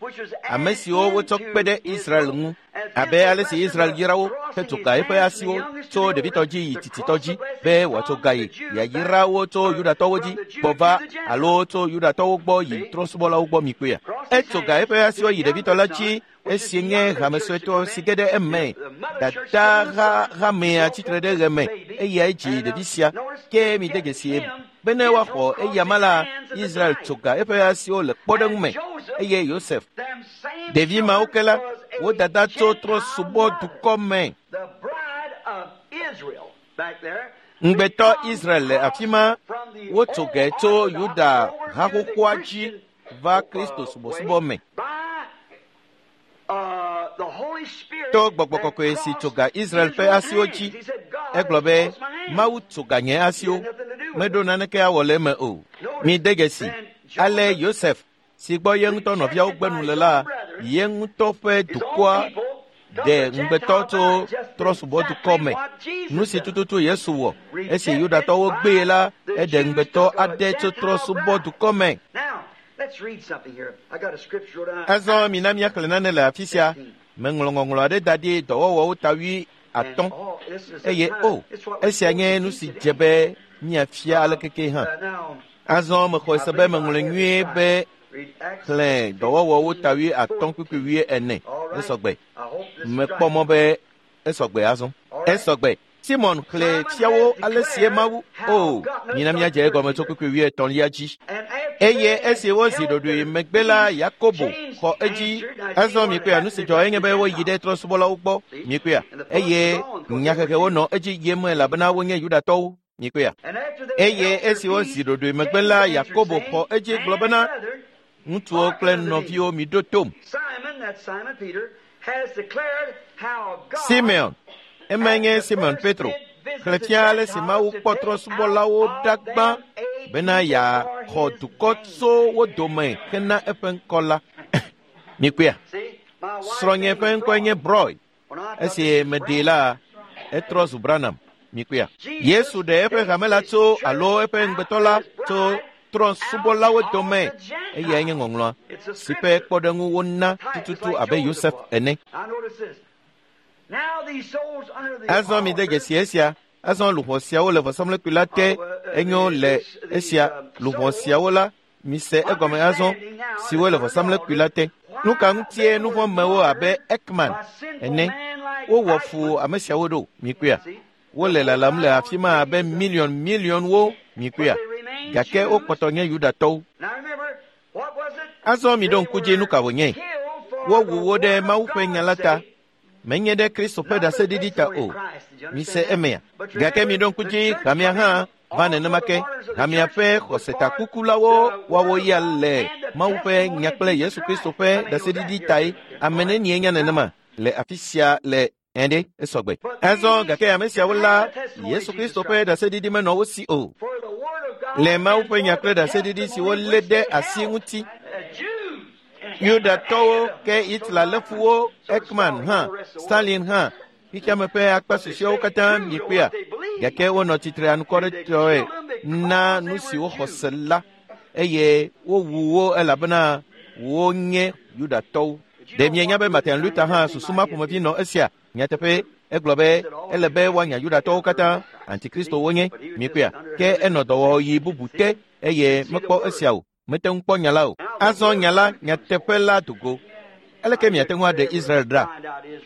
ame siwo wotsɔ kpe ɖe Israel ŋu, abe ale si Israel yra wo hetso ga eƒe asiwo tso ɖevitɔ dzi yi tsitsitɔ dzi be wòatso ga yi yeayra wo tso Yudatɔwo dzi gbɔ va alo tso Yudatɔwo gbɔ yi trɔ̃subɔlawo gbɔ mikpɔea. Etso ga eƒe asiwo yi ɖevitɔ la dzi esi nye hame suetɔ si ge ɖe eme. Dada hamea tsitre ɖe ɣe me eyae dzi ɖevi sia. Ke mide dzesi bene woaxɔ eyama la, Israel tso ga eƒe asiwo le kpɔɖeŋu me eye Yosef. Ɖevi mawo ke la, wo dada tso trɔ̃subɔdukɔ me. Ŋugbetɔ Israel le afi ma, wotso ge tso Yuda haxoxoa dzi va Kristo subɔsubɔ me. To gbɔgbɔ kɔkɔe si tso ga Israel ƒe asiwo dzi, egblɔ be Mawu tso ga nye asiwo, meɖo naneke awɔ le eme o. Mide dzesi, ale Yosef si gbɔ ye ŋutɔ nɔviawo gbe nu le la, ye ŋutɔ ƒe dukɔa Ɖe ŋugbetɔ tso trɔ̃subɔdukɔ me. Nu si tututu Yesu wɔ esi Yudatɔwo gbee la, eɖe ŋugbetɔ aɖe tso trɔ̃subɔdukɔ me. Azɔ mina míaxlẽ nane le afi sia. Meŋlɔ ŋɔŋlɔ aɖe da ɖi dɔwɔwɔwo ta 50 eye o, esia nye nu si dze be míafia alekeke hã. Azɔ mexɔe se be meŋlɔe nyuie be xlẽ dɔwɔwɔwo ta 5:40. Esɔgbe. Mekpɔ mɔ be esɔgbe azɔ. Esɔgbe. Simon xlẽ fiawo ale sie Mawu. O, mina míadze egɔme tso kpukpui 33 dzi. Eye esi wozi ɖoɖoe megbe la, Yakobo xɔ edzi. Azɔ mikpɔa nu si dzɔ enye be woyi ɖe trɔ̃subɔlawo gbɔ. Mikpɔa eye nyahehewo nɔ edzi yim elabena wonye Yudatɔwo. Mikpɔa. Eye esi wozi ɖoɖoe megbe la, Yakobo xɔ edzi gblɔ bena, ŋutsuwo kple nɔviwo miɖo tom. Simeon, emae nye Simon Petro, xlẽ fia ale si Mawu kpɔ trɔ̃subɔlawo ɖa gbã bena yeaxɔ dukɔ tso wo dome hena eƒe ŋkɔ la. Mikpɔea? Srɔ̃nye ƒe ŋkɔe nye Broy. Esi meɖee la, etrɔ zu Branham. Mikpɔea? Yesu ɖe eƒe hame la tso alo eƒe ŋugbetɔ la tso trɔ̃subɔlawo dome. Eyae nye ŋɔŋlɔa si ƒe kpɔɖeŋu wona tututu abe Yosef ene. Azɔ mide dzesi esia. Azɔ luʋɔ siawo le vɔsamlekpui la te. Enyo le esia luʋɔ siawo la, mise egɔme azɔ, siwo le vɔsamlekpui la te. Nu ka ŋutie nuvɔ̃mewo abe Ekman ene wowɔ fu ame siawo ɖo? Mikpɔea? Wole lalam le afi ma abe miliɔn miliɔnwo. Mikpɔea? Gake wokpɔtɔ nye Yudatɔwo. Azɔ miɖo ŋku dzi nu ka wònye. Wowu wo ɖe Mawu ƒe nya la ta. Menye ɖe Kristo ƒe ɖaseɖiɖi ta o. Mise emea. Gake miɖo ŋku dzi hamea hã va nenema ke. Hamea ƒe xɔsetakukulawo woawo ya le Mawu ƒe nya kple Yesu Kristo ƒe ɖaseɖiɖi tae. Ame nenie nya nenema le afi sia le ɛɖe esɔgbe. Azɔ gake ame siawo la, Yesu Kristo ƒe ɖaseɖiɖi menɔ wo si o. Le Mawu ƒe nya kple ɖaseɖiɖi si wolé ɖe asi ŋuti. Yudatɔwo ke Hitler lé fu wo, Ekman hã, Stalin hã, xexeame ƒe akpa susɔeawo katã mikpɔea. Gake wonɔ tsitre anukwaretɔe na nu si woxɔ se la eye wowu wo elabena wonye Yudatɔwo. Ɖe mienya be Martin Luther hã susu ma ƒomevi nɔ esia? Nyateƒe, egblɔ be ele be woanya Yudatɔwo katã, antikristo wonye, mikpɔea. Ke enɔ dɔwɔɣi bubu te eye mekpɔ esia o. Mete ŋu kpɔ nya la o. Azɔ nya la, nyateƒe la dogo. Aleke miate ŋu aɖe Israel ɖa?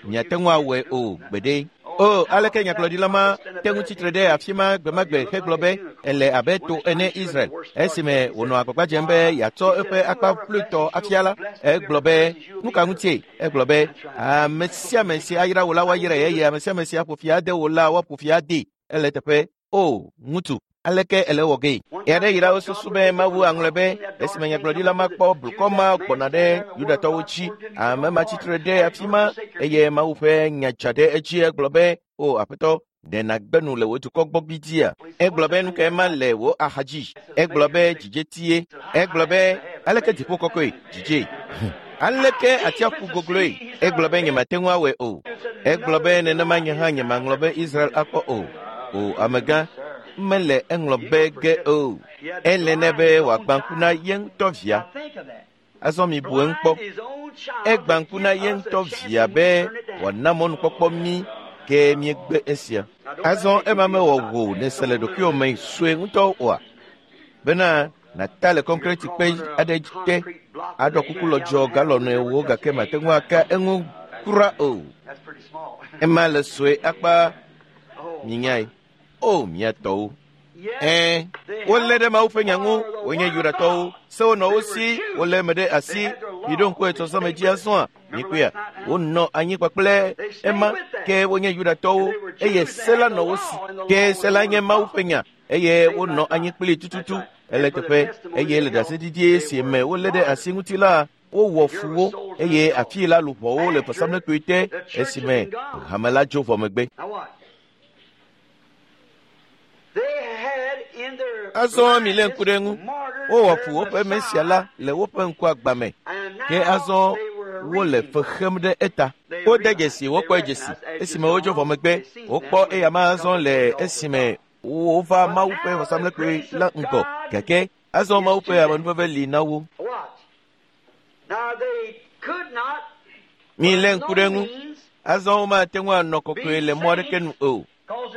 Miate ŋu awɔe o gbeɖe. O, aleke nyagblɔɖila ma te ŋu tsitre ɖe afi ma gbemagbe hegblɔ be ele abe to ene Israel. Esime wònɔ agbagba dzem be yeatsɔ eƒe akpa ƒluitɔ afia la, egblɔ be, nu ka ŋutie? Egblɔ be, ame sia ame si ayra wò la woayrae eye ame sia ame si aƒo fi ade wò la woaƒo fi adee. Ele teƒe. O, ŋutsu, aleke ele wɔ gee? Ɣe aɖe yi la wosusu be Mawu aŋlɔe be esime nyagblɔɖila ma kpɔ blukɔ ma gbɔna ɖe Yudatɔwo dzi. Ame ma tsitre ɖe afi ma eye Mawu ƒe nya dza ɖe edzi. Egblɔ be, o Aƒetɔ, ɖe nàgbe nu le wò dukɔ gbɔ gbidia? Egblɔ be, nu kae ma le wò axa dzi? Egblɔ be, dzidzetie. Egblɔ be, aleke dziƒo kɔkɔe? Dzidze. Aleke atsiaƒu gogloe? Egblɔ be, nyemate ŋu awɔe o. Egblɔ be, nenema nye hã nyemaŋlɔ be Israel akpɔ o. O, amegã, mele eŋlɔ be ge o. Ele nɛ be wòagbã ŋku na ye ŋutɔ via. Azɔ mibu eŋu kpɔ. Egbã ŋku na ye ŋutɔ via be wòana mɔnukpɔkpɔ mí ke míegbe esia. Azɔ ema mewɔ wò nèse le ɖokuiwò me sue ŋutɔ oa? Bena nàta le kɔnkreti kpe aɖe te aɖɔ kuku lɔdzɔ galɔnɔe wo gake mate ŋu aka eŋu kura o. Ema le sue akpa minyae. O, mía tɔwo. Wolé ɖe Mawu ƒe nya ŋu, wonye Yudatɔwo. Sewo nɔ wo si, wolé eme ɖe asi. Miɖo ŋku etsɔsɔme dzi azɔa, mikpɔea. Wonɔ anyi kpakple ema, ke wonye Yudatɔwo, eye se la nɔ wo si. Ke se la nye Mawu ƒe nya, eye wonɔ anyi kplii tututu. Ele teƒe, eye le ɖaseɖiɖi si me wolé ɖe asi ŋuti la, wowɔ fu wo, eye afii la luʋɔwo le vɔsamlekpui te esime hame la dzo vɔ megbe. Azɔ milé ŋku ɖe eŋu. Wowɔ fu woƒe Mesia la le woƒe ŋku agba me. Ke azɔ Wole fe xem ɖe eta. Wode dzesi, wokpɔe dzesi esime wodzo vɔ megbe. Wokpɔ eya ma azɔ le esime wova Mawu ƒe vɔsamlekpui la ŋgɔ. Gake azɔ Mawu ƒe amenuveve li na wo. Milé ŋku ɖe ŋu. Azɔ womate ŋu anɔ kɔkɔe le mɔ aɖeke nu o,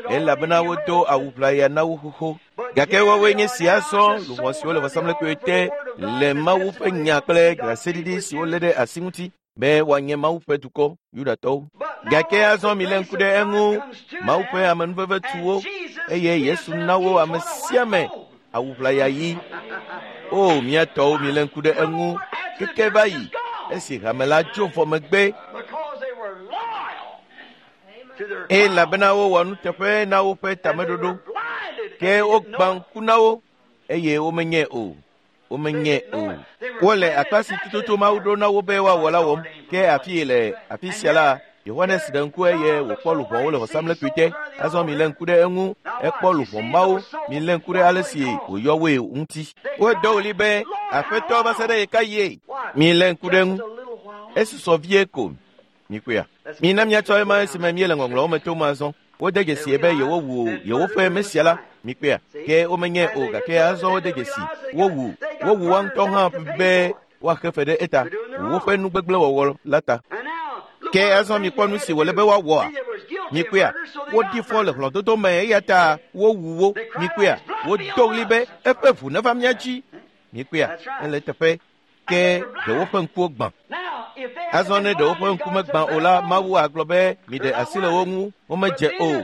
elabena wodo awu ʋlaya na wo xoxo. Gake woawoe nye si azɔ luʋɔ siwo le vɔsamlekpui te le Mawu ƒe nya kple ɖaseɖiɖi si wolé ɖe asi ŋuti be woanye Mawu ƒe dukɔ, Yudatɔwo. Gake azɔ milé ŋku ɖe eŋu. Mawu ƒe amenuveve tu wo, eye Yesu na wo ame sia ame awu ʋlaya ɣi. O, mía tɔwo, milé ŋku ɖe eŋu keke va yi esi hame la dzo vɔ megbe, elabena wowɔ nuteƒe na woƒe tameɖoɖo, ke wogbã ŋku na wo eye womenyae o. Womenyae o. Wole akpa si tututu Mawu ɖo na wo be woawɔ la wɔm. Ke afi le afi sia la, Yohanes ɖe ŋku eye wòkpɔ luʋɔwo le vɔsamlekpui te. Azɔ milé ŋku ɖe eŋu. Ekpɔ luʋɔ mawo. Milé ŋku ɖe ale si wòyɔ woe ŋuti. Wodo ɣli be, Aƒetɔ, va se ɖe ɣekaɣie? Milé ŋku ɖe eŋu. Esusɔ vie ko. Mikpɔea? Mina míatsɔ ema esime míele ŋɔŋlɔwo me tom azɔ. Wode dzesie be yewowu yewoƒe Mesia la. Mikpɔea? Ke womenyae o, gake azɔ wode dzesi. Wowu, wowu woa ŋutɔ hã be woaxe fe ɖe eta, woƒe nugbegblẽwɔwɔ la ta. Ke azɔ mikpɔ nu si wòle be woawɔa? Mikpɔea? Woɖi fɔ le hlɔ̃dodo me eya ta wowu wo. Mikpɔea? Wodo ɣli be eƒe ʋu neva mía dzi. Mikpɔea? Ele eteƒe. Ke ɖe woƒe ŋkuwo gbã. Azɔ ne ɖe woƒe ŋku megbã o la, Mawu agblɔ be miɖe asi le wo ŋu, womedze o.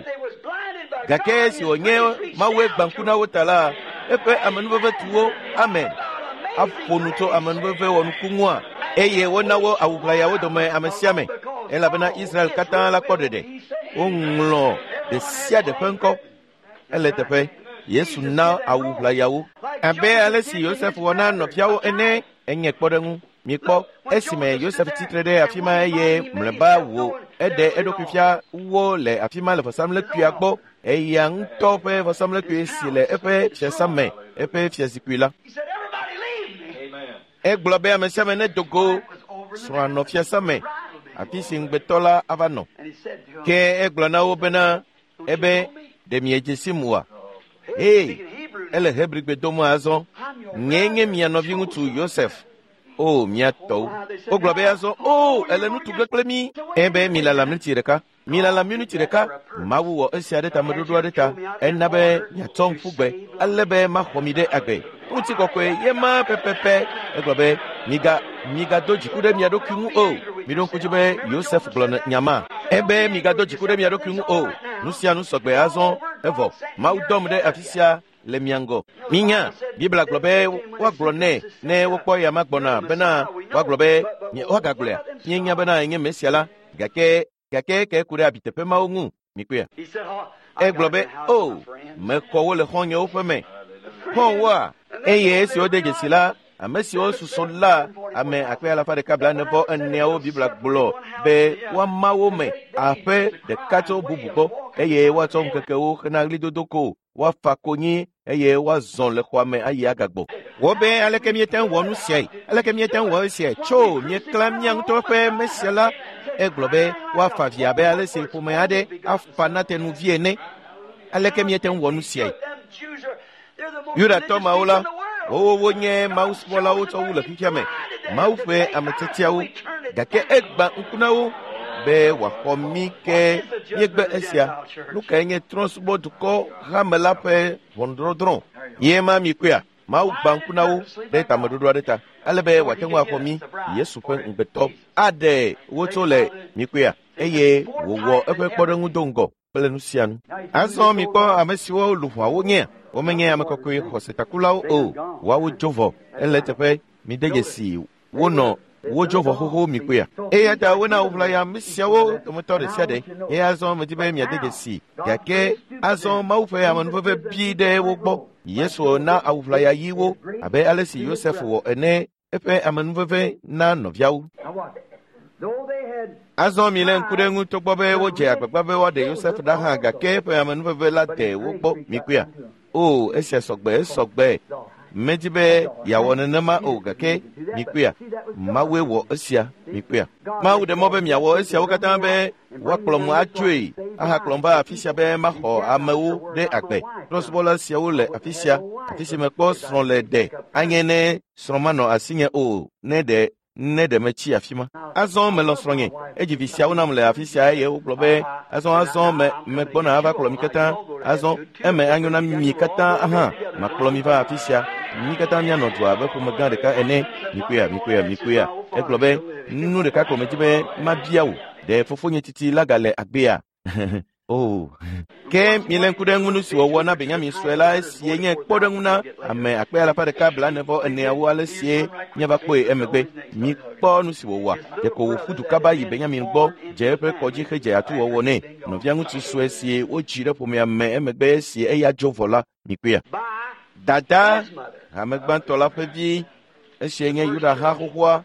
Gake esi wònye Mawue gbã ŋku na wo ta la, eƒe amenuveve tu wo. Amen. Aƒo nu tso amenuveve wɔnuku ŋua, eye wona wo awu ʋlayawo dome ame sia ame, elabena Israel katã la kpɔ ɖeɖe. Woŋlɔ ɖe sia ɖe ƒe ŋkɔ. Ele teƒe. Yesu na awu ʋlayawo. Abe ale si Yosef wɔ na nɔviawo ene, enye kpɔɖeŋu. Mikpɔ, esime Yosef tsitre ɖe afi ma eye mlɔeba wò eɖe eɖokui fia wo le afi ma le vɔsamlekpuia gbɔ, eya ŋutɔ ƒe vɔsamlekpui si le eƒe fiasã me, eƒe fiazikpui la. Egblɔ be ame sia ame nedo go srɔ̃a nɔ fiasã me, afi si ŋugbetɔ la ava nɔ. Ke egblɔ na wo bena, ebe, ɖe miedze sim oa? Ee, ele Hebrigbe dom azɔ. Nyee nye mia nɔviŋutsu Yosef. O, mía tɔwo. Wogblɔ be azɔ, o, ele nu tu ge kple mí. Ebe milala miniti ɖeka. Milala miniti ɖeka. Mawu wɔ esia ɖe tameɖoɖo aɖe ta. Ena be miatsɔ ŋku gbe, ale be maxɔ mi ɖe agbe. Ŋutikɔkɔe ye ma pɛpɛpɛ. Egblɔ be, miga, migado dziku ɖe mia ɖokui ŋu o. Miɖo ŋku dzi be Yosef gblɔ nya ma. Ebe migado dziku ɖe mia ɖokui ŋu o. Nu sia nu sɔgbe azɔ evɔ. Mawu dɔm ɖe afi sia le mia ŋgɔ. Minya, Biblia gblɔ be woagblɔ nɛ ne wokpɔ eya ma gbɔna bena woagblɔ be woagagblɔea. Míenya bena enye Mesia la, gake gake ke ku ɖe abiteƒe mawo ŋu. Mikpɔea? Egblɔ be, o, mexɔ wo le xɔ̃nyewo ƒe me. Xɔ̃woa? Eye esi wode dzesi la, ame siwo susɔ la, ame akpe alafa ɖeka blaene-vɔ-eneawo Biblia gblɔ be woama wo me aƒe ɖeka tso bubu gbɔ, eye woatsɔ ŋkekewo hena ɣlidodo ko, woafa konyi eye woazɔ le xɔa me ayi agagbɔ. Wo be aleke míete ŋu wɔ nu siae? Aleke míete ŋu wɔ esiae? Tso míeklã mía ŋutɔ ƒe Mesia la. Egblɔ be woafa vi abe ale si ƒome aɖe afa na tenuvi ene. Aleke míete ŋu wɔ nu siae? Yudatɔ mawo la, wowo wonye mawusubɔlawo tsɔ wu le fifia me, Mawu ƒe ame tiatiawo. Gake egbã ŋku na wo be wòaxɔ mí ke míegbe esia. Nu kae nye trɔ̃subɔdukɔ hame la ƒe ʋɔnudɔdrɔ̃? Ye ma mikpɔea? Mawu gbã ŋku na wo ɖe tameɖoɖo aɖe ta, ale be wòate ŋu axɔ mí, Yesu ƒe ŋugbetɔ, aɖe wo tso le mikpɔea, eye wòwɔ eƒe kpɔɖeŋu do ŋgɔ kple nu sia nu. Azɔ mikpɔ ame siwo luʋɔawo nyea. Womenye ame kɔkɔe xɔsetakulawo o. Woawo dzo vɔ. Ele eteƒe. Mide dzesi wonɔ wodzo vɔ xoxo mikpɔea. Eya ta wona woʋlaya ame siawo dometɔ ɖe sia ɖe. Eye azɔ medi be miade dzesi. Gake azɔ Mawu ƒe amenuveve bi ɖe wo gbɔ. Yesu na awu ʋlaya ɣi wo abe ale si Yosef wɔ ene eƒe amenuveve na nɔviawo. Azɔ milé ŋku ɖe eŋu togbɔ be wodze agbagba be woaɖe Yosef ɖa hã, gake eƒe amenuveve la de wo gbɔ. Mikpɔea? O, esia sɔgbe, esɔgbe. Medi be yeawɔ nenema o gake mikpɔea, Mawue wɔ esia, mikpɔea. Mawu ɖe mɔ be miawɔ esiawo katã be woakplɔm atsoe ahakplɔm va afi sia be maxɔ amewo ɖe agbe. Trɔ̃subɔla siawo le afi sia, afi si mekpɔ srɔ̃ le ɖe anye ne srɔ̃ manɔ asinye o ne ɖe ne ɖe metsi afi ma. Azɔ melɔ̃ srɔ̃nye, edzi vi siawo nam le afi sia eye wogblɔ be azɔ me megbɔna ava kplɔ mi katã. Azɔ eme anyo na mi katã hã makplɔ mi va afi sia. Mi katã mianɔ du abe ƒome gã ɖeka ene. Mikpɔea. Egblɔ be nu ɖeka ko medzi be mabia wò. Ɖe fofonye titi la gale agbea? Oh. Ke miele ŋku ɖe ŋu nu si wòwɔ na Benyamin sue la esie nye kpɔɖeŋu na ame akpe alafa ɖeka 44 ale sie míava kpɔe emegbe. Mikpɔ nu si wòwɔa. Ɖeko wòƒu du kaba yi Benyamin gbɔ dze eƒe kɔdzi hedze atuwɔwɔ nɛ. Nɔvia ŋutsu sue si wodzi ɖe ƒomea me emegbe esi eya dzo vɔ la, mikpɔea. Dada, hame gbãtɔ la ƒe vi, esie nye Yuda ha xoxoa.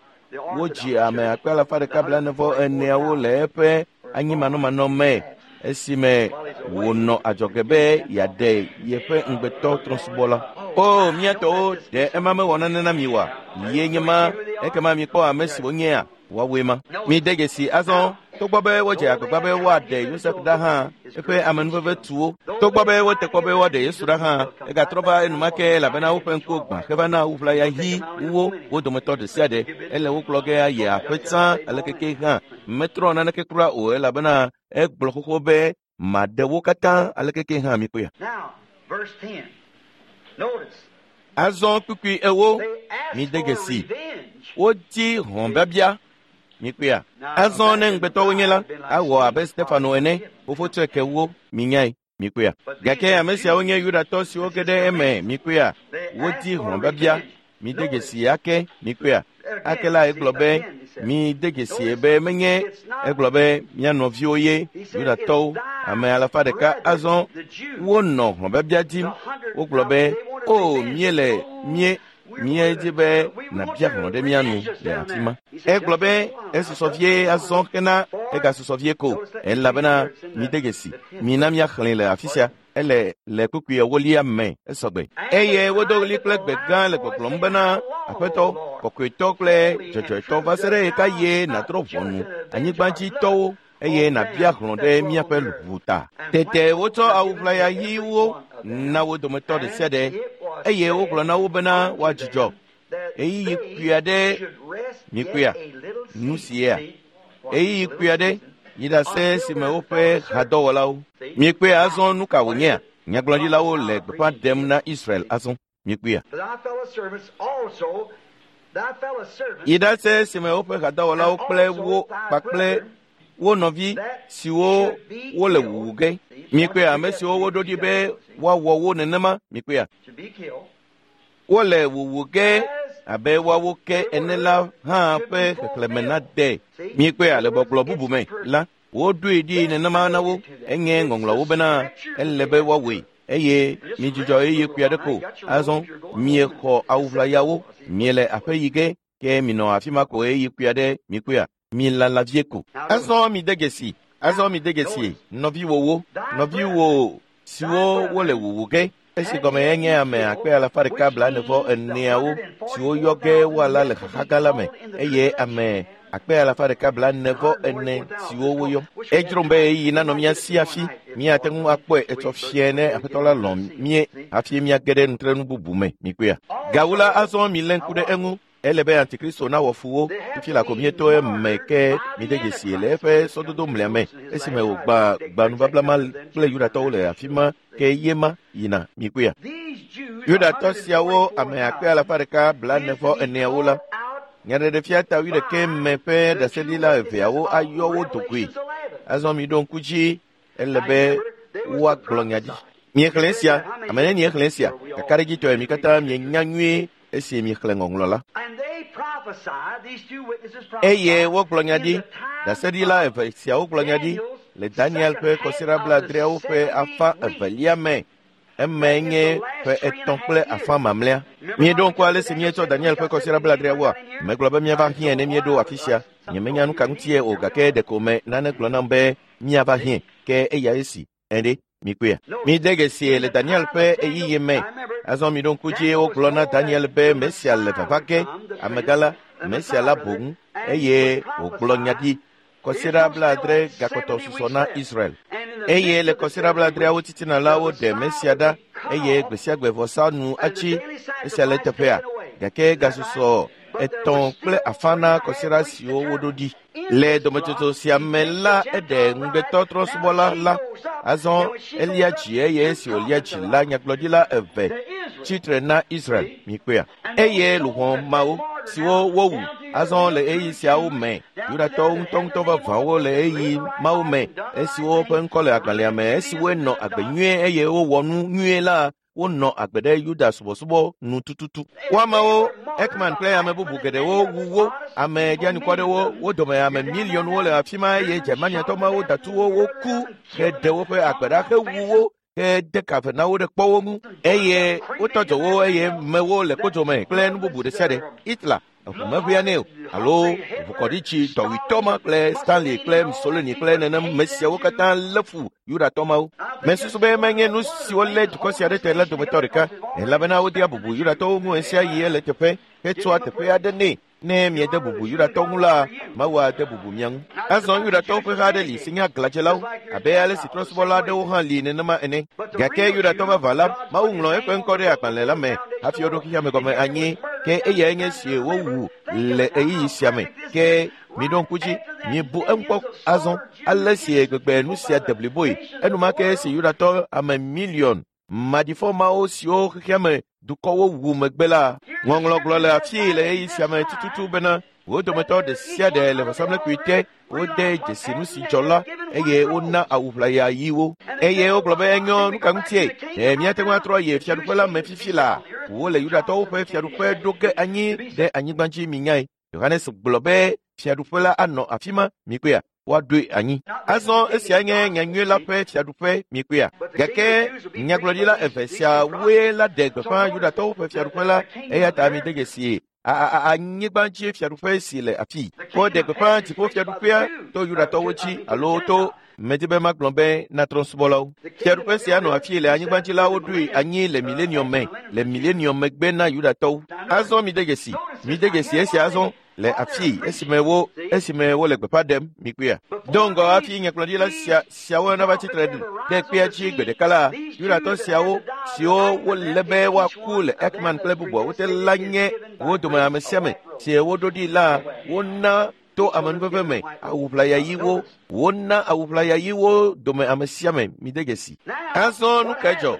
Wodzi ame akpe alafa ɖeka 44 le eƒe anyimanɔmanɔ me esime wònɔ adzɔge be yeaɖe yeƒe ŋugbetɔ trɔ̃subɔla. O, mía tɔwo, ɖe ema mewɔ nane na mi oa? Ye nye ma, ekema mikpɔ ame si wonyea, woawoe ma. Mide dzesi azɔ, togbɔ be wodze agbagba be woaɖe Yosef ɖa hã, eƒe amenuveve tu wo. Togbɔ be wote kpɔ be woaɖe Yesu ɖa hã, egatrɔ va enumake elabena woƒe ŋkuwo gbã heva na ʋlaya ɣi wo wo dometɔ ɖe sia ɖe. Ele wo kplɔ ge ayi aƒe tsã alekeke hã. Metrɔ naneke kura o elabena egblɔ xoxo be maɖe wo katã alekeke hã mikpɔea. Azɔ kpukpui 8, mide dzesi. Wodi hlɔ̃biabia, mikpɔea. Azɔ ne ŋugbetɔwo nye la, awɔ abe Stefano ene, fofo tsɔe ke wo, minyae, mikpɔea. Gake ame siawo nye Yudatɔ siwo ge ɖe eme, mikpɔea. Wodi hlɔ̃biabia, mide dzesi ake, mikpɔea. Ake la egblɔ be mide dzesi be menye, egblɔ be mía nɔviwo ye Yudatɔwo, ame alafa ɖeka. Azɔ wonɔ hlɔ̃biabia dim. Wogblɔ be o míele míedzi be nàbia hlɔ̃ ɖe mía nu le afi ma. Egblɔ be esusɔ vie azɔ hena egasusɔ vie ko elabena mide dzesi mina míaxlẽe le afi sia. Ele le kpukpui 8 me esɔgbe. Eye wodo ɣli kple gbe gã le gbɔgblɔm bena Aƒetɔ, kɔkɔetɔ kple dzɔdzɔetɔ va se ɖe ɣekaɣie nàdrɔ̃ ʋɔnu anyigbadzitɔwo eye nàbia hlɔ̃ ɖe míaƒe luʋu ta. Tete wotsɔ awu ʋlaya ɣiwo na wo dometɔ ɖe sia ɖe eye wogblɔ na wo bena woadzudzɔ ɣeyiɣi kpui aɖe. Mikpɔea nu sia ɣeyiɣi kpui aɖe yi ɖase si me woƒe hadɔwɔlawo. Mikpɔea azɔ nu ka wònyea? Nyagblɔɖilawo le gbeƒã ɖem na Israel azɔ. Mikpɔea. Yi ɖase si me woƒe hadɔwɔlawo kple wo kpakple wo nɔvi siwo wole wuwu ge. Mikpɔea ame siwo woɖo ɖi be woawɔ wo nenema. Mikpɔea. Wole wuwu ge abe woawo ke ene la hã ƒe xexlẽme nade. Mikpɔea le gbɔgblɔ bubu me la, woɖoe ɖi nenema na wo. Enye ŋɔŋlɔawo bena ele be woawɔe eye midzudzɔ ɣeyiɣi kpui aɖe ko. Azɔ miexɔ awu ʋlayawo, miele aƒe yi ge, ke minɔ afi ma ko ɣeyiɣi kpui aɖe. Mikpɔea, milala vie ko. Azɔ mide dzesi, azɔ mide dzesi nɔviwòwo, nɔviwò siwo wole wuwu ge. Esi gɔme enye ame akpe alafa ɖeka 44 siwo yɔ ge woala le xaxa gã la me eye ame akpe alafa ɖeka 44 siwo woyɔ. Edzrom be ɣeyiɣi nanɔ mía si hafi míate ŋu akpɔe etsɔ fia ne Aƒetɔ la lɔ̃ mí hafi míage ɖe nutrenu bubu me. Mikpɔea. Gawu la azɔ milé ŋku ɖe eŋu. Ele be Antikristo nawɔ fu wo. Fifi la ko míeto eme ke mide dzesi le eƒe sɔdodo mlea me esime wògbã gbanubabla ma kple Yudatɔwo le afi ma ke ye ma yina. Mikpɔea. Yudatɔ siawo ame akpe alafa ɖeka 44 la, Nyaɖeɖefia ta 11 me ƒe ɖaseɖila eveawo ayɔ wo dogoe. Azɔ miɖo ŋku dzi, ele be woagblɔ nya ɖi. Miexlẽ esia, ame nenie xlẽ esia? Kakaɖedzitɔe mi katã mienya nyuie esi miexlẽ ŋɔŋlɔ la. Eye wogblɔ nya ɖi, ɖaseɖila eve siawo gblɔ nya ɖi le Daniel ƒe kɔsiɖa 70 ƒe afã evelia me. Eme nye ƒe 3 kple afã mamlɛa. Míeɖo ŋku ale si míetsɔ Daniel ƒe kɔsiɖa 70woa. Megblɔ be míava hiãe ne míeɖo afi sia. Nyemenya nu ka ŋutie o gake ɖeko me nane gblɔ nam be míava hiãe. Ke eya esi. Ɛɖe, mikpɔea. Mide dzesi le Daniel ƒe ɣeyiɣi me. Azɔ mi ɖo ŋku dzi wogblɔ na Daniel be Mesia le vava ge, amegã la, Mesia la boŋ, eye wògblɔ nya ɖi. Kɔsiɖa 70 gakpɔtɔ susɔ na Israel. Eye le kɔsiɖa 70awo titina la, woɖe Mesia ɖa, eye gbe sia gbe vɔsa nu atsi esia le teƒea. Gake gasusɔ 3.5 na kɔsiɖa siwo woɖo ɖi. Le dometsotso sia me la, eɖe ŋugbetɔ trɔ̃subɔla la. Azɔ elia dzi eye esi wòlia dzi la, nyagblɔɖila eve tsitre na Israel, mikpɔea. Eye luʋɔ mawo siwo wowu azɔ le ɣeyiɣi siawo me, Yudatɔwo ŋutɔŋutɔ vavãwo le ɣeyiɣi mawo me, esiwo ƒe ŋkɔ le agbalẽa me, esiwoe nɔ agbe nyuie eye wowɔ nu nyuie la, wonɔ agbe ɖe Yuda subɔsubɔ nu tututu. Wo amewo, Ekman kple ame bubu geɖewo wu wo, ame ɖianukwɔ wo dome ame miliɔnwo le afi ma eye Germaniatɔ mawo datu wo woku heɖe woƒe agbe ɖa hewu wo hede ka ve na wo ɖe kpɔwo ŋu eye wotɔ dzo wo eye mewo le kpodzo me kple nu bubu ɖe sia ɖe. Hitler eʋu meʋea nɛ o alo ʋukɔɖitsi dɔwuitɔ ma kple Stanley kple Mussolini kple nenem me siawo katã lé fu Yudatɔ mawo. Mesusu be menye nu siwo lé dukɔ sia ɖe te la dometɔ ɖeka, elabena wodea bubu Yudatɔwo ŋu ɣe sia ɣi ele teƒe hetsɔa teƒe aɖe nɛ. Ne miede bubu Yudatɔ ŋu la, Mawu ade bubu mia ŋu. Azɔ Yudatɔwo ƒe ha aɖe li si nye aglãdzelawo, abe ale si trɔ̃subɔla aɖewo hã li nenema ene. Gake Yudatɔ vavã la, Mawu ŋlɔ eƒe ŋkɔ ɖe agbalẽ la me hafi woɖo xexea me gɔme anyi, ke eyae nye si wowu le ɣeyiɣi sia me. Ke miɖo ŋku dzi, mibu eŋu kpɔ azɔ ale si gbegbe nu sia de bliboe. Enumake esi Yudatɔ ame miliɔn maɖifɔ mawo siwo xexea me dukɔwo wu megbe la, ŋɔŋlɔ gblɔ le afii le ɣeyiɣi sia me tututu bena wo dometɔ ɖe sia ɖe le vɔsamlekpui te, wode dzesi nu si dzɔ la eye wona awu ʋlaya ɣiwo. Eye wogblɔ be enyo, nu ka ŋutie? Ɖe míate ŋu atrɔ yi fiaɖuƒe la me fifi laa? Wole Yudatɔwo ƒe fiaɖuƒe ɖo ge anyi ɖe anyigba dzi minyae. Yohanes gblɔ be fiaɖuƒe la anɔ afi ma, mikpɔea, woaɖoe anyi. Azɔ esia nye nyanyui la ƒe fiaɖuƒe, mikpɔea. Gake nyagblɔɖila eve siawoe la ɖe gbeƒã Yudatɔwo ƒe fiaɖuƒe la, eya ta mide dzesi anyigba dzi fiaɖuƒe si le afii. Woɖe gbeƒã dziƒo fiaɖuƒea to Yudatɔwo dzi alo to medi be magblɔ be na trɔ̃subɔlawo. Fiaɖuƒe sia nɔ afii le anyigba dzi la woɖoe anyi le milenium me, le milenium megbe na Yudatɔwo. Azɔ mide dzesi, mide dzesi esia azɔ le afii esime wole gbeƒã ɖem, mikpɔea. Do ŋgɔ hafi nyagblɔɖila siawo nava tsitre ɖe kpea dzi gbe ɖeka la, Yudatɔ siawo siwo wolé be woaku le Ekman kple bubuawo te la nye wo dome ame sia ame si woɖo ɖi la, wona to amenuveve me awu ʋlaya ɣiwo, wona awu ʋlaya ɣiwo dome ame sia ame, mide dzesi. Azɔ nu kae dzɔ?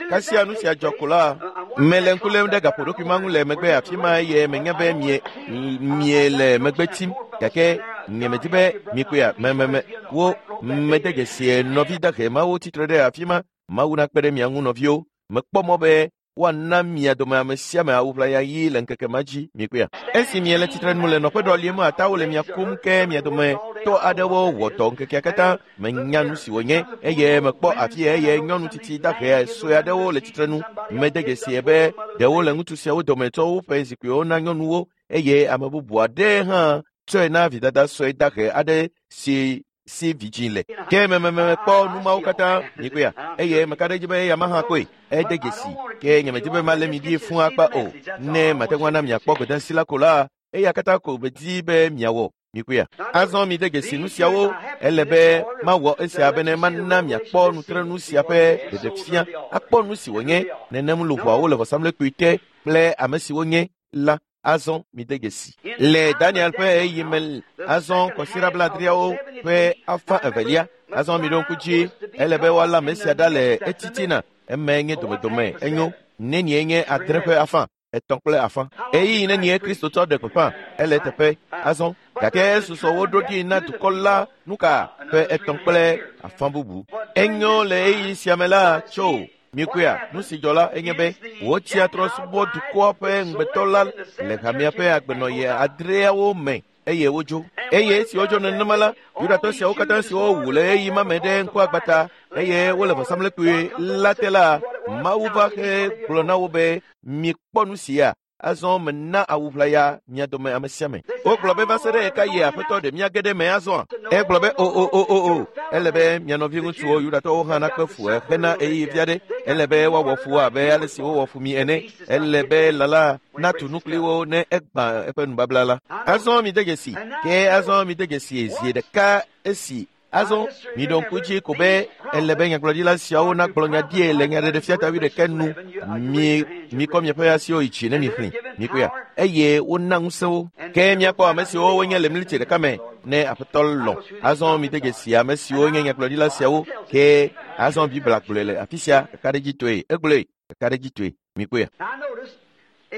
Kasia nu sia dzɔ ko la, mele ŋku lém ɖe gaƒoɖokui ma ŋu le megbe afi ma eye menya be mie le megbe tim, gake nyemedi be mikpɔea me wo mede dzesi nɔvi dahe mawo tsitre ɖe afi ma. Mawu nakpe ɖe mia ŋu nɔviwo. Mekpɔ mɔ be woana mia dome ame sia ame awu ʋlaya ɣi le ŋkeke ma dzi, mikpɔea. Esi miele tsitre nu le nɔƒe ɖɔlim atawo le mia kum ke mia dome tɔ aɖewo wɔ dɔ ŋkekea katã. Menya nu si wònye eye mekpɔ afi eye nyɔnu tsitsi dahe sue aɖewo le tsitre nu. Mede dzesi be ɖewo le ŋutsu siawo dome tsɔ woƒe zikpuiwo na nyɔnuwo eye ame bubu aɖe hã tsɔe na vidada sue dahe aɖe si vidzĩ le. Ke mekpɔ nu mawo katã, mikpɔea, eye meka ɖe edzi be eya ma hã kpɔe. Ede dzesi ke nyemedi be malé mi ɖi fũu akpa o. Ne mate ŋu ana miakpɔ gbedeasi la ko la, eya katã ko medi be miawɔ. Mikpɔea. Azɔ mide dzesi nu siawo, ele be mawɔ esia bene mana miakpɔ nutrenu sia ƒe ɖeɖefia, akpɔ nu si wònye nenem luʋɔawo le vɔsamlekpui te kple ame siwo nye la. Azɔ mide dzesi. Le Daniel ƒe ɣeyiɣi me, azɔ kɔsiɖa 70awo ƒe 2/2, azɔ miɖo ŋku dzi, ele be woalé ame sia ɖa le etitina, emae nye domedome, enyo, nenie nye 6.5, 3.5. Ɣeyiɣi nenie Kristotɔ ɖe gbeƒã, ele teƒe, azɔ, gake esusɔ woɖo ɖi na dukɔ la nuka ƒe 3.5 bubu. Enyo le ɣeyiɣi sia me la tso mikpɔea, nu si dzɔ la enye be wotsia trɔ̃subɔ dukɔa ƒe ŋugbetɔ la le hamea ƒe agbenɔɣi 6 me eye wodzo. Eye esi wodzo nenema la, Yudatɔ siawo katã siwo wu le ɣeyiɣi ma me ɖe ŋkuagbata eye wole vɔsamlekpui la te la, Mawu va he gblɔ na wo be mikpɔ nu sia. Azɔ mena awu ʋlaya mia dome ame sia ame. Wogblɔ be va se ɖe ɣeka yi Aƒetɔ ɖe mía ge ɖe me azɔa? Egblɔ be o o o o o. Ele be mia nɔvi ŋutsuwo Yudatɔwo hã nakpe fu hena ɣeyiɣi vi aɖe. Ele be woawɔ fu wo abe ale si wowɔ fu mi ene. Ele be lã la natu nu kpli wo ne egbã eƒe nubabla la. Azɔ mide dzesi. Ke azɔ mide dzesi zi ɖeka esi Azɔ miɖo ŋku dzi ko be ele be nyagblɔɖila siawo nagblɔ nya ɖie le nyaɖeɖefia ta wuiɖekɛ nu. Mi mikɔ miaƒe asiwo yi dzi ne mixlẽ. Mikpɔea? Eye wona ŋusẽ wo. Ke miakpɔ ame siwo wonye le mlitsi ɖeka me ne Aƒetɔ lɔ̃. Azɔ mide dzesi ame siwo nye nyagblɔɖila siawo. Ke azɔ Biblia gblɔe le afi sia kakaɖedzitɔe. Egblɔe kakaɖedzitɔe. Mikpɔea?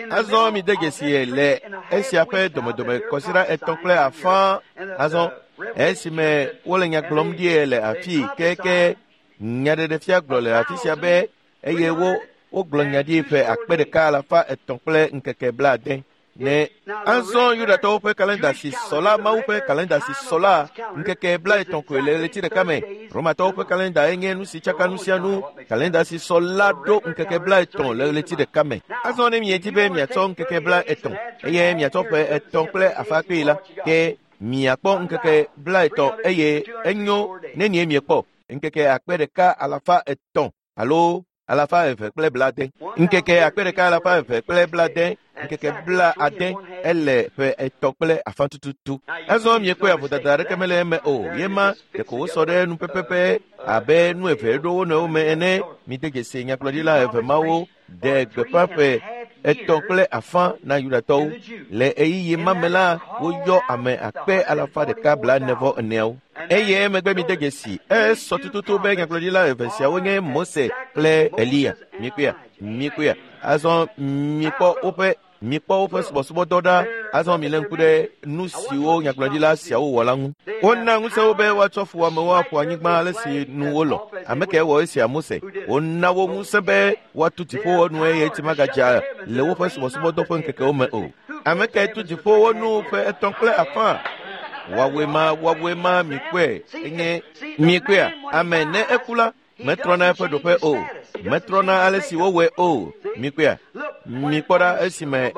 Azɔ mide dzesi le esia ƒe domedome kɔsiɖa etɔ̃ kple afã. Azɔ esime wole nya gblɔm ɖie le afi keke nyaɖeɖefia gblɔ le afi sia be eye wo wogblɔ nya ɖi ƒe akpe ɖeka alafa etɔ̃ kple ŋkeke blaade. Ne azɔ Yudatɔwo ƒe kalenda si sɔ la, Mawu ƒe kalenda si sɔ la, ŋkeke 30 koe le ɣleti ɖeka me. Romatɔwo ƒe kalenda enye nu si tsaka nu sia nu. Kalenda si sɔ la ɖo ŋkeke 30 le ɣleti ɖeka me. Azɔ ne miedi be miatsɔ ŋkeke 30 eye miatsɔ ƒe etɔ̃ kple afã kpee la, ke miakpɔ ŋkeke 30 eye enyo nenie miekpɔ ŋkeke akpe ɖeka alafa etɔ̃ alo alafa eve kple blaade. Ŋkeke akpe ɖeka alafa eve kple blaade, ŋkeke 90 ele ƒe etɔ̃ kple afã tututu. Azɔ miekpɔe avodada aɖeke mele eme o. Ye ma ɖeko wosɔ ɖe nu pɛpɛpɛ abe nu eve ɖo wo nɔewo me ene. Mide dzesi nyagblɔɖila eve mawo ɖe gbeƒã ƒe etɔ̃ kple afã na Yudatɔwo. Le ɣeyiɣi ma me la, woyɔ ame akpe alafa ɖeka 44wo. Eye emegbe mide dzesi esɔ tututu be nyagblɔɖila eve siawo nye Mose kple Eliya. Mikpɔea? Mikpɔea? Azɔ mikpɔ woƒe mikpɔ woƒe subɔsubɔdɔ ɖa. Azɔ milé ŋku ɖe nu siwo nyagblɔɖila siawo wɔ la ŋu. Wona ŋusẽ wo be woatsɔ fuwɔamewo aƒo anyigba ale si nu wolɔ. Ame kae wɔ esia? Mose. Wona wo ŋusẽ be woatu dziƒowo nu eye tsi magadza le woƒe subɔsubɔdɔ ƒe ŋkekewo me o. Ame kae tu dziƒowo nu ƒe etɔ̃ kple afã? Woawoe ma, woawoe ma, mikpɔe enye mikpɔea? Ame ne eku la, metrɔna eƒe ɖoƒe o. Metrɔna ale si wowɔe o. Mikpɔea? Mikpɔ ɖa esime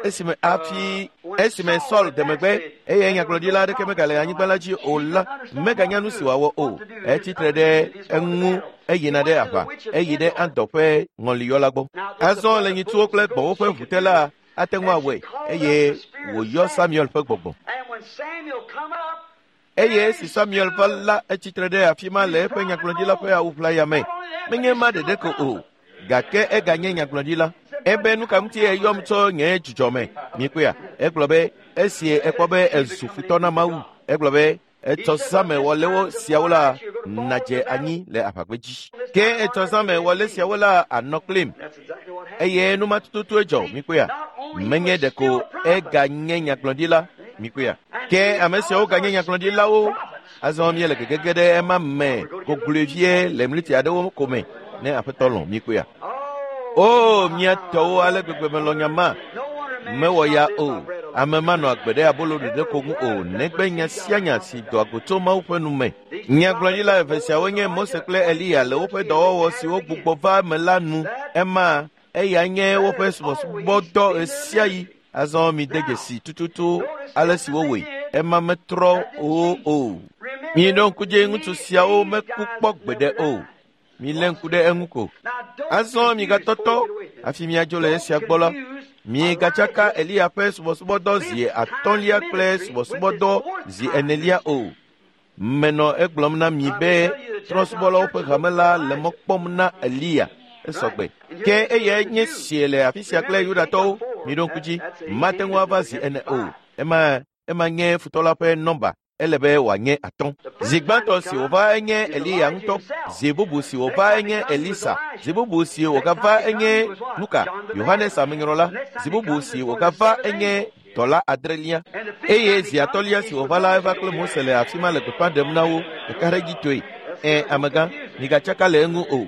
esime afi esime Saul de megbe eye nyagblɔɖila aɖeke megale anyigba la dzi o la, meganya nu si wòawɔ o. Etsi tre ɖe eŋu eyina ɖe aʋa, eyi ɖe Andɔ ƒe ŋɔliyɔla gbɔ. Azɔ le nyitsuwo kple gbɔ̃wo ƒe ʋu te la, ate ŋu awɔe eye wòyɔ Samuel ƒe gbɔgbɔ. Eye esi Samuel va la, etsi tre ɖe afi ma le eƒe nyagblɔɖila ƒe awu ʋlaya me. Menye ma ɖeɖe ko o, gake eganye nyagblɔɖila. Ebe nu ka ŋuti eyɔm tso nye dzidzɔ me? Mikpɔea? Egblɔ be esi ekpɔ be ezu futɔ na Mawu. Egblɔ be etsɔ zãme wɔlewo siawo la nadze anyi le aʋagbedzi. Ke etsɔ zãme wɔle siawo la anɔ kplim. Eye nu ma tututue dzɔ. Mikpɔea? Menye ɖeko eganye nyagblɔɖila. Mikpɔea? Ke ame siawo ganye nyagblɔɖilawo. Azɔ míele gegege ɖe ema me gogloe vie le mliti aɖewo ko me ne Aƒetɔ lɔ̃. Mikpɔea? O, mía tɔwo ale gbegbe melɔ̃ nya ma. Mewɔ ya o. Ame manɔ agbe ɖe abolo ɖeɖe ko ŋu o, negbe nya sia nya si doa go tso Mawu ƒe nu me. Nyagblɔɖila eve siawo nye Mose kple Eliya le woƒe dɔwɔwɔ siwo gbugbɔ va eme la nu. Ema eya nye woƒe subɔsubɔdɔ ɣesiaɣi. Azɔ mide dzesi tututu ale si wowɔe. Ema metrɔ wo o. Miɖo ŋku dzi ŋutsu siawo meku kpɔ gbeɖe o. Milé ŋku ɖe eŋu ko. Azɔ migatɔtɔ hafi miadzo le esia gbɔ la, migatsaka Eliya ƒe subɔsubɔdɔ zi atɔ̃lia kple subɔsubɔdɔ zi enelia o. Menɔ egblɔm na mi be trɔ̃subɔlawo ƒe hame la le mɔ kpɔm na Eliya. Esɔgbe. Ke eyae nye sie le afi sia kple Yudatɔwo. Miɖo ŋku dzi, mate ŋu ava zi ene o. Ema ema nye futɔ la ƒe nɔmba. Ele be wòanye atɔ̃. Zi gbãtɔ si wòva enye Eliya ŋutɔ. Zi bubu si wòva enye Elisa. Zi bubu si wògava enye nuka? Yohanes Amenyrɔla. Zi bubu si wògava enye dɔla adrelia. Eye zi atɔ̃lia si wòva la eva kple Mose le afi ma le gbeƒã ɖem na wo ɖekaɖedzitɔe. Ẽ, amegã, migatsaka le eŋu o.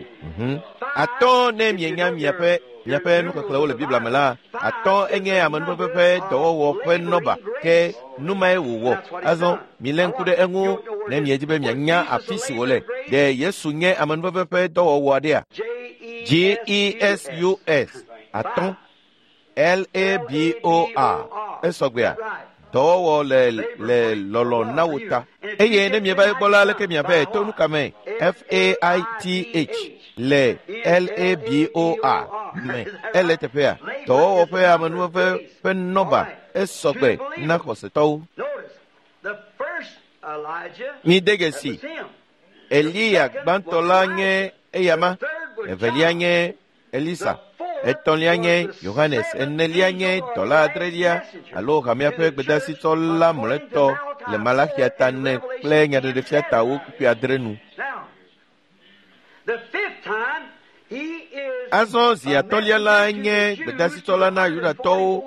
Atɔ̃ ne mienya miaƒe miaƒe nuxexlẽwo le Biblia me la, atɔ̃ enye amenuveve ƒe dɔwɔwɔ ƒe nɔba. Ke nu mae wòwɔ. Azɔ milé ŋku ɖe eŋu ne miedi be mianya afi si wòle. Ɖe Yesu nye amenuveve ƒe dɔwɔwɔ aɖea? G E S U S atɔ̃. L-A-B-O-R. Esɔgbea. Dɔwɔwɔ le lɔlɔ na wo ta. Eye ne mieva egbɔ la, aleke miavae to nu ka me? F-A-I-T-H le L-A-B-O-R me. Ele teƒea. Dɔwɔwɔ ƒe amenuveve ƒe nɔba esɔgbe na xɔsetɔwo. Mide dzesi. Eliya gbãtɔ la nye eyama, evelia nye Elisa, etɔ̃lia nye Yohanes, enelia nye dɔla adrelia alo hamea ƒe gbedasitɔ la mlɔetɔ le Malaxia ta 4 kple Nyaɖeɖefia ta 6 nu. Azɔ zi atɔ̃lia la nye gbedasitɔ la na Yudatɔwo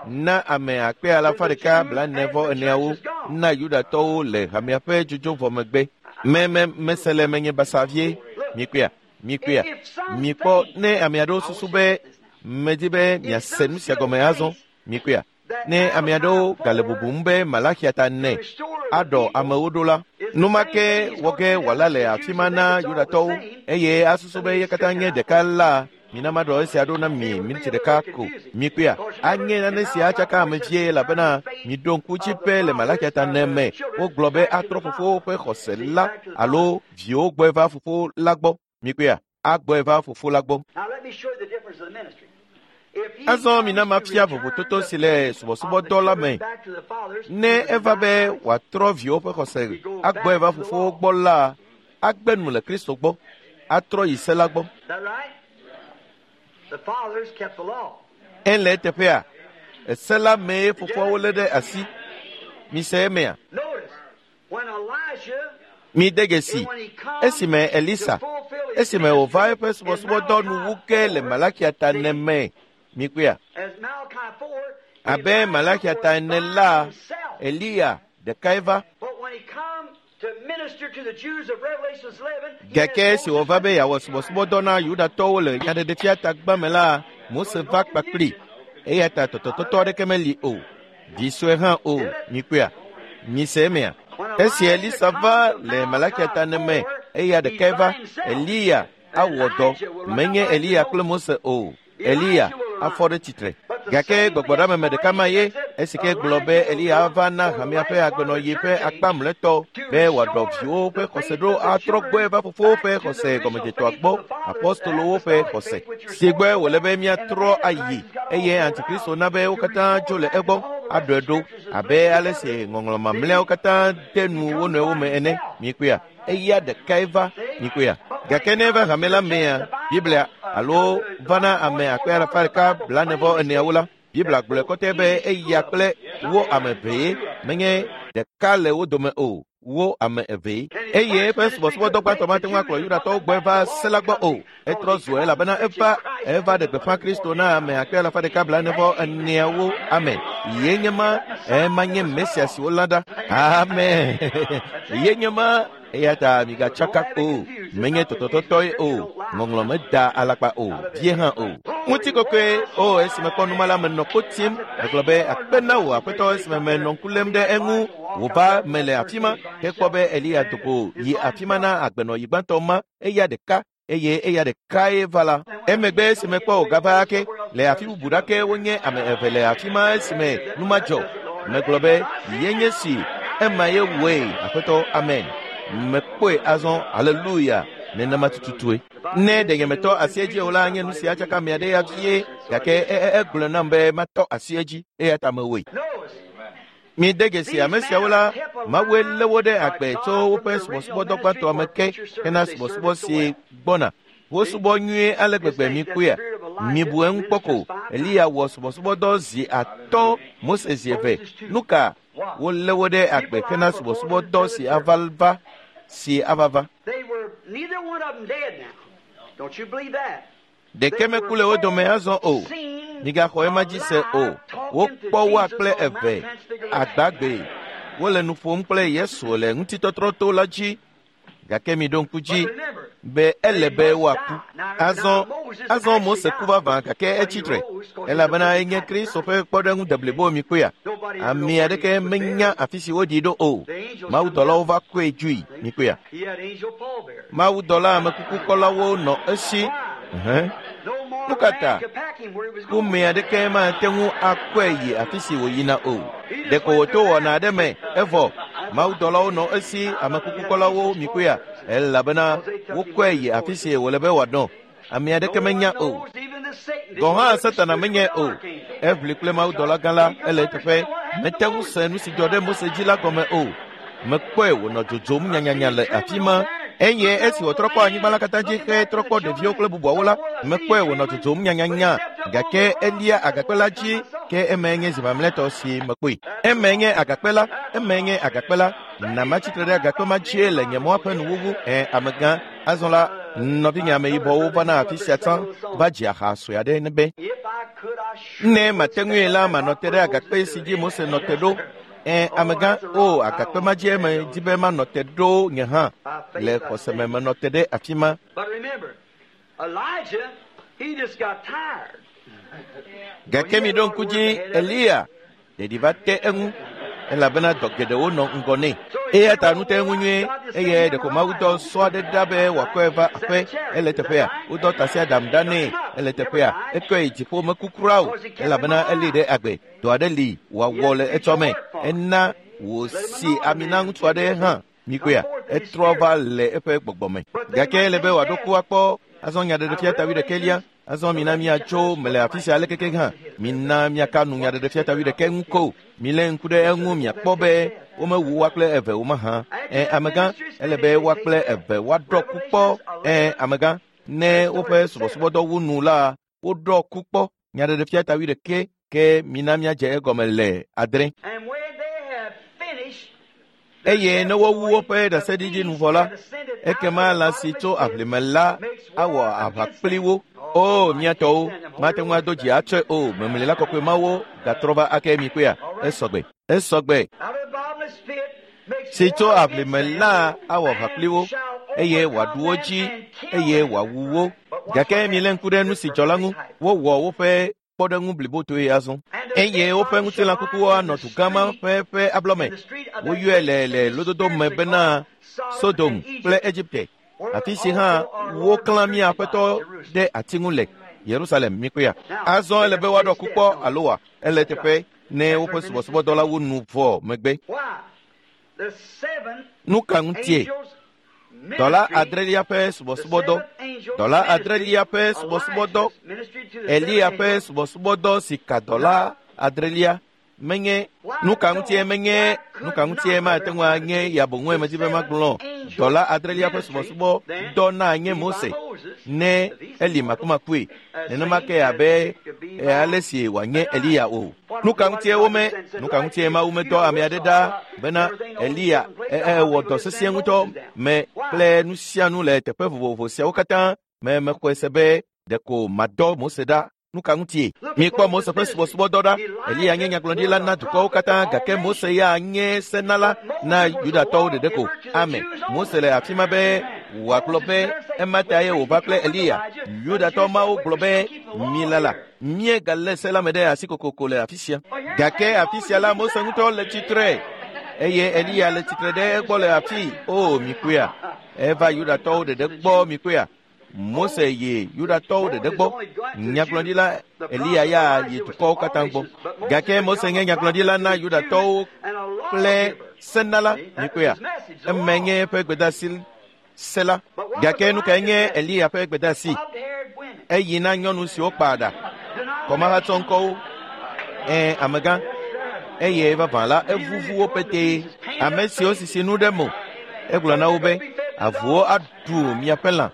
na ame akpe alafa ɖeka 44 na Yudatɔwo le hamea ƒe dzodzo vɔ megbe. Mese le menye basa vie. Mikpɔa, mikpɔ ne ame aɖewo susu be medi be miase nu sia gɔme azɔ. Mikpɔa, ne ame aɖewo gale bubum be Malaxia ta 4 aɖɔ amewo ɖo la, numake wɔ ge wòala le afi ma na Yudatɔwo eye asusu be ye katã nye ɖeka la, mina maɖɔ esia ɖo na mi miniti ɖeka ko. Mikpɔa, anye nane sia atsaka ame vie elabena miɖo ŋku dzi be le Malaxia ta 4 me wogblɔ be atrɔ fofowo ƒe xɔse la alo viwo gbɔe va fofo la gbɔ. Mikpɔa, agbɔe va fofo la gbɔ. Azɔ mina mafia vovototo si le subɔsubɔdɔ la me. Ne eva be wòatrɔ viwo ƒe xɔse agbɔe va fofowo gbɔ la, agbe nu le Kristo gbɔ, atrɔ yi se la gbɔ. Ele teƒea, ese la mee fofoawo lé ɖe asi. Mise emea. Mide dzesi, esime Elisa, esime wòva eƒe subɔsubɔdɔ nu wu ge le Malaxia ta 4 me. Mikpɔa, abe Malaxia ta 4 la, Eliya ɖekae va. Gake esi wòva be yeawɔ subɔsubɔdɔ na Yudatɔwo le Nyaɖeɖefia ta 2 me la, Mose va kpakpli. Eya ta tɔtɔtɔtɔ aɖeke meli o, vi sue hã o. Mikpɔa, mise emea. Esi Elisa va le Malaxia ta 4 me, eya ɖekae va. Eliya awɔ dɔ, menye Eliya kple Mose o. Eliya afɔ ɖe tsitre. Gake gbɔgbɔɖameme ɖeka ma ye esi ke gblɔ be Eliya ava na hamea ƒe agbenɔɣi ƒe akpa mlɔetɔ be wòaɖɔ viwo ƒe xɔse ɖo atrɔ gbɔe va fofowo ƒe xɔse gɔmedzetɔa gbɔ, apostolowo ƒe xɔse si gbɔe wòle be míatrɔ ayi eye Antikristo na be wo katã dzo le egbɔ aɖɔe ɖo abe ale si ŋɔŋlɔ mamlɛawo katã de nu wo nɔewo me ene. Mikpɔea, eya ɖekae va. Mikpɔea, gake ne eva hame la mea, Biblia alo va na ame akpe alafa ɖeka 44 la, Biblia gblɔe kɔtɛ be eya kple wo ame evee, menye ɖeka le wo dome o, wo ame evee. Eye eƒe subɔsubɔdɔ gbãtɔ mate ŋu akplɔ Yudatɔwo gbɔe va se la gbɔ o. Etrɔ zu elabena eva ɖe gbeƒã Kristo na ame akpe alafa ɖeka 44. Amen. Ye nye ma, ema nye Mesia si wolã ɖa. Amen. Ye nye ma. Eya ta migatsaka o, menye tɔtɔtɔtɔe o, ŋɔŋlɔ meda alakpa o, vie hã o. Ŋutikɔkɔe o, esime kpɔ numa la menɔ ko tim, megblɔ be akpe na wò aƒetɔ esime menɔ ŋku lém ɖe eŋu wòva me le afi ma, hekpɔ be Eliya do go yi afi ma na agbenɔɣi gbãtɔ ma, eya ɖeka eye eya ɖekae va la. Emegbe esime kpɔ wògava ake le afi bubu ɖake wonye ame eve le afi ma esime nu ma dzɔ. Megblɔ be ye nye si, ema ye wɔe, aƒetɔ, amen. Mekpɔe azɔ, haleluya, nenema tututue. Ne ɖe nyemetɔ asi edzi o la, nye nu sia tsaka ame aɖe ya vie, gake egblɔ nam be matɔ asi edzi, eya ta mewɔe. Mide dzesi ame siawo la, Mawue lé wo ɖe agbe tso woƒe subɔsubɔdɔ gbãtɔa me ke hena subɔsubɔ si gbɔna. Wosubɔ nyuie ale gbegbe mikpɔea. Mibu eŋu kpɔ ko, Eliya wɔ subɔsubɔdɔ zi 5, Mose zi 2. Nu ka wolé wo ɖe agbe hena subɔsubɔdɔ si ava va. Ɖeke meku le wo dome azɔ o. Migaxɔ ema dzi se o. Wokpɔ woa kple eve agbagbe. Wole nu ƒom kple Yesu le ŋutitɔtrɔto la dzi. Gake miɖo ŋku dzi be ele be woaku. Azɔ Mose ku vavã gake etsi tre elabena enye Kristo ƒe kpɔɖeŋu deblibo mikpɔea. Ame aɖeke menya afi si woɖii ɖo o. Mawudɔlawo va kɔe dzoe mikpɔea. Mawudɔla amekukukɔlawo nɔ esi. Nu ka ta? Ƒome aɖeke mate ŋu akɔe yi afi si wòyina o. Ɖeko wòto wɔna aɖe me evɔ mawudɔlawo nɔ esi amekukukɔlawo mikpɔea elabena wokɔe yi afi si wòle be wòanɔ. Ame aɖeke menya o. Gɔ̃ hã Satana menyae o. Eʋli kple mawudɔla gã la ele eteƒe. Mete ŋu se nu si dzɔ ɖe Mose dzi la gɔme o. Mekpɔe wònɔ dzodzom nyanyanya le afi ma. Eye esi wòtrɔ kpɔ anyigba la katã dzi hetrɔ kpɔ ɖeviwo kple bubuawo la, mekpɔe wònɔ dzodzom nyanyanya. Gake elia agakpe la dzi ke emae nye zi mamlɛtɔ si mekpɔe. Emae nye agakpe la, emae nye agakpe la. Na matsitre ɖe agakpe ma dzie le nye mɔa ƒe nuwuwu. Ẽ, amegã, azɔ la, nɔvinye ameyibɔwo vana afi sia tsã va dzi aha sue aɖe ne be, ne mate ŋui la, manɔ te ɖe agakpe si dzi Mose nɔ te ɖo. Ẽ, amegã, o, agakpe ma dzie medi be manɔ te ɖo nye hã. Le xɔse me menɔ te ɖe afi ma. Gake miɖo ŋku dzi, Eliya, ɖeɖi va te eŋu elabena dɔ geɖewo nɔ ŋgɔ nɛ. Eya ta nu te eŋu nyuie eye ɖeko Mawu dɔ sɔ aɖe ɖa be wòakɔe va aƒe. Ele teƒea, wodɔ tasiaɖam ɖa nɛ. Ele teƒea, ekɔe yi dziƒo meku kura o elabena elée ɖe agbe. Dɔ aɖe li wòawɔ le etsɔme. Ena wòsi ami na ŋutsu aɖe hã. Mikpɔea, etrɔ va le eƒe gbɔgbɔ me. Gake ele be wòaɖo ku akpɔ. Azɔ nyaɖeɖefia ta wuiɖekɛlia. Azɔ mina míatso mele afi sia alekeke hã. Mina míaka nu nyaɖeɖefia ta wuiɖekɛ ŋu ko. Milé ŋku ɖe eŋu miakpɔ be womewu woa kple eve o mahã. Ẽ, amegã, ele be woa kple eve woaɖɔ ku kpɔ. Ẽ, amegã, ne woƒe subɔsubɔdɔ wu nu la, woɖɔ ku kpɔ. Nyaɖeɖefia ta wuiɖekɛ ke mina míadze egɔme le 6. Eye ne wowu woƒe ɖaseɖiɖi nu vɔ la, ekema lã si tso aʋlime la awɔ aʋa kpli wo. O, mía tɔwo, mate ŋu ado dzi atsɔe o. Memlila kɔkɔe mawo gatrɔ va ake mikpɔea? Esɔgbe. Esɔgbe. Si tso aʋlime la awɔ aʋa kpli wo, eye wòaɖu wo dzi, eye wòawu wo. Gake milé ŋku ɖe nu si dzɔ la ŋu. Wowɔ woƒe kpɔɖeŋu blibotoe azɔ. Eye woƒe ŋutilã kukuwo anɔ dugã ma ƒe ƒe ablɔme. Woyɔe le le lododo me bena Sodom kple Egipte, afi si hã woklã mía Aƒetɔ ɖe ati ŋu le Yerusalem mikpɔea. Azɔ ele be woaɖɔ ku kpɔ alo wa ele teƒe ne woƒe subɔsubɔdɔlawo nu vɔ megbe. Nu ka ŋutie? Dɔla adrelia ƒe subɔsubɔdɔ, dɔla adrelia ƒe subɔsubɔdɔ, Eliya ƒe subɔsubɔdɔ si ka dɔla adrelia menye nu ka ŋutie menye nu ka ŋutie mate ŋu anye ya boŋue medi be magblɔ. Dɔla adrelia ƒe subɔsubɔdɔ na nye Mose ne eli makumakue nenema ke abe ale si wòanye Eliya o. Nu ka ŋutie wome nu ka ŋutie Mawu medɔ ame aɖe ɖa bena Eliya ewɔ dɔ sesĩe ŋutɔ me kple nu sia nu le teƒe vovovo siawo katã me mexɔe se be ɖeko madɔ Mose ɖa. Nu ka ŋutie? Mikpɔ Mose ƒe subɔsubɔdɔ ɖa. Eliya nye nyagblɔɖila na dukɔwo katã, gake Mose ya nye senala na Yudatɔwo ɖeɖe ko. Amen. Mose le afi ma be wòagblɔ be ema ta ye wòva kple Eliya. Yudatɔ mawo gblɔ be milala, míegalé se la me ɖe asi kokoko le afi sia. Gake afi sia la Mose ŋutɔ le tsitre eye Eliya le tsitre ɖe egbɔ le afi. O, mikpɔea, eva Yudatɔwo ɖeɖe gbɔ mikpɔea. Mose yi Yudatɔwo ɖeɖe gbɔ. Nyagblɔɖila Eliya ya yi dukɔwo katã gbɔ. Gake Mose nye nyagblɔɖila na Yudatɔwo kple senala mikpɔea. Emae nye eƒe gbedeasi se la. Gake nu kae nye Eliya ƒe gbedeasi? Eyi na nyɔnu siwo kpa ɖa, kɔmahatsɔ ŋkɔwo. Ẽ, amegã. Eye vavã la, evuvu wo petee. Ame siwo sisi nu ɖe mo. Egblɔ na wo be, avuwo aɖu miaƒe lã.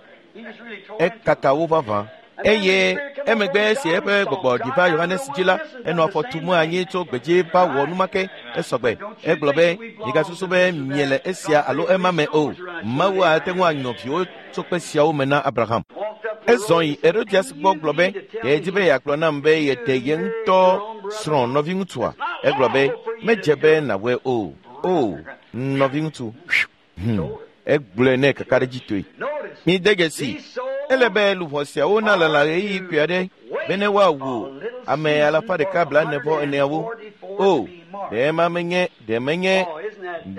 Ekaka wo vavã. Eye emegbe esi eƒe gbɔgbɔ ɖi va Yohanes dzi la, enɔ afɔ tum anyi tso gbedzi va wɔ numake. Esɔgbe. Egblɔ be, migasusu be miele esia alo ema me o. Mawu ate ŋu anyɔ viwo tso kpe siawo me na Abraham. Ezɔ yi Herodias gbɔ gblɔ be, ɖe di be yeagblɔ nam be yeɖe ye ŋutɔ srɔ̃ nɔviŋutsua. Egblɔ be, medze be nàwɔe o. O, nɔviŋutsu. Egblɔe nɛ kakaɖedzitɔe. Mide dzesi, ele be luʋɔ siawo nalala ɣeyiɣi kpui aɖe bene woawu ame 144,000. O, ɖe ema menye, ɖe menye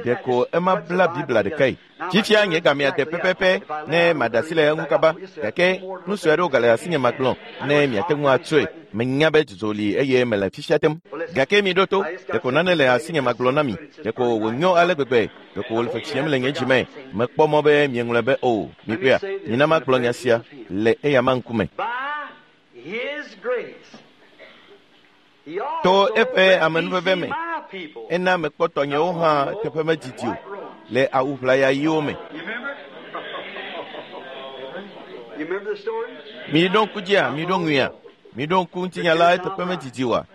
Ɖeko ema bla Biblia ɖekae. Fifia nye gamea de pɛpɛpɛ ne maɖe asi le eŋu kaba, gake nu sue aɖewo gale asinye magblɔ ne miate ŋu atsɔe. Menya be dzudzɔ li eye mele fifia tem. Gake miɖo to, ɖeko nane le asinye magblɔ na mi. Ɖeko wònyo ale gbegbe, ɖeko wòle fefiem le nye dzime. Mekpɔ mɔ be mieŋlɔe be o. Mikpɔea, mina magblɔ nya sia le eyama ŋkume. To eƒe amenuveve me, ena mekpɔ tɔnyewo hã teƒe medidi o le awu ʋlaya ɣiwo me. Miɖo ŋku dzia, miɖo ŋuia, miɖo ŋku ŋutinya la eteƒe medidi oa?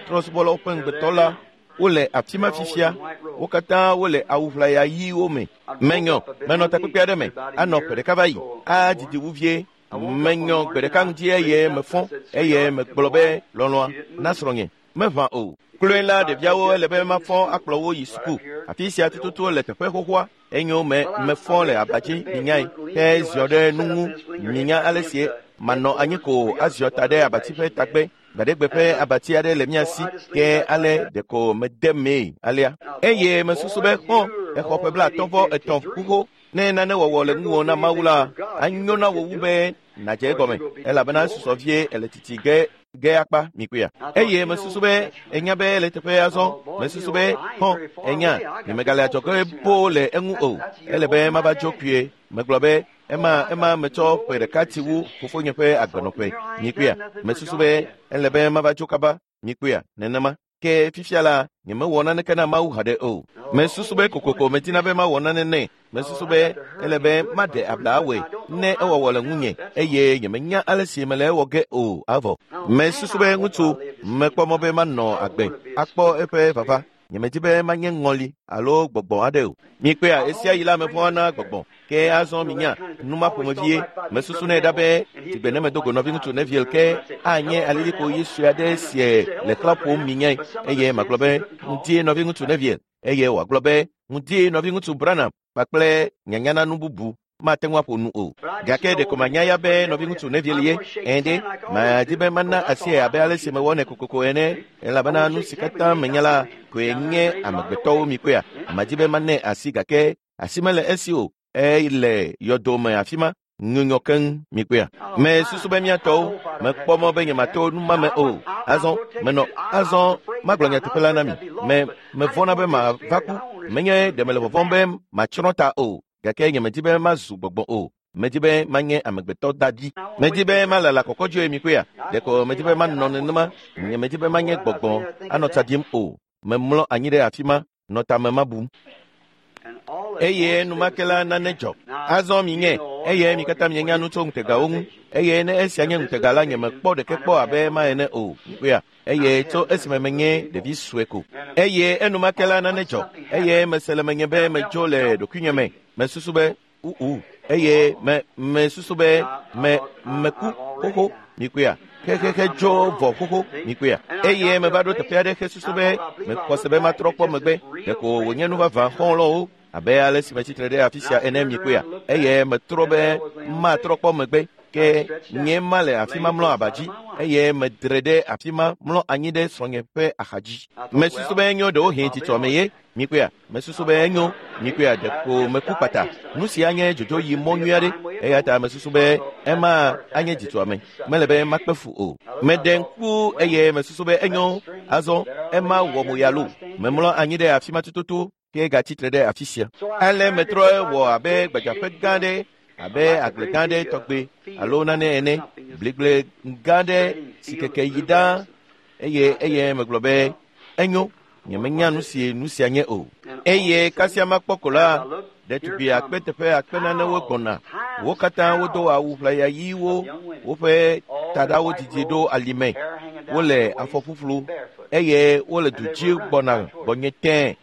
Trɔ̃subɔlawo ƒe ŋugbetɔ la, wole afi ma fifia. Wo katã wole awu ʋlaya ɣiwo me. Menyɔ, menɔ takpekpe aɖe me, anɔ ƒe ɖeka va yi, adidi wu vie. Menyɔ gbe ɖeka ŋdi eye mefɔ eye megblɔ be lɔlɔ̃a na srɔ̃nye. Meʋã o. Kloe la ɖeviawo ele be mafɔ akplɔ wo yi suku. Afi sia tututu le teƒe xoxoa. Enyo me mefɔ le aba dzi minyae ke ziɔ ɖe nu ŋu minya ale si manɔ anyi ko aziɔ ta ɖe abati ƒe tagbe. Gbaɖegbe ƒe abati aɖe le mía si ke ale ɖeko mede mee alea. Eye mesusu be xɔ exɔ ƒe 53 xoxo. Ne nane wɔwɔ le ŋuwò na Mawu la, anyo na wò wu be nàdze egɔme, elabena esusɔ vie ele titi ge ge akpa mikpɔea. Eye mesusu be enya be le teƒe azɔ. Mesusu be xɔ enya nyemegale adzɔge boo le eŋu o. Ele be mava dzo kpuie. Megblɔ be ema metsɔ ƒe ɖeka ti wu fofonye ƒe agbenɔƒe mikpɔea. Mesusu be ele be mava dzo kaba mikpɔea nenema. Ke fifia la nyemewɔ naneke na Mawu haɖe o. Mesusu be kokoko medina be mawɔ nane nɛ. Mesusu be ele be maɖe abla awɔe ne ewɔwɔ le ŋunye eye nyemenya ale si mele ewɔ ge o avɔ. Mesusu be ŋutsu mekpɔ mɔ be manɔ agbe akpɔ eƒe vava. Nyemedi be manye ŋɔli alo gbɔgbɔ aɖe o. Mikpɔea esia yi la mevɔ̃a na gbɔgbɔ. Ke azɔ minya numa ƒomevie. Mesusu nɛ ɖa be dzigbe ne medo go nɔviŋutsu Neville ke anye alilikpo ɣi sue aɖe sie le xlã ƒom minyae eye magblɔ be ŋutie nɔviŋutsu Neville eye wòagblɔ be ŋutie nɔviŋutsu Branham kpakple nyanyana nu bubu mate ŋu aƒo nu o. Gake ɖeko manya ya be nɔviŋutsu Neville ye. Ɛ̃ ɖe, madi be mana asie abe ale si mewɔnɛ kokoko ene elabena nu si katã menya la koe nye amegbetɔwo mikpɔea. Madi be manɛ asi gake asi mele esi o. Ele yɔdome afi ma nyunyɔ keŋ mikpɔea. Mesusu be miatɔwo mekpɔ mɔ be nyemato nu ma me o. Azɔ menɔ azɔ magblɔ nyateƒe la na mi. Mevɔ̃na be mava ku. Menye ɖe mele vɔvɔ̃m be matsrɔ̃ ta o. Gake nyemedi be mazu gbɔgbɔ o. Medi be manye amegbetɔ dadi. Medi be malala kɔkɔdzoe mikpɔea. Ɖeko medi be manɔ nenema. Nyemedi be manye gbɔgbɔ anɔ tsa ɖim o. Memlɔ anyi ɖe afi ma nɔ tame mabum. Eye enumake la nane dzɔ. Azɔ minye eye mi katã mienya nu tso ŋutegawo ŋu. Eye ne esia nye ŋutega la nyemekpɔ ɖeke kpɔ abe ema ene o. Mikpɔea. Eye tso esime menye ɖevi sue ko. Eye enumake la nane dzɔ. Eye mese le menye be medzo le ɖokuinye me. Mesusu be uu. Eye mesusu be meku xoxo mikpɔea. Xexexe dzo vɔ xoxo mikpɔea. Eye meva ɖo teƒe aɖe hesusu be mexɔ se be matrɔ kpɔ megbe. Ɖeko wònye nu vavã xɔlɔ̃wo abe ale si metsitre ɖe afi sia ene mikpɔea. Eye metrɔ be matrɔ kpɔ megbe. Ke nye ma le afi ma mlɔ aba dzi eye medre ɖe afi ma mlɔ anyi ɖe srɔ̃nye ƒe axa dzi. Mesusu be enyo ɖewohĩ tsitsɔme ye mikpɔea. Mesusu be enyo mikpɔea ɖeko meku kpata. Nu sia nye dzodzo yi mɔ nyui aɖe eya ta mesusu be ema anye dzitsɔame. Mele be makpe fu o. Meɖe ŋku eye mesusu be enyo azɔ ema wɔ mo ya lo. Memlɔ anyi ɖe afi ma tututu ke gatsitre ɖe afi sia. Ale metrɔ wɔ abe gbadzaƒe gã ɖe abe agble gã ɖe tɔgbe alo nane ene, bligble gã ɖe si keke yi ɖaa eye megblɔ be enyo nyemenya nu si nu sia nye o. Eye kasia makpɔ ko la, ɖetugbi akpe teƒe akpe nanewo gbɔna. Wo katã wodo awu ʋlaya ɣiwo, woƒe taɖawo didi ɖo alime, wole afɔ ƒuƒlu eye wole du dzi gbɔna gbɔnye tẽe.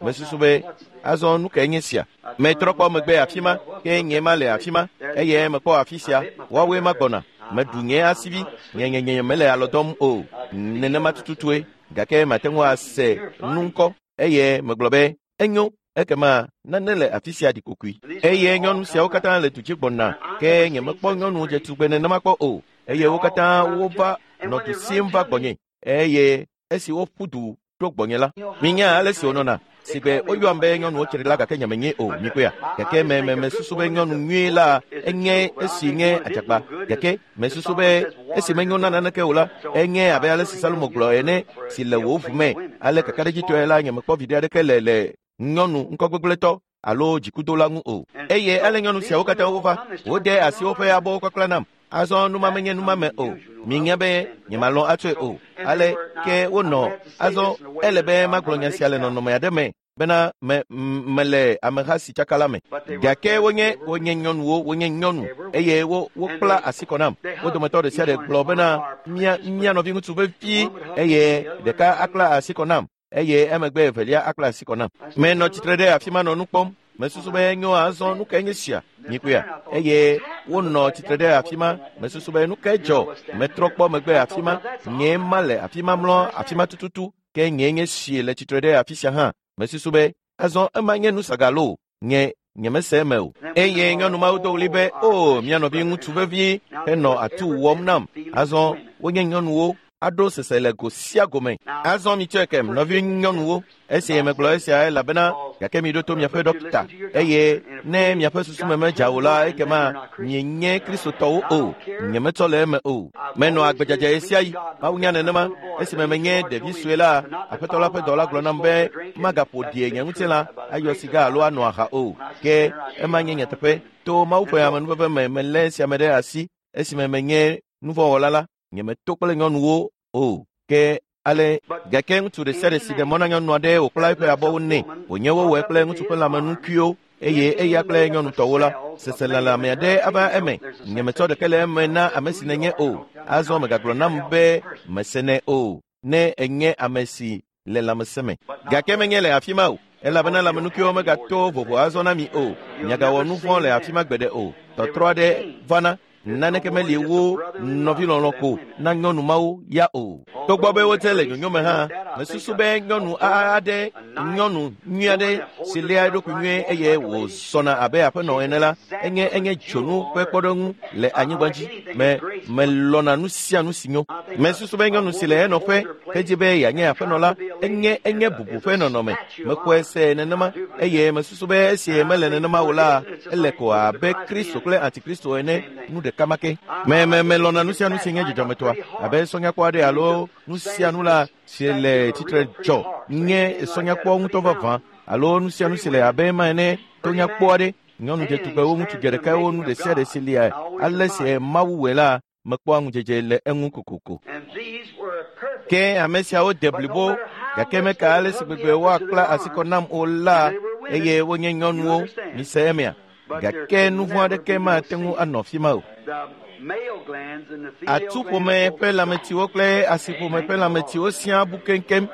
Mesusu be azɔ nu kae nye sia? Metrɔ kpɔ megbe afi ma ke nye ma le afi ma eye mekpɔ afi sia woawoe ma gbɔna. Meɖu nye asivi nye mele alɔ dɔm o. Nenema tututue gake mate ŋu ase nu ŋkɔ eye megblɔ be enyo ekema nane le afi sia ɖi kokoe. Eye nyɔnu siawo katã le du dzi gbɔna ke nyemekpɔ nyɔnu dzetugbe nenema kpɔ o. Eye wo katã wova nɔ du sim va gbɔnye eye esi woƒu du ɖo gbɔnye la minya ale si wonɔna. Sigbe woyɔam be nyɔnuwo tsri la gake nyemenye o mikpɔea. Gake me me mesusu be nyɔnu nyui la enye esi nye adzakpa. Gake mesusu be esi menyo na naneke o la, enye abe ale si Salomo gblɔ ene si le wò ʋu me. Ale kakaɖedzitɔe la nyemekpɔ viɖe aɖeke le le nyɔnu ŋkɔgbegblẽtɔ alo dzikudola ŋu o. Eye ale nyɔnu siawo katã wova, wode asi woƒe abɔwo kpakpla nam. Azɔ numa menye numame o. Minya be nyemalɔ̃ atsɔe o. Ale ke wonɔ. Azɔ ele be magblɔ nya sia le nɔnɔme aɖe me bena me mele ameha si tsaka la me. Gake wonye wonye nyɔnuwo, wonye nyɔnu eye wo wokpla asi kɔ nam. Wo dometɔ ɖe sia ɖe gblɔ bena mía mía nɔviŋutsu vevi eye ɖeka akpla asi kɔ nam eye emegbe evelia akpla asi kɔ nam. Menɔ tsitre ɖe afi ma nɔ nu kpɔm. Mesusu be nyo azɔ nu kae nye sia mikpɔea eye wonɔ tsitre ɖe afi ma. Mesusu be nu kae dzɔ. Metrɔ kpɔ megbe afi ma. Nye ma le afi ma mlɔ afi ma tututu ke nye nye sie le tsitre ɖe afi sia hã. Mesusu be azɔ ema nye nu sagalo nye nyemese eme o. Eye nyɔnu mawo do ɣli be o mía nɔvi ŋutsu vevi henɔ atu wɔm nam. Azɔ wonye nyɔnuwo aɖo sese le go sia go me. Azɔ mitsɔe kem nɔvi nyɔnuwo. Esi megblɔ esia elabena gake miɖo to miaƒe ɖɔkita eye ne miaƒe susu me medza o la ekema mienye kristotɔwo o. Nyemetsɔ le eme o. Menɔ agbedzadza ɣe sia ɣi. Mawu nya nenema. Esime menye ɖevi sue la, aƒetɔ la ƒe dɔla gblɔ nam be magaƒo ɖie nye ŋutilã ayɔ siga alo anɔ aha o. Ke ema nye nyateƒe. To Mawu ƒe amenuveve me melé esia me ɖe asi esime menye nuvɔ̃wɔla la. Nyemeto kple nyɔnuwo o. Ke ale gake ŋutsu ɖe sia ɖe si ɖe mɔ na nyɔnu aɖe wòkpla eƒe abɔwo nɛ wònye wowɔe kple ŋutsu ƒe lãmenukuiwo eye eya kple nyɔnutɔwo la, seselelãme aɖe ava eme. Nyemetsɔ ɖeke le eme na ame si nènye o. Azɔ mègagblɔ nam be mesenɛ o ne ènye ame si le lãmesẽ me. Gake menye le afi ma o, elabena lãmenukuiwo megato vovo azɔ na mi o. Miagawɔ nu vɔ̃ le afi ma gbeɖe o. Tɔtrɔ aɖe vana. Naneke meli wu nɔvilɔlɔ̃ ko na nyɔnu mawo ya o. Togbɔ be wodze le nyonyo me hã, mesusu be nyɔnu aɖe, nyɔnu nyui aɖe si léa eɖokui nyuie eye wòzɔna abe aƒenɔ ene la, enye enye dzonu ƒe kpɔɖeŋu le anyigba dzi. Me melɔ̃na nu sia nu si nyo. Mesusu be nyɔnu si le enɔƒe hedzi be yeanye aƒenɔ la, enye enye bubu ƒe nɔnɔme. Mexɔe se nenema eye mesusu be esi mele nenema o la, ele ko abe Kristo kple Antikristo ene nu ɖeka ma ke. Me me melɔ̃na nu sia nu si nye dzɔdzɔmetɔa abe sɔnyakpɔ aɖe alo nu sia nu la si le tsitre dzɔ nye sɔnyakpɔ ŋutɔ vavã alo nu sia nu si le abe ema ene tonyakpɔ aɖe. Nyɔnu dzetugbewo, ŋutsu dzeɖekawo, nu ɖe sia ɖe si lia ale si Mawu wɔe la mekpɔa ŋudzedze le eŋu kokoko. Ke ame siawo de blibo gake meka ale si gbegbe woakpla asi kɔ nam o la eye wonye nyɔnuwo. Mise emea? Gake nu vɔ̃ aɖeke mate ŋu anɔ afi ma o. Atuƒome ƒe lãmetiwo kple asiƒome ƒe lãmetiwo siaa bu keŋkeŋ.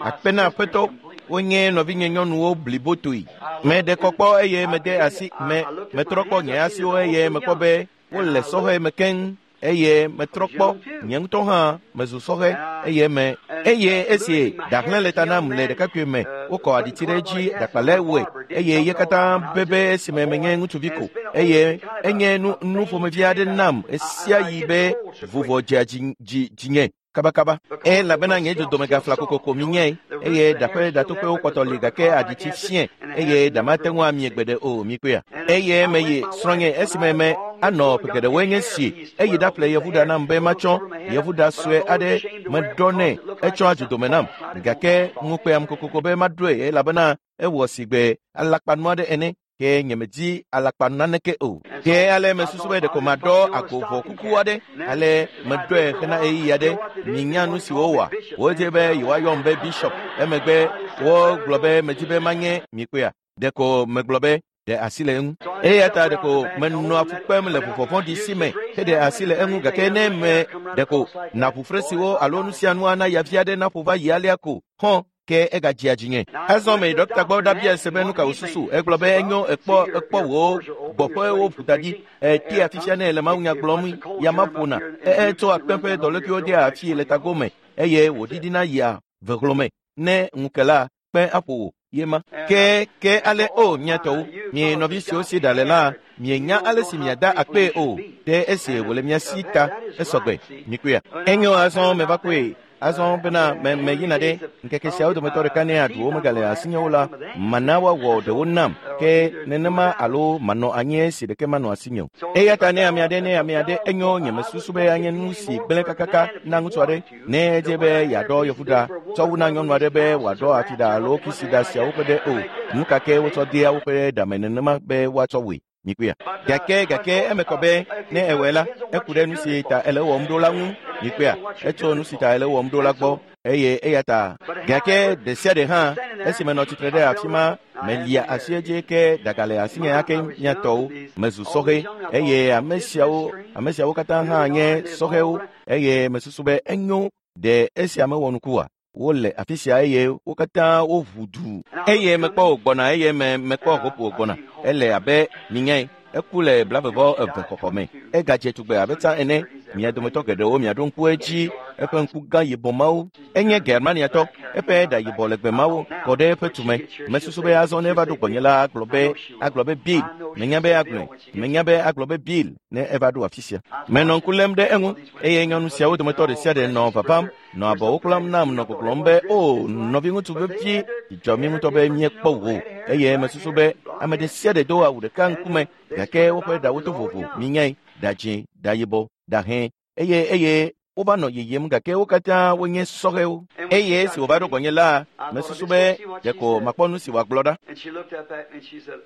Akpe na Aƒetɔ, wonye nɔvinye nyɔnuwo blibotoe. Meɖe kɔ kpɔ eye mede asi me metrɔ kpɔ nye asiwo eye mekpɔ be wole sɔhɛ me keŋ eye metrɔ kpɔ nye ŋutɔ hã mezu sɔhɛ eye me eye esi ɖahlẽ le ta nam le ɖekakpui me wokɔ aɖitsi ɖe edzi ɖakpalɛ wɔe eye ye katã bebe esime menye ŋutsuvi ko eye enye nu nu ƒomevi aɖe nam esia yi be vuvɔ dzea dzi dzi dzinye kabakaba. Elabena nye dzodome gafla kokoko minyae eye ɖaƒe ɖatoƒewo kpɔtɔ li gake aɖitsi fiẽ eye ɖa mate ŋu amie gbeɖe o mikpɔea. Eye meyi srɔ̃nye esime me anɔ ƒe geɖewoe nye si eyi ɖaƒle yevuɖa nam be matsɔ yevuɖa sue aɖe meɖɔ nɛ etsɔa dzodome nam gake ŋukpeam kokoko be maɖoe elabena ewɔ sigbe alakpanu aɖe ene ke nyemedi alakpanu naneke o. Ke ale mesusu be ɖeko maɖɔ agovɔ kuku aɖe ale meɖɔe hena ɣeyiɣi aɖe. Minya nu si wowɔa. Wodze be yewoayɔm be bishop. Emegbe wogblɔ be medi be manye mikpɔea. Ɖeko megblɔ be ɖe asi le eŋu. Eya ta ɖeko menɔa fu kpem le vuvɔ vɔ̃ɖi si me heɖe asi le eŋu gake ne me ɖeko naʋu fresiwo alo nu sia nu ana yavi aɖe naƒo va yi alea ko hɔn ke egadzea dzinye. Azɔ meyi ɖɔkita gbɔ ɖabia se be nu ka wòsusu. Egblɔ be enyo ekpɔ ekpɔ wò gbɔƒewo ʋu da ɖi. Etea fifia nɛ le mawunya gblɔm ya ma ƒona. Etsɔ akpe ƒe dɔlékuiwo dea afii le tago me eye wòɖiɖina yia vehlɔme. Ne ŋu ke la, kpe aƒo wò ye ma. Ke ke ale o mia tɔwo, mie nɔvi siwo si ɖa le la, mienya ale si miada akpee o ɖe esi wòle mia si ta esɔgbe mikpɔea. Enyo azɔ meva kpɔe. Azɔ bena me meyina ɖe ŋkeke siawo dometɔ ɖeka ne aɖuwo megale asinyewo la, mana woawɔ ɖewo nam ke nenema alo manɔ anyi esi ɖeke manɔ asinye o. Eya ta ne ame aɖe ne ame aɖe enyo nyemesusu be anye nu si gblẽ kakaka na ŋutsu aɖe ne edze be yeaɖɔ yevuɖa tsɔ wu na nyɔnu aɖe be wòaɖɔ atiɖa alo kisiɖa siawo ƒe ɖe o. Nu ka ke wotsɔ dea woƒe ɖame nenema be woatsɔ wɔe. Mikpɔea? Gake gake eme kɔ be ne ewɔe la, eku ɖe nu si ta ele wɔm ɖo la ŋu. Mikpɔea? Etso nu si ta ele wɔm ɖo la gbɔ eye eya ta gake ɖe sia ɖe hã esi menɔ tsitre ɖe afi ma melia asi edzi ke ɖaga le asinye ake mia tɔwo mezu sɔhɛ eye ame siawo ame siawo katã hã nye sɔhɛwo eye mesusu be enyo ɖe esia mewɔ nuku oa? Wole afi sia eye wo katã woʋu du eye mekpɔ wògbɔna eye me mekpɔ Hope wògbɔna. Ele abe minyae eku le 22 xɔxɔ me. Egadze tugbe abe tsã ene. Mia dometɔ geɖewo miaɖo ŋku edzi. Eƒe ŋku gã yibɔ mawo. Enye Germaniatɔ. Eƒe ɖa yibɔ legbe mawo kɔ ɖe eƒe tume. Mesusu be azɔ ne eva ɖo gbɔnye la agblɔ be agblɔ be Bill. Menya be agblɔe. Menya be agblɔ be Bill ne eva ɖo afi sia. Menɔ ŋku lém ɖe eŋu eye nyɔnu siawo dometɔ ɖe sia ɖe nɔ vavam nɔ abɔwo kplam nam nɔ gbɔgblɔm be o nɔviŋutsu vevi dzidzɔ mi ŋutɔ be míekpɔ wò eye mesusu be ame ɖe sia ɖe do awu ɖeka ŋkume gake woƒe ɖawo to vovo minyae ɖa dzĩ ɖa yibɔ ɖa hẽ eye eye wova nɔ yiyim gake wo katã wonye sɔhɛwo eye esi wòva ɖo gbɔnye la mesusu be ɖeko makpɔ nu si wòagblɔ ɖa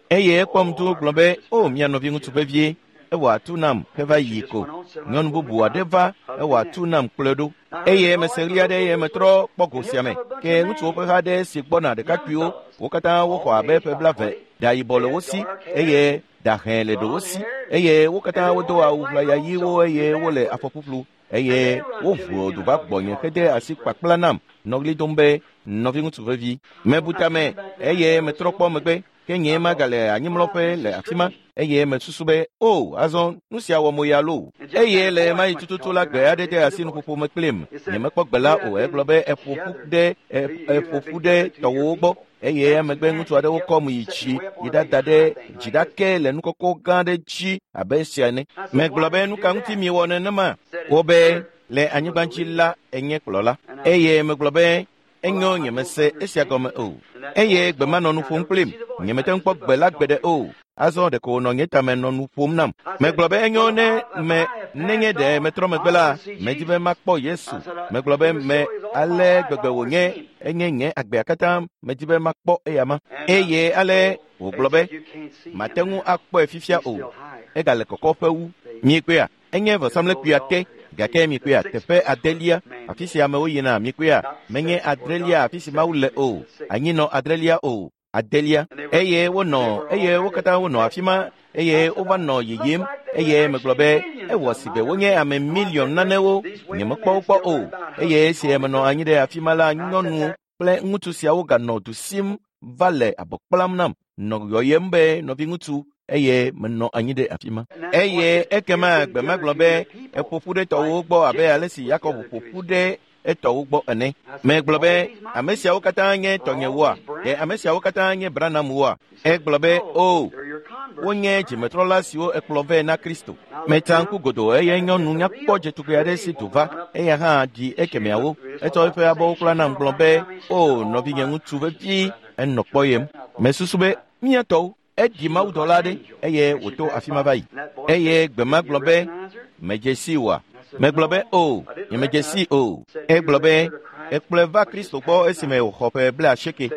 eye ekpɔm du gblɔ be o mia nɔviŋutsu vevie ewɔ atu nam heva yi ko. Nyɔnu bubu aɖe va ewɔ atu nam kplɔe ɖo eye mese ɣli aɖe eye metrɔ kpɔ go sia me ke ŋutsuwo ƒe ha aɖe si gbɔna ɖekakpuiwo wo katã woxɔ abe ƒe 20 ɖa yibɔ le wo si eye ɖa hẽ le ɖewo si eye wo katã wodo awu ʋlaya ɣiwo eye wole afɔ ƒuƒlu eye woʋu du va gbɔnye hede asi kpakpla nam nɔ ɣli dom be nɔviŋutsu vevi. Mebu tame eye metrɔ kpɔ megbe ke nye magale anyimlɔƒe le afi ma eye mesusu be o azɔ nu sia wɔ mo ya loo eye le ma yi tututu la gbe aɖe de asi nuƒoƒo me kplim nyemekpɔ gbe la o egblɔ be eƒo ƒu ɖe tɔwòwo gbɔ eye emegbe ŋutsu aɖewo kɔm yi dzi yi ɖada ɖe dziɖake le nu kɔkɔ gã aɖe dzi abe esia ene. Megblɔ be nu ka ŋuti miewɔ nenema? Wobe le anyigba dzi la enye kplɔla eye megblɔ be enyo nyemese esia gɔme o eye gbe ma nɔ nu ƒom kplim nyemete ŋu kpɔ gbe la gbeɖe o. Azɔ ɖeko wònɔ nye tame nɔ nu ƒom nam. Megblɔ be enyo ne me nenye ɖe metrɔ megbe la medi be makpɔ Yesu. Megblɔ be me ale gbegbe wònye enye nye agbea katã medi be makpɔ eyama. Eye ale wògblɔ be mate ŋu akpɔe fifia o. Egale kɔkɔƒe wu. Miekpɔea? Enye vɔsamlekpuia te gake miekpɔea teƒe adelia afi si amewo yina miekpɔea menye adrelia afi si Mawu le o anyinɔ adrelia o adelia eye wonɔ eye wo katã wonɔ afi ma eye wova nɔ yiyim eye megblɔ be ewɔ si be wonye ame miliɔn nanewo nyemekpɔ wo kpɔ o eye esi menɔ anyi ɖe afi ma la nyɔnu kple ŋutsu siawo ganɔ du sim va le abɔ kplam nam nɔ yɔyem be nɔviŋutsu eye menɔ anyi ɖe afi ma eye ekema gbe ma gblɔ be eƒo ƒu ɖe tɔwòwo gbɔ abe ale si Yakob ƒo ƒu ɖe etɔwo gbɔ ene. Megblɔ be ame siawo katã nye tɔnyewoa? Ɖe ame siawo katã nye Branhamwoa? Egblɔ be o wonye dzimetrɔla siwo ekplɔ vɛ na Kristo. Metsa ŋku godoo eye nyɔnu nyakpɔ dzetugbe aɖe si du va eya hã ɖi ekemeawo. Etsɔ eƒe abɔwo kpla nam gblɔ be o nɔvinye ŋutsu vevi enɔ kpɔyem. Mesusu be mía tɔwo eɖi mawudɔla aɖe eye wòto afi ma va yi. Eye gbe ma gblɔ be medze si wòa? Megblɔ be o nyemedze si o. Egblɔ be ekplɔe va Kristo gbɔ esime wòxɔ ƒe 80.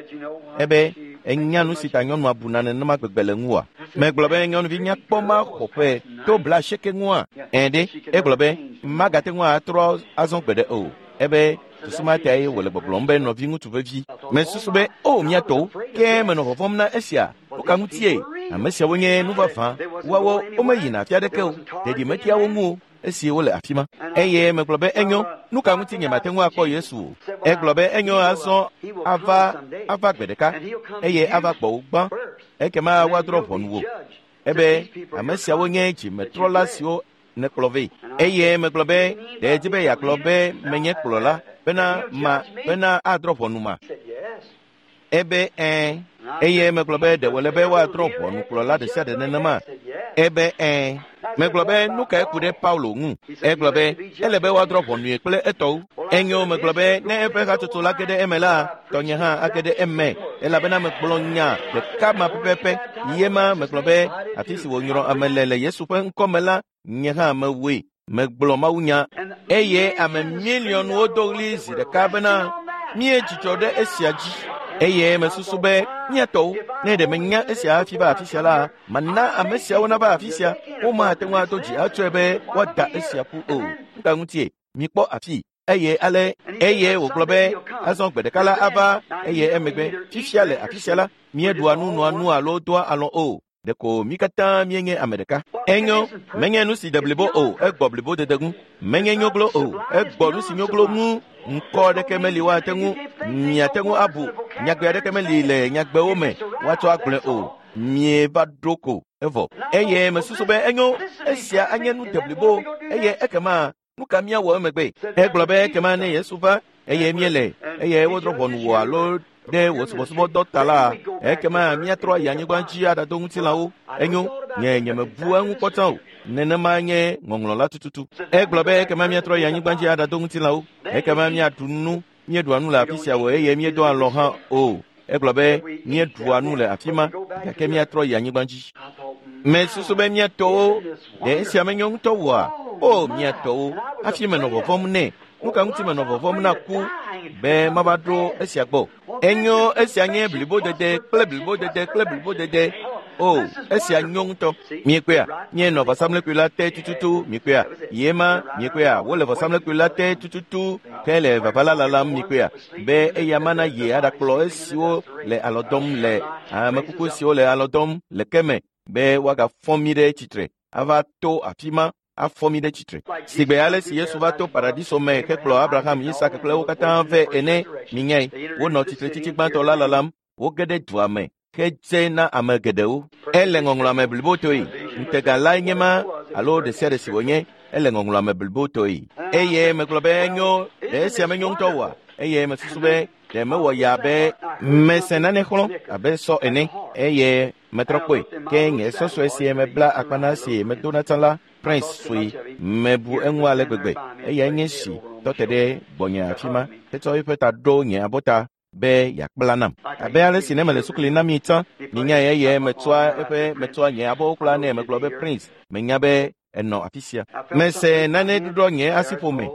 Ebe enya nu si ta nyɔnua buna nenema gbegbe le ŋua? Megblɔ be nyɔnuvi nyakpɔ ma xɔ ƒe to 80 ŋua? Ẽ ɖe egblɔ be magate ŋu atrɔ azɔ gbeɖe o. Ebe susu ma tae wòle gbɔgblɔm be nɔviŋutsu vevi. Mesusu be o mía tɔwo ke menɔ vɔvɔ̃m na esia. Woka ŋutie ame siawo nye nu vavã woawo womeyina afi aɖeke o ɖeɖi metia wo ŋu o esi wole afi ma. Eye megblɔ be enyo nu ka ŋuti nyemate ŋu akpɔ Yesu o. Egblɔ be enyo azɔ ava gbe ɖeka eye ava gbɔwò gbã ekema woadrɔ̃ ʋɔnu wò. Ebe ame siawo nye dzimetrɔla siwo nekplɔ vɛ. Eye megblɔ be ɖe edzi be yeagblɔ be menye kplɔla bena adrɔ̃ ʋɔnu ma. Ebe ẽ eye megblɔ be ɖe wòle be woadrɔ̃ ʋɔnu kplɔla ɖe sia ɖe nenema. Ebe ẽ. Megblɔ be nu kae ku ɖe Paulo ŋu? Egblɔ be ele be woadrɔ̃ ʋɔnue kple etɔwo. Enyo, megblɔ be ne eƒe hatsotso la ge ɖe eme la, tɔnye hã age ɖe eme, elabena megblɔ nya ɖeka ma pɛpɛpɛ. Ye ma megblɔ be afi si wònyrɔ ame le le Yesu ƒe ŋkɔ me la, nye hã mewɔe. Megblɔ mawunya eye ame miliɔnwo do ɣli zi ɖeka bena míedzidzɔ ɖe esia dzi. Eye mesusu be míatɔwo, ne ɖe menya esia hafi va afi sia la, mana ame siawo nava afi sia. Womate ŋu ado dzi atsɔe be woada esia ƒu o. Nu ka ŋutie? Mikpɔ afi. Eye ale eye wògblɔ be azɔ gbe ɖeka la ava eye emegbe fifia le afi sia la, míeɖua nu nɔa nu alo doa alɔ o. Ɖeko mí katã míenye ame ɖeka. Enyo, menye nu si de blibo o, egbɔ blibodede ŋu. Menye nyoglo o, egbɔ nu si nyoglo ŋu. Ŋkɔ aɖeke meli woate ŋu, miate ŋu abu. Nyagbe aɖeke meli le nyagbewo me woatsɔ agblɔe o. Mieva ɖo ko evɔ. Eye mesusu be enyo, esia anye nu de blibo eye ekema nu ka míawɔ emegbe? Egblɔ be ekema ne Yesu va eye míele eye wodrɔ̃ ʋɔnu wò alo ɖe wò subɔsubɔdɔ ta la, ekema míatrɔ ayi anyigba dzi aɖado ŋutilãwo. Enyo, nye nyemebu eŋu kpɔ tsã o. Nenema nye ŋɔŋlɔ la tututu. Egblɔ be ekema míatrɔ yi anyigba dzi aɖado ŋutilãwo. Ekema míaɖu nu, míeɖua nu le afi sia o eye míedoa alɔ hã o. Egblɔ be míeɖua nu le afi ma gake míatrɔ yi anyigba dzi. Mesusu be míatɔwo, ɖe esia menyo ŋutɔ oa? O, míatɔwo, hafi menɔ vɔvɔ̃m nɛ. Nu ka ŋuti menɔ vɔvɔ̃m na ku be mava ɖo esia gbɔ? Enyo, esia nye blibodede kple blibodede kple blibodede. O, esia nyo ŋutɔ. Miekpɔea? Míenɔ vɔsamlekpui la te tututu. Miekpɔea? Ye ma, miekpɔea? Wole vɔsamlekpui la te tututu hele vava la lalam. Miekpɔea? Be eya mana ye aɖakplɔ esiwo le alɔ dɔm le amekuku siwo le alɔ dɔm le ke me be woagafɔ mí ɖe tsitre ava to afi ma afɔ mí ɖe tsitre. Sigbe ale si Yesu va to paradiso me hekplɔ Abraham, Isak kple wo katã vɛ ene, minyae, wonɔ tsitretsitsi gbãtɔ la lalam, woge ɖe dua me hedze na ame geɖewo. Ele ŋɔŋlɔa me blibotoe. Ŋutega lae nye ma alo ɖe sia ɖe si wònye, ele ŋɔŋlɔa me blibotoe. Eye megblɔ be enyo, ɖe esia menyo ŋutɔ oa? Eye mesusu be ɖe mewɔ ya be mese nane xlɔ̃ abe sɔ ene eye metrɔ kpɔe. Ke nye sɔsɔe si mebla akpa na si medona tsã la, Prince sue, mebu eŋu ale gbegbe. Eyae nye si tɔ te ɖe gbɔnye afi ma hetsɔ eƒe ta ɖo nye abɔta be yeakpla nam. Abe ale si ne mele sukli na mi tsã, minyae eye metsɔa eƒe metsɔa nye abɔwo kpla nɛ megblɔ be Prince, menya be enɔ afi sia. Mese nane ɖuɖɔ nye asiƒome.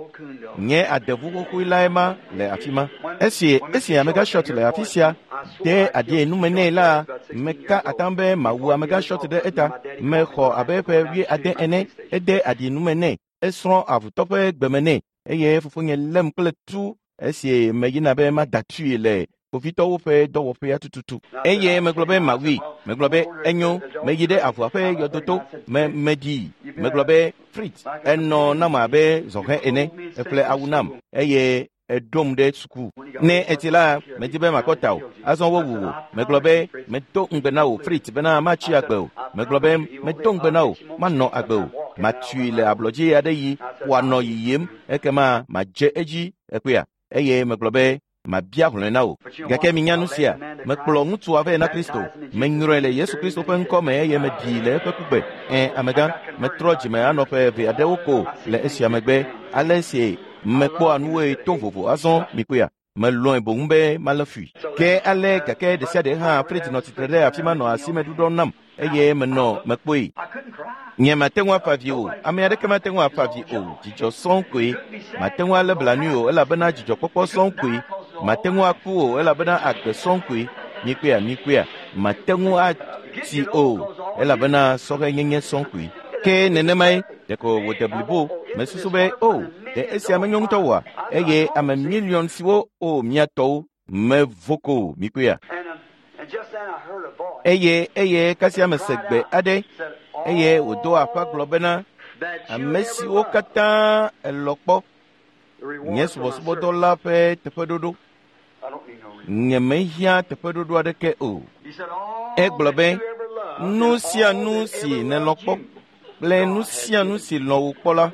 Nye adevu xoxoe lae ma le afi ma. Esi amegã Short le afi sia de aɖi nume nɛ la, meka atam be mawu amegã Short ɖe eta. Mexɔ abe ƒe 70 ene, ede aɖi nume nɛ, esrɔ̃ avutɔ ƒe gbeme nɛ eye fofonye lém kple tu esi meyina be mada tui le kpovitɔwo ƒe dɔwɔƒea tututu. Eye megblɔ be mawui. Megblɔ be enyo, meyi ɖe avua ƒe yɔdoto me meɖii. Megblɔ be Fritz, enɔ nam abe zɔhɛ ene, eƒle awu nam eye eɖom ɖe suku. Ne etsi la, medi be makɔ ta o. Azɔ wowu wò. Megblɔ be medo ŋugbe na wò Fritz bena matsi agbe o. Megblɔ be medo ŋugbe na wò, manɔ agbe o. Matui le ablɔdzi aɖe yi wòanɔ yiyim ekema madze edzi ekpea. Eye megblɔ be mabia hlɔ̃e na wò. Gake minya nu sia, mekplɔ ŋutsua vɛ na Kristo. Menyrɔe le Yesu Kristo ƒe ŋkɔ me eye meɖii le eƒe kugbe. Ẽ, amegã, metrɔ dzime anɔ ƒe eve aɖewo ko le esia megbe. Ale si mekpɔa nuwoe to vovo azɔ mikpɔea? Melɔ̃e boŋ be malé fui. Ke ale gake ɖe sia ɖe hã Fritz nɔ tsitre ɖe afi ma nɔ asime ɖuɖɔm nam eye menɔ mekpɔe. Nye mate ŋu afa vi o. Ame aɖeke mate ŋu afa vi o. Dzidzɔ sɔŋ koe. Mate ŋu alé blanui o elabena dzidzɔkpɔkpɔ sɔŋ koe. Mate ŋu aku o elabena agbe sɔŋ koe. Mikpɔea, mate ŋu atsi o elabena sɔhɛnyenye sɔŋ koe. Ke nenemae ɖeko wòde blibo. Mesusu be o, ɖe esia menyo ŋutɔ oa? Eye ame miliɔn siwo o míatɔwo mevo ko mikpɔea. Eye kasia mese gbe aɖe eye wòdo aƒa gblɔ bena ame siwo katã elɔ kpɔ nye subɔsubɔdɔ la ƒe teƒeɖoɖo. Nyemehiã teƒeɖoɖo aɖeke o. Egblɔ be nu sia nu si nèlɔ kpɔ kple nu sia nu si lɔ̃ wò kpɔ la,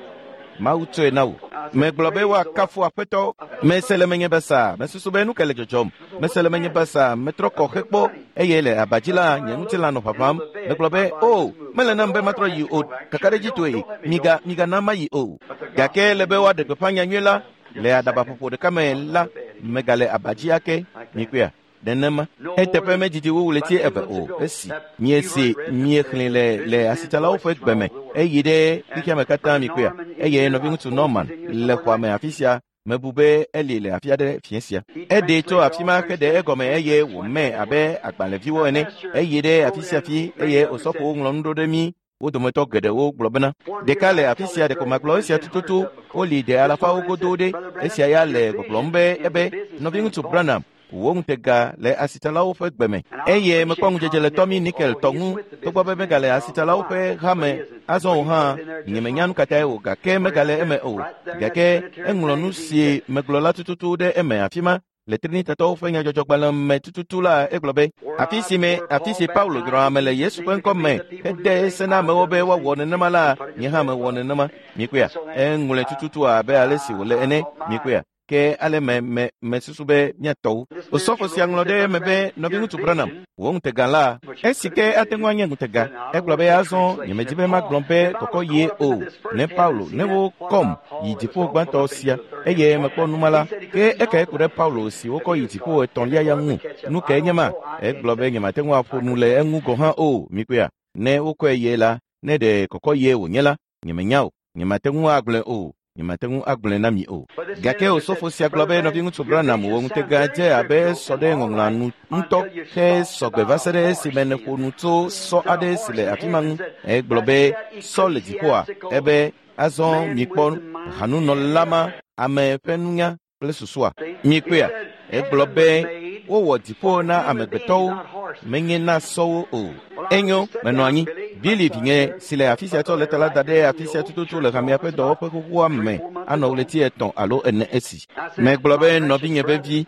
Mawu tsɔe na wò. Megblɔ be woakafu Aƒetɔ. Mese le menye basa, mesusu be nu ke le dzɔdzɔm. Mese le menye basa, metrɔ kɔ hekpɔ eye le abadzi la nye ŋutilã nɔ ʋaʋãm. Megblɔ be, o, mele nam be matrɔ yi o, kakaɖedzitɔe, miga migana mayi o. Gake le be woaɖe gbeƒã nyanyui la le aɖabaƒoƒo ɖeka me la, megale abadzi ake. Mikpɔea? Nenema. Eteƒe medzidzi wu ɣleti 2 o esi miese miexlẽ le asitsalawo ƒe gbe me eyi ɖe xexeame katã mikpɔea. Eye nɔviŋutsu Norman le xɔa me afi sia. Mebu be eli le afi aɖe fiẽ sia. Eɖee tso afi ma heɖe egɔme eye wòmee abe agbalẽviwo ene. Eyi ɖe afi sia fi eye osɔfowo ŋlɔ nu ɖo ɖe mí. Wo dometɔ geɖewo gblɔ bena, ɖeka le afi sia ɖeko magblɔ esia tututu, woli ɖe alafawo godo ɖe. Esia ya le gbɔgblɔm be ebe nɔviŋutsu Branham wò ŋutega le asitsalawo ƒe gbe me. Eye mekpɔ ŋudzedze le Tommy Nickel tɔ ŋu, togbɔ be megale asitsalawo ƒe hame azɔ o hã, nyemenya nu katãe o, gake megale eme o. Gake eŋlɔ nu si megblɔ la tututu ɖe eme afi ma. Le Trinitatɔwo ƒe nyadzɔdzɔgbalẽ me tututu la, egblɔ be, afi si me afi si Paulo yrɔ ame le Yesu ƒe ŋkɔ me hede se na amewo be woawɔ nenema la, nye hã mewɔ nenema. Mikpɔea? Eŋlɔe tututu abe ale si wòle ene. Mikpɔea? Ke ale me mesusu be míatɔwo. Osɔfo sia ŋlɔ ɖe eme be, nɔviŋutsu Branham, wò ŋutega la, esi ke ate ŋu anye ŋutega. Egblɔ be azɔ nyemedi be magblɔ be kɔkɔ yie o. Ne Paulo, ne wokɔm yi dziƒo gbãtɔ sia, eye mekpɔ numa la, ke ekae ku ɖe Paulo si wokɔ yi dziƒo etɔ̃lia ya ŋu. Nu kae nye ma? Egblɔ be nyemate ŋu aƒo nu le eŋu gɔ̃ hã o. Mikpɔea? Ne wokɔe yie la, ne ɖe kɔkɔ yie wònye la, nyemenya o. Nyemate ŋu agblɔe o. Nyemate ŋu agblɔe na mi o. Gake osɔfo sia gblɔ be nɔviŋutsu Branham wò ŋutega dze abe sɔ ɖe ŋɔŋlɔa nu ŋutɔ he sɔgbe va se ɖe esime nèƒo nu tso sɔ aɖe si le afi ma ŋu. Egblɔ be sɔ le dziƒoa. Ebe azɔ mikpɔ hanunɔla ma, ame ƒe nunya kple susua. Mikpɔea? Egblɔ be wowɔ dziƒo na amegbetɔwo, menye na sɔwo o. Enyo, menɔ anyi. Billy vinye si le afi sia tsɔ lɛta la da ɖe afi sia tututu le hamea ƒe dɔwɔƒe xoxoa me anɔ ɣleti 3 alo 4 esi. Megblɔ be nɔvinye vevi,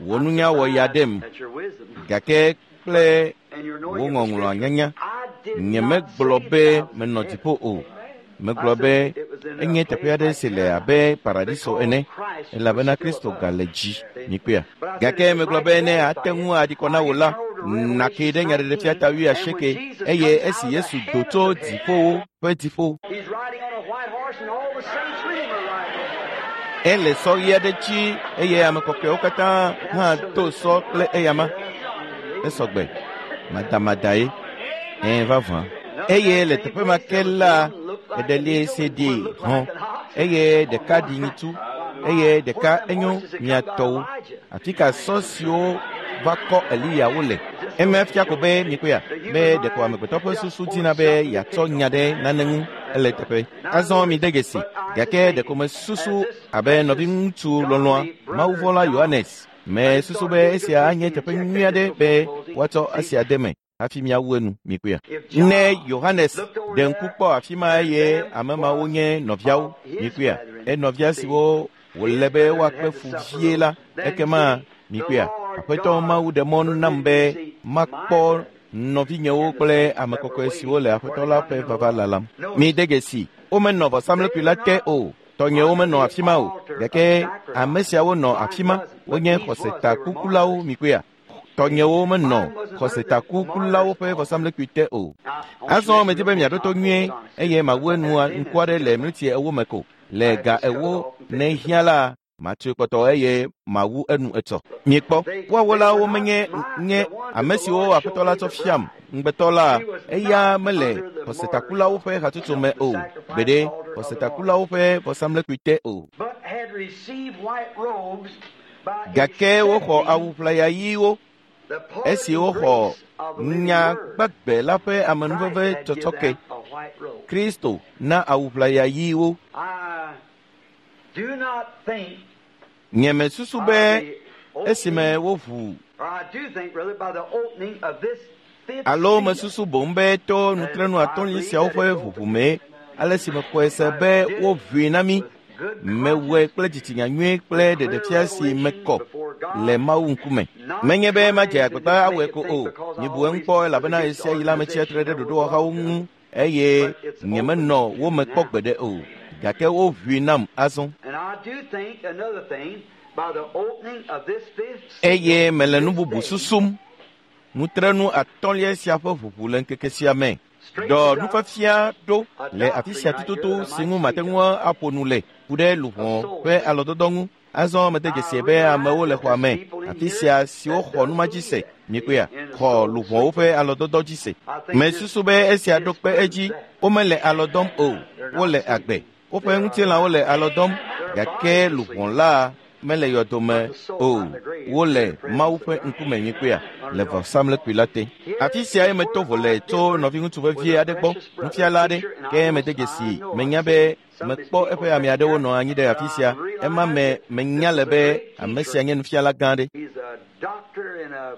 wò nunya wɔ ya ɖem, gake kple wò ŋɔŋlɔa nyanya, nyemegblɔ be menɔ dziƒo o. Megblɔ be enye teƒe aɖe si le abe paradiso ene, elabena Kristo gale dzi. Mikpɔea? Gake megblɔ be ne ate ŋu aɖi kɔ na wò la, nàke ɖe nyaɖeɖefia ta 80 eye esi Yesu do tso dziƒowo ƒe dziƒo. Ele sɔ ɣi aɖe dzi eye ame kɔkɔewo katã hã do sɔ kple eyama. Esɔgbe, madamadae, ẽ vavã. Eye le teƒe ma ke la, eɖelie se ɖi hɔ̃, eye ɖeka ɖi nyitsu, eye ɖeka enyo miatɔwo. Afi ka sɔ siwo va kɔ Eliya wole? Eme fia ko be mikpɔea, be ɖeko amegbetɔ ƒe susu dina be yeatsɔ nya ɖe nane ŋu ele teƒe. Azɔ mi de dzesi, gake ɖeko mesusu abe nɔviŋutsu lɔlɔ̃a Mawuvɔ̃la Yohanes. Mesusu be esia anye teƒe nyui aɖe be woatsɔ esia de me hafi míawu enu. Mikpɔea? Ne Yohanes ɖe ŋku kpɔ afi ma eye ame mawo nye nɔviawo, mikpɔea? Enɔvia siwo wòle be woakpe fu vie la, ekema mikpɔea? Aƒetɔ Mawu ɖe mɔ nam be makpɔ nɔvinyewo kple ame kɔkɔe siwo le Aƒetɔ la ƒe vava lalam. Mi de dzesi, womenɔ vɔsamlekpui la te o. Tɔnyewo menɔ afi ma o, gake ame siawo nɔ afi ma. Wonye xɔsetakukulawo. Mikpɔea? Tɔnyewo menɔ xɔsetakukulawo ƒe vɔsamlekpui te o. Azɔ medi be miaɖo to nyuie eye mawu enu ŋku aɖe le miniti 4 me ko. Le ga 4 ne hiã la, matsoe kpɔtɔ eye mawu enu etsɔ. Mikpɔ, woawo la womenye nye ame siwo Aƒetɔ la tsɔ fiam ŋugbetɔ la, eya mele xɔsetakulawo ƒe hatsotso me o, gbeɖe xɔsetakulawo ƒe vɔsamlekpui te o. Gake woxɔ awu ʋlaya ɣiwo esi woxɔ nya gbagbe la ƒe amenuveve tsɔtsɔke. Kristo na awu ʋlaya ɣiwo. Nyemesusu be esime woʋu alo mesusu boŋ be to nutrenu atɔ̃li siawo ƒe ʋuʋu mee, ale si mexɔe se be woʋui na mí. Mewɔe kple dzitsinya nyui kple ɖeɖefia si mekɔ le Mawu ŋkume. Menye be madze agbagba awɔe ko o. Mibu eŋu kpɔ elabena ɣesiaɣi la metsia tre ɖe ɖoɖowɔhawo ŋu eye nyemenɔ wo me kpɔ gbeɖe o. gake woʋui nam azɔ. Eye mele nu bubu susum. Nutrenu atɔ̃lia sia ƒe ʋuʋu le ŋkeke sia me. Dɔ nufiafia ɖo le afi sia tututu si ŋu mate ŋu aƒo nu le ku ɖe luʋɔ ƒe alɔdɔdɔ ŋu. Azɔ mede dzesi be amewo le xɔa me afi sia siwo xɔ numa dzi se. Mikpɔea, xɔ luʋɔwo ƒe alɔdɔdɔ dzi se. Mesusu be esia ɖo kpe edzi. Womele alɔ dɔm o, wole agbe. Woƒe ŋutilãwo le alɔ dɔm, gake luʋɔ la mele yɔdome o. Wole Mawu ƒe ŋkume. Mikpɔea, le vɔsamlekpui la te. Afi siae meto vo le tso nɔviŋutsu vevie aɖe gbɔ, nufiala aɖe, ke mede dzesi. Menya be mekpɔ eƒe ame aɖewo nɔ anyi ɖe afi sia. Ema me menya le be ame sia nye nufiala gã aɖe.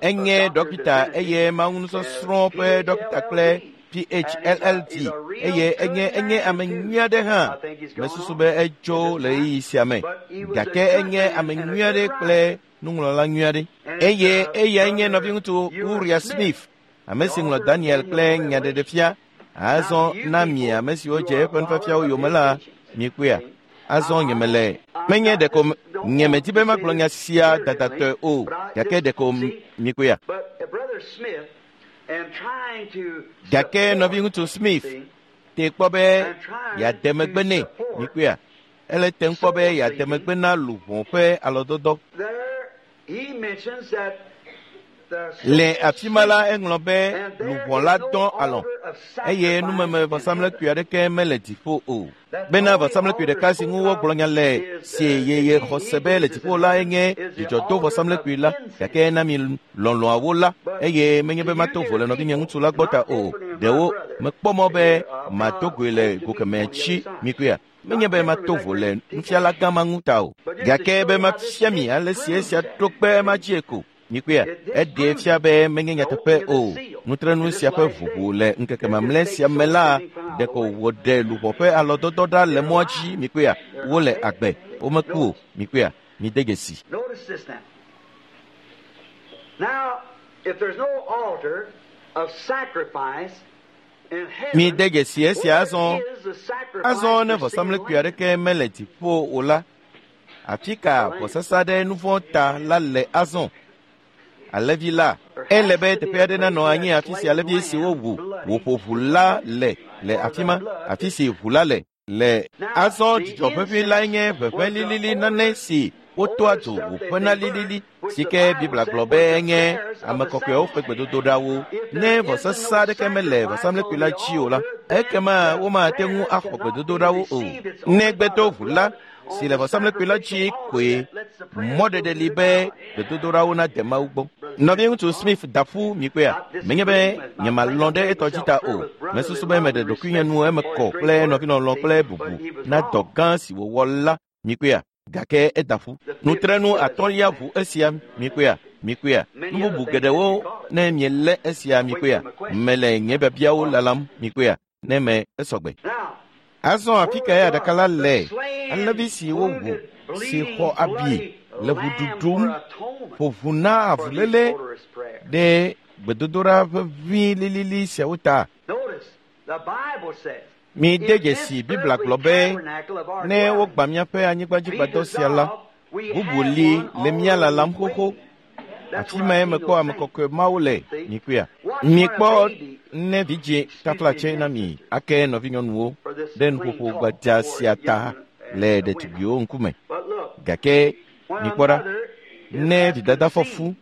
Enye dɔkita eye mawunusɔsrɔ̃ ƒe dɔkita kple PhLLD eye enye ame nyui aɖe hã. Mesusu be etso le ɣeyiɣi sia me, gake enye ame nyui aɖe kple nuŋlɔla nyui aɖe. Eye eyae nye nɔviŋutsu Uriah Smith, ame si ŋlɔ Daniel kple Nyaɖeɖefia. Azɔ na mi ame siwo dze eƒe nufiafiawo yome la, mikpɔea. Azɔ nyemele menye ɖeko nyemedi be magblɔ nya sia dadatɔe o, gake ɖeko mikpɔea. Gake nɔviŋutsu Smith te kpɔ be yeade megbe nɛ. Mikpɔea, ele te kpɔ be yeade megbe na luʋɔ ƒe alɔdɔdɔ. Le afi ma la, eŋlɔ be luʋɔ la dɔ alɔ eye numeme vɔsamlekpui aɖeke mele dziƒo o. Bena vɔsamlekpui ɖeka si ŋu wogblɔ nya le si yeye xɔse be le dziƒo la enye dzidzɔdo vɔsamlekpui la, gake na mi lɔlɔ̃awo la, eye menye be mato vo le nɔvinye ŋutsu la gbɔ ta o. Ɖewo mekpɔ mɔ be mato goe le go kemɛ tsi mikpɔea. Menye be mato vo le nufiala gã ma ŋu ta o, gake be mafia mi ale si esia ɖo kpe ema dzie ko. Mikpɔea, eɖee fia be menye nyateƒe o. Nutrenu sia ƒe ʋuʋu le ŋkeke mamlɛ sia me la, ɖeko wòɖe luʋɔ ƒe alɔdɔdɔ ɖa le mɔa dzi. Mikpɔea, wole agbe, womeku o. Mikpɔea, mide dzesi. Mide dzesi esia azɔ. Azɔ ne vɔsamlekpui aɖeke mele dziƒo o la, afi ka vɔsasa ɖe nu vɔ̃ ta la le azɔ? Alẽvi la, ele be teƒe aɖe nanɔ anyi afi si alẽvi si wowu wòƒo ʋu la le le afi ma, afi si ʋu la le le. Azɔ dzidzɔ ʋeʋĩ lae nye ʋeʋẽ lilili nane si wotoa dzo wòƒena lilili si ke Biblia gblɔ be enye ame kɔkɔewo ƒe gbedodoɖawo. Ne vɔsasa aɖeke mele vɔsamlekpui la dzi o la, ekema womate ŋu axɔ gbedodoɖawo o. Negbe to ʋu la si le vɔsamlekpui la dzi koe mɔɖeɖe li be gbedodoɖawo nade Mawu gbɔ. Nɔviŋutsu Smith da ƒu mikpɔea. Menye be nyemalɔ̃ ɖe etɔ dzi ta o. Mesusu be meɖe ɖokuinye nu eme kɔ kple nɔvilɔlɔ̃ kple bubu na dɔ gã si wòwɔ la. Mikpɔea, gake eda ƒu. Nutrenu atɔ̃lia ʋu esia. Mikpɔea, mikpɔea. Nu bubu geɖewo ne mielé esia. Mikpɔea, mele nye biabiawo lalam. Mikpɔea, ne me esɔgbe. Azɔ afi kae aɖaka la le? Alẽvi si wowu, si xɔ abi le ʋu ɖuɖum, ƒo ʋu na avuléle ɖe gbedodoɖa ʋeʋĩ lilili siawo ta. Mide dzesi Biblia gblɔ be ne wogbã míaƒe anyigbadzigbadɔ sia la, bubu li le mía lalam xoxo. Afi mae mekpɔ ame kɔkɔe mawo le. Mikpɔea, mikpɔ ne vidzĩ taflatse na mi ake nɔvinyɔnuwo ɖe nuƒoƒo gbadza sia ta le ɖetugbiwo ŋkume. Gake mikpɔ ɖa, ne vidada fɔ fu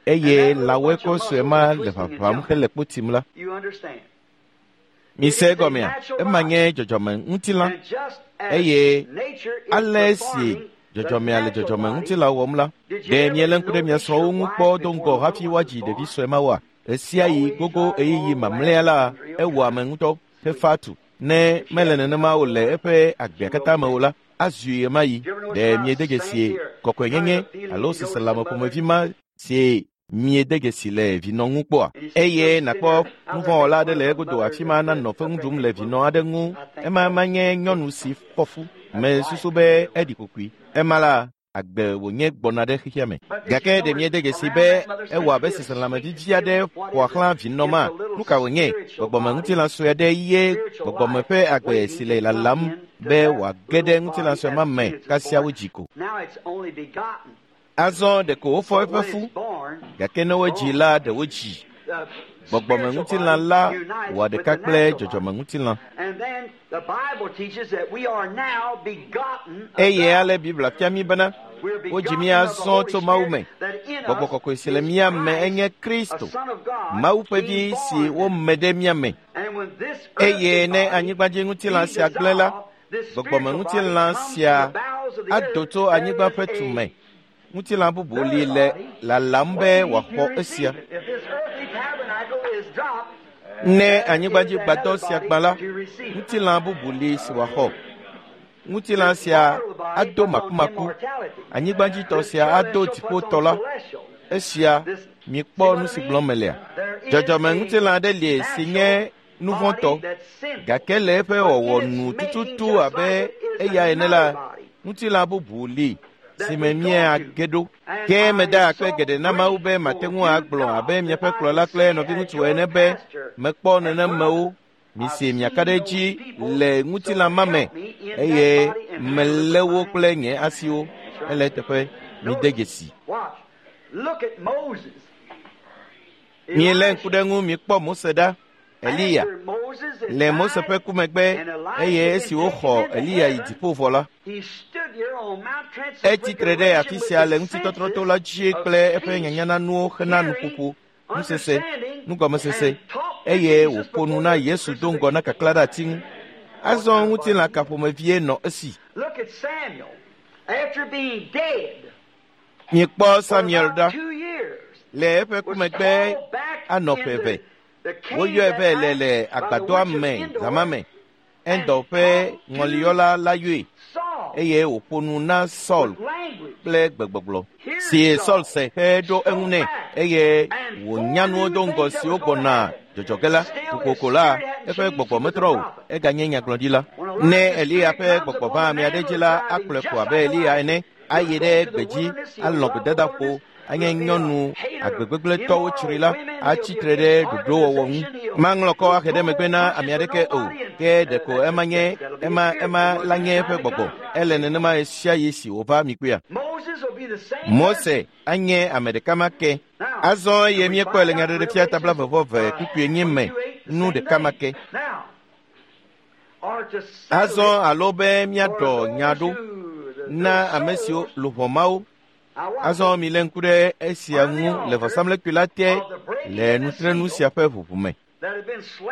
eye lãwɔe kɔ sue ma le ʋaʋãm hele kpo tim la, mise egɔmea, ema nye dzɔdzɔme ŋutilã eye ale si dzɔdzɔmea le dzɔdzɔme ŋutilã wɔm la, ɖe miele ŋku ɖe mia srɔ̃wo ŋu kpɔ do ŋgɔ hafi woadzi ɖevi sue ma woa? Ɣesia ɣi gogo ɣeyiɣi mamlɛa la, ewɔ ame ŋutɔ hefa tu. Ne mele nenema o le eƒe agbea katã me o la, azui ɣemaɣi. Ɖe miede dzesie kɔkɔenyenye alo seselãme ƒomevi ma si miede dzesi le vinɔ ŋu kpɔa? Eye nàkpɔ nuvɔ̃wɔla aɖe le egodo afi ma nanɔ fe ŋu ɖum le vinɔ aɖe ŋu. Ema manye nyɔnu si fɔ fu. Mesusu be eɖi kokoe. Ema la, agbe wònye gbɔna ɖe xexea me. Gake ɖe miede dzesi be ewɔ abe seselãme vivi aɖe ƒoa xlã vinɔ ma? Nu ka wònye? Gbɔgbɔme ŋutilã sue aɖe ye gbɔgbɔme ƒe agbe si le lalam be wòage ɖe ŋutilã sue ma me kasia wodzi ko. Azɔ ɖeko wofɔ eƒe fu, gake ne wodzi la, ɖe wodzi. Gbɔgbɔmeŋutilã la wɔ ɖeka kple dzɔdzɔmeŋutilã. Eye ale Biblia fia mí bena wodzi mí azɔ tso Mawu me. Gbɔgbɔ kɔkɔe si le mía me enye Kristo, Mawu ƒe vi si wome ɖe mía me. Eye ne anyigbadziŋutilã sia gblẽ la, gbɔgbɔmeŋutilã sia ado tso anyigba ƒe tu me. Ŋutilã bubu li le lalam be wòaxɔ esia. Ne anyigbadzigbadɔ sia gbã la, ŋutilã bubu li si wòaxɔ. Ŋutilã sia ado makumaku, anyigbadzitɔ sia ado dziƒotɔ la. Esia, mikpɔ nu si gblɔm melea. Dzɔdzɔmeŋutilã aɖe li si nye nuvɔ̃tɔ, gake le eƒe wɔwɔ nu tututu abe eya ene la, ŋutilã bubu li si me míage ɖo. Ke meda akpe geɖe na Mawu be mate ŋu agblɔ abe miaƒe kplɔla kple nɔviŋutsu ene be mekpɔ nenemewo. Mise miaka ɖe edzi le ŋutilã ma me eye melé wo kple nye asiwo. Ele eteƒe, mide dzesi. Mielé ŋku ɖe ŋu mikpɔ Mose ɖa, Eliya. Le Mose ƒe ku megbe eye esi woxɔ Eliya yi dziƒo vɔ la, etsi tre ɖe afi sia le ŋutitɔtrɔto la dzi kple eƒe nyanyananuwo hena nuƒoƒo, nusese, nugɔmesese, eye wòƒo nu na Yesu do ŋgɔ na kaklã ɖe ati ŋu. Azɔ ŋutilã ka ƒomevie nɔ esi? Mikpɔ Samuel ɖa. Le eƒe ku megbe anɔ ƒe eve. Woyɔe vɛ le le agbadɔa me zama me. Endor ƒe ŋɔliyɔla la yɔe eye wòƒo nu na Saul kple gbegbɔgblɔ si Saul se heɖo eŋu nɛ eye wònya nuwo do ŋgɔ siwo gbɔna dzɔdzɔ ge la. Kokoko la, eƒe gbɔgbɔ metrɔ o, eganye nyagblɔɖila. Ne Eliya ƒe gbɔgbɔ va ame aɖe dzi la, akplɔe ko abe Eliya ene, ayi ɖe gbedzi, alɔ gbedadaƒo, anye nyɔnu agbegbegblẽtɔwo tsri la, atsi tre ɖe ɖoɖowɔwɔ ŋu. Maŋlɔ kɔ ahe ɖe megbe na ame aɖeke o, ke ɖeko ema nye ema ema la nye eƒe gbɔgbɔ. Ele nenema ɣe sia ɣi si wòva mi kpuia. Mose anye ame ɖeka ma ke. Azɔ eye míekpɔe le nyaɖeɖefia tabla vevɔ kpukpui enyi me nu ɖeka ma ke. Azɔ alo be míaɖɔ nya ɖo na ame siwo luʋɔ mawo. Azɔ milé ŋku ɖe esia ŋu le vɔsamlekpui la te le nutrenu sia ƒe ʋuʋu me,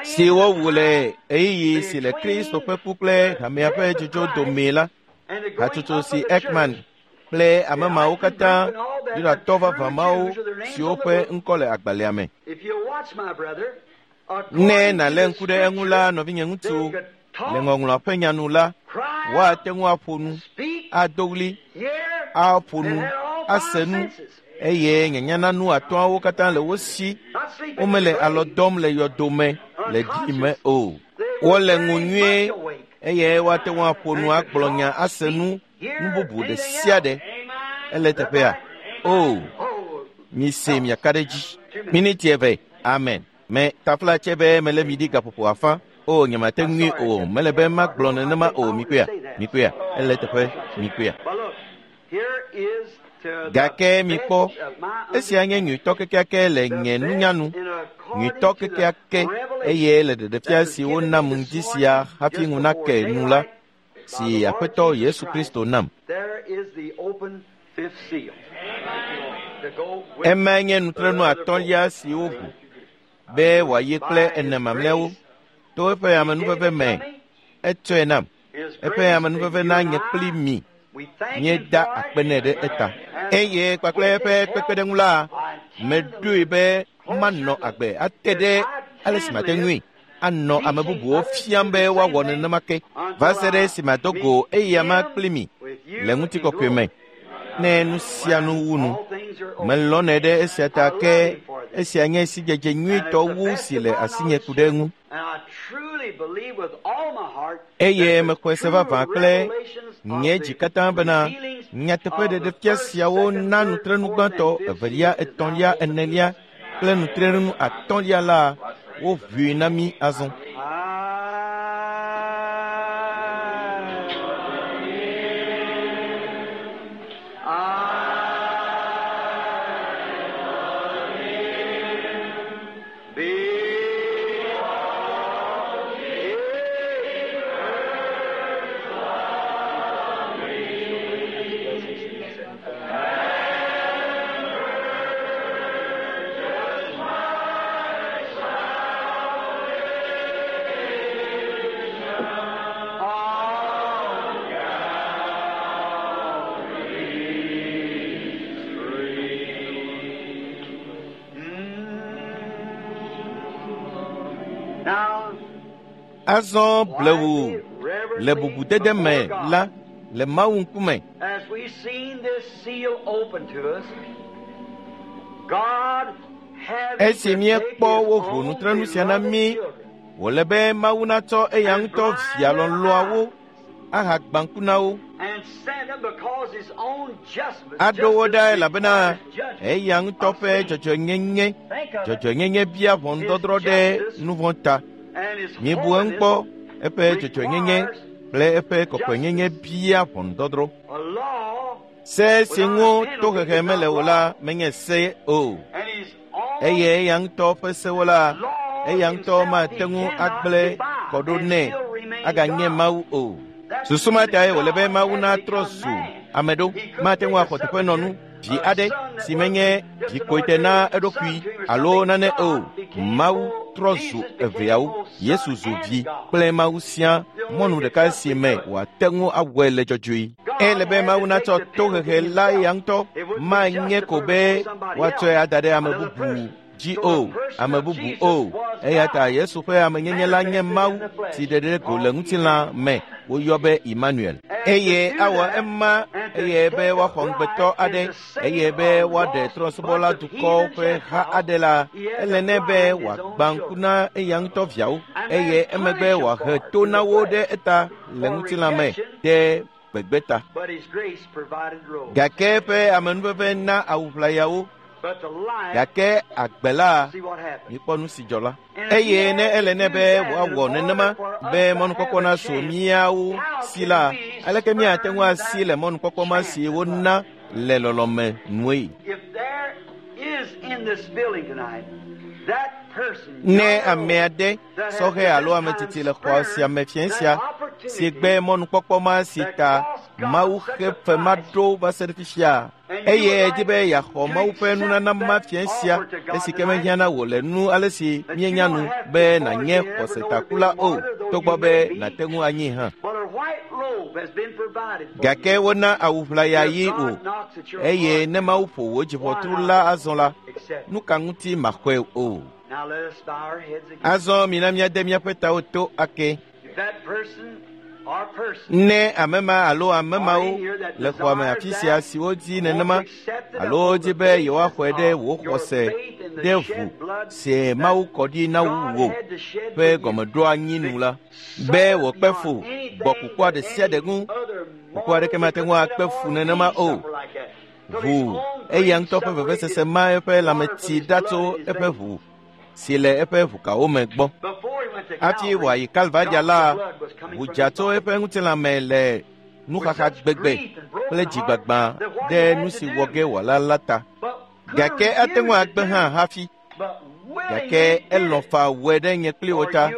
si wowu le ɣeyiɣi si le Kristo ƒe ku kple hamea ƒe dzodzo domee la. Hatsotso si Ekman kple ame mawo katã, Yudatɔ vavã mawo siwo ƒe ŋkɔ le agbalẽa me. Ne nàlé ŋku ɖe eŋu la, nɔvinye ŋutsu, le ŋɔŋlɔa ƒe nya nu la, woate ŋu aƒo nu, ado ɣli, aƒo nu, ase nu, eye nyanyananu atɔ̃awo katã le wo si. Womele alɔ dɔm le yɔdome le ɖi me o. Wole ŋu nyuie eye woate ŋu aƒo nu agblɔ nya ase nu, nu bubu ɖe sia ɖe. Ele teƒea? O, mise miaka ɖe edzi. Miniti eve. Amen. Me tafla tse be mele mi ɖi gaƒoƒo afã. O, nyemate ŋui o. Mele be magblɔ nenema o. Mikpɔea? Mikpɔea? Ele teƒe. Mikpɔea? Gake mikpɔ, esia nye nyuitɔ kekeake le nye nunya nu, nyuitɔ kekeake eye le ɖeɖefia si wonam ŋdi sia hafi ŋu nake nu la, si Aƒetɔ Yesu Kristo nam. Emae nye nutrenu atɔ̃lia si woʋu be wòayi kple ene mamlɛawo to eƒe amenuveve me. Etsɔe nam. Eƒe amenuveve na nye kpli mi. Míeda akpe nɛ ɖe eta. Eye kpakple eƒe kpekpeɖeŋu la, meɖoe be manɔ agbe ate ɖe ale si mate ŋui anɔ ame bubuwo fiam be woawɔ nenema ke va se ɖe esime ado go eyama kpli mi le ŋutikɔkɔe me. Ne nu sia nu wu nu, melɔ̃nɛ ɖe esia ta ke esia nye sidzedze nyuitɔ wu si le asinye ku ɖe eŋu. Eye mexɔe se vavã kple nye dzi katã bena nyateƒe ɖeɖefia siawo na nutrenu gbãtɔ, evelia, etɔ̃lia, enelia kple nutrenu atɔ̃lia la woʋui na mí azɔ. Azɔ blewu le bubudede me la le Mawu ŋkume. Esi míekpɔ woʋu nutrenu sia na mí, wòle be Mawu natsɔ eya ŋutɔ via lɔlɔ̃awo ahagbã ŋku na wo. Aɖo wo ɖa elabena eya ŋutɔ ƒe dzɔdzɔenyenye, dzɔdzɔenyenye bia ʋɔnudɔdrɔ̃ ɖe nu vɔ̃ ta. Míebu eŋu kpɔ, eƒe dzɔdzɔenyenye kple eƒe kɔkɔenyenye bia ʋɔnudɔdrɔ̃. Se si ŋu tohehe mele o la menye se o, eye eya ŋutɔ ƒe sewo la, eya ŋutɔ mate ŋu agblẽ kɔ ɖo nɛ aganye Mawu o. Susu ma tae wòle be Mawu natrɔ zu ame ɖo. Mate ŋu axɔ teƒenɔnu vi aɖe si menye vikoete na eɖokui alo nane o. Mawu trɔ zu eveawo. Yesu zu vi kple Mawu sia mɔnu ɖeka si me wòate ŋu awɔe le dzɔdzɔe. Ele be Mawu natsɔ tohehe la eya ŋutɔ manye ko be woatsɔe ada ɖe ame bubu dzi o, ame bubu o. Eya ta Yesu ƒe amenyenye la nye Mawu si ɖe ɖe go le ŋutilã me woyɔ be Emmanuel. Eye awɔ ema eye be woaxɔ ŋugbetɔ aɖe eye be woaɖe trɔ̃subɔla dukɔwo ƒe ha aɖe la, ele nɛ be wòagbã ŋku na eya ŋutɔ viawo eye emegbe wòahe to na wo ɖe eta le ŋutilã me ɖe gbegbe ta. Gake eƒe amenuveve na awu ʋlayawo. Gake agbe la, míekpɔ nu si dzɔ la. Eye ne ele nɛ be wòawɔ nenema be mɔnukpɔkpɔ nasu míawo si la, aleke míate ŋu asi le mɔnukpɔkpɔ ma si wona le lɔlɔ̃me nue? Ne ame aɖe, sɔhɛ alo ame tsitsi le xɔ sia me fiẽ sia, si gbe mɔnukpɔkpɔ ma si ta Mawu xe fe ma ɖo va se ɖe fifia, eye edi be yeaxɔ Mawu ƒe nunana ma fiẽ sia, esi ke mehiã na wò le nu ale si míenya nu be nànye xɔsetakula o, togbɔ be nàte ŋu anyi hã. Gake wona awu ʋlaya yi o, eye ne Mawu ƒo wò dziʋɔtru la azɔ la, nu ka ŋuti maxɔe o? Azɔ mina míade míaƒe tawo to ake. Ne ame ma alo ame mawo le xɔa me afi sia siwo di nenema alo wodi be yewoaxɔe ɖe wò xɔse ɖe ʋu si Mawu kɔ ɖi na wò ƒe gɔmeɖoanyi nu la, be wòkpe fu gbɔ kukua ɖe sia ɖe ŋu. Kuku aɖeke mate ŋu akpe fu nenema o. Ʋu eya ŋutɔ ƒe vevesese ma eƒe lãmetsi ɖa tso eƒe ʋu si le eƒe ʋukawo me gbɔ. Hafi wòayi Kalvaria la, ʋu dza tso eƒe ŋutilã me le nuxaxa gbegbe kple dzigbagba ɖe nu si wɔ ge wòala la ta. Gake ate ŋu agbe hã hafi. Gake elɔ̃ faa wɔe ɖe nye kpli wò ta.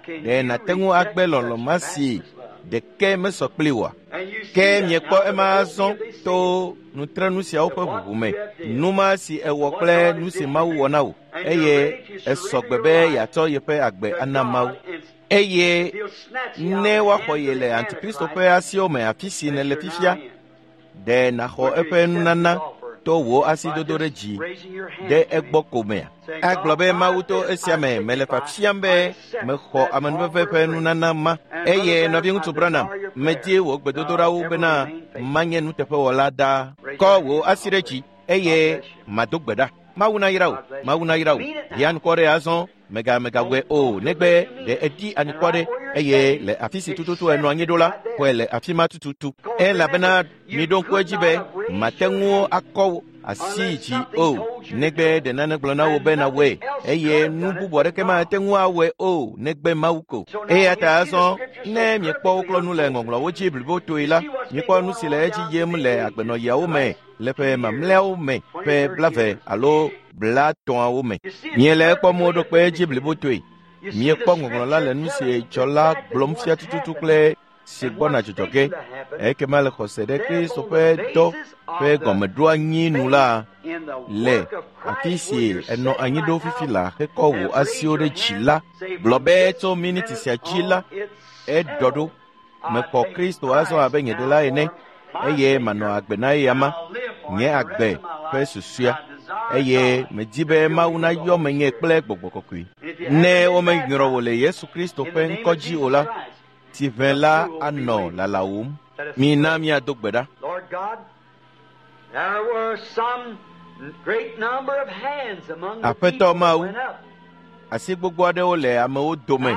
Ɖe nàte ŋu agbe lɔlɔ̃ ma si ɖeke mesɔ kpli wòa? Ke miekpɔ ema azɔ to nutrenu siawo ƒe ʋuʋu me, nu ma si ewɔ kple nu si Mawu wɔ na wò, eye esɔ gbe be yeatsɔ yeƒe agbe ana Mawu. Eye ne woaxɔ ye le Antikristo ƒe asiwo me afi si nèle fifia, ɖe nàxɔ eƒe nunana to wò asidodo ɖe dzi ɖe egbɔ ko mea? Agblɔ be Mawu to esia me mele fiafiam be mexɔ amenuveve ƒe nunana ma. Eye nɔviŋutsu Branham, medi wò gbedodoɖawo bena manye nuteƒewɔla ɖaa. Kɔ wò asi ɖe dzi eye mado gbe ɖa. Mawu nayra wò, Mawu nayra wò. Ɖi anukware azɔ, megawɔe o, negbe ɖe edi anukware eye le afi si tututu enɔ anyi ɖo la, xɔe le afi ma tututu. Elabena miɖo ŋku edzi be mate ŋu akɔ wò asi dzi o, negbe ɖe nane gblɔ na wò be nawɔe, eye nu bubu aɖeke mate ŋu awɔe o, negbe Mawu ko. Eya ta azɔ, ne miekpɔ woklɔ nu le ŋɔŋlɔawo dzi blibotoe la, miekpɔ nu si le edzi yim le agbenɔɣiawo me le ƒe mamlɛawo me ƒe 20 alo 30 me. Miele ekpɔm woɖo kpe edzi blibotoe. Miekpɔ ŋɔŋlɔ la le nu si dzɔ la gblɔm fia tututu kple si gbɔna dzɔdzɔ ge. Ekema le xɔse ɖe Kristo ƒe dɔ ƒe gɔmeɖoanyi nu la, le afi si enɔ anyi ɖo fifi la hekɔ wò asiwo ɖe dzi la, gblɔ be tso miniti sia dzi la, eɖɔ ɖo. Mexɔ Kristo azɔ abe nye ɖela ene, eye manɔ agbe na eya ma, nye agbe ƒe susɔea. eye medi be Mawu nayɔ menye kple gbɔgbɔ kɔkɔe. Ne womenyrɔ wò le Yesu Kristo ƒe ŋkɔ dzi o la, tsiʋẽ la anɔ lalawòm. Mina míado gbe ɖa. Aƒetɔ Mawu, asi gbogbo aɖewo le amewo dome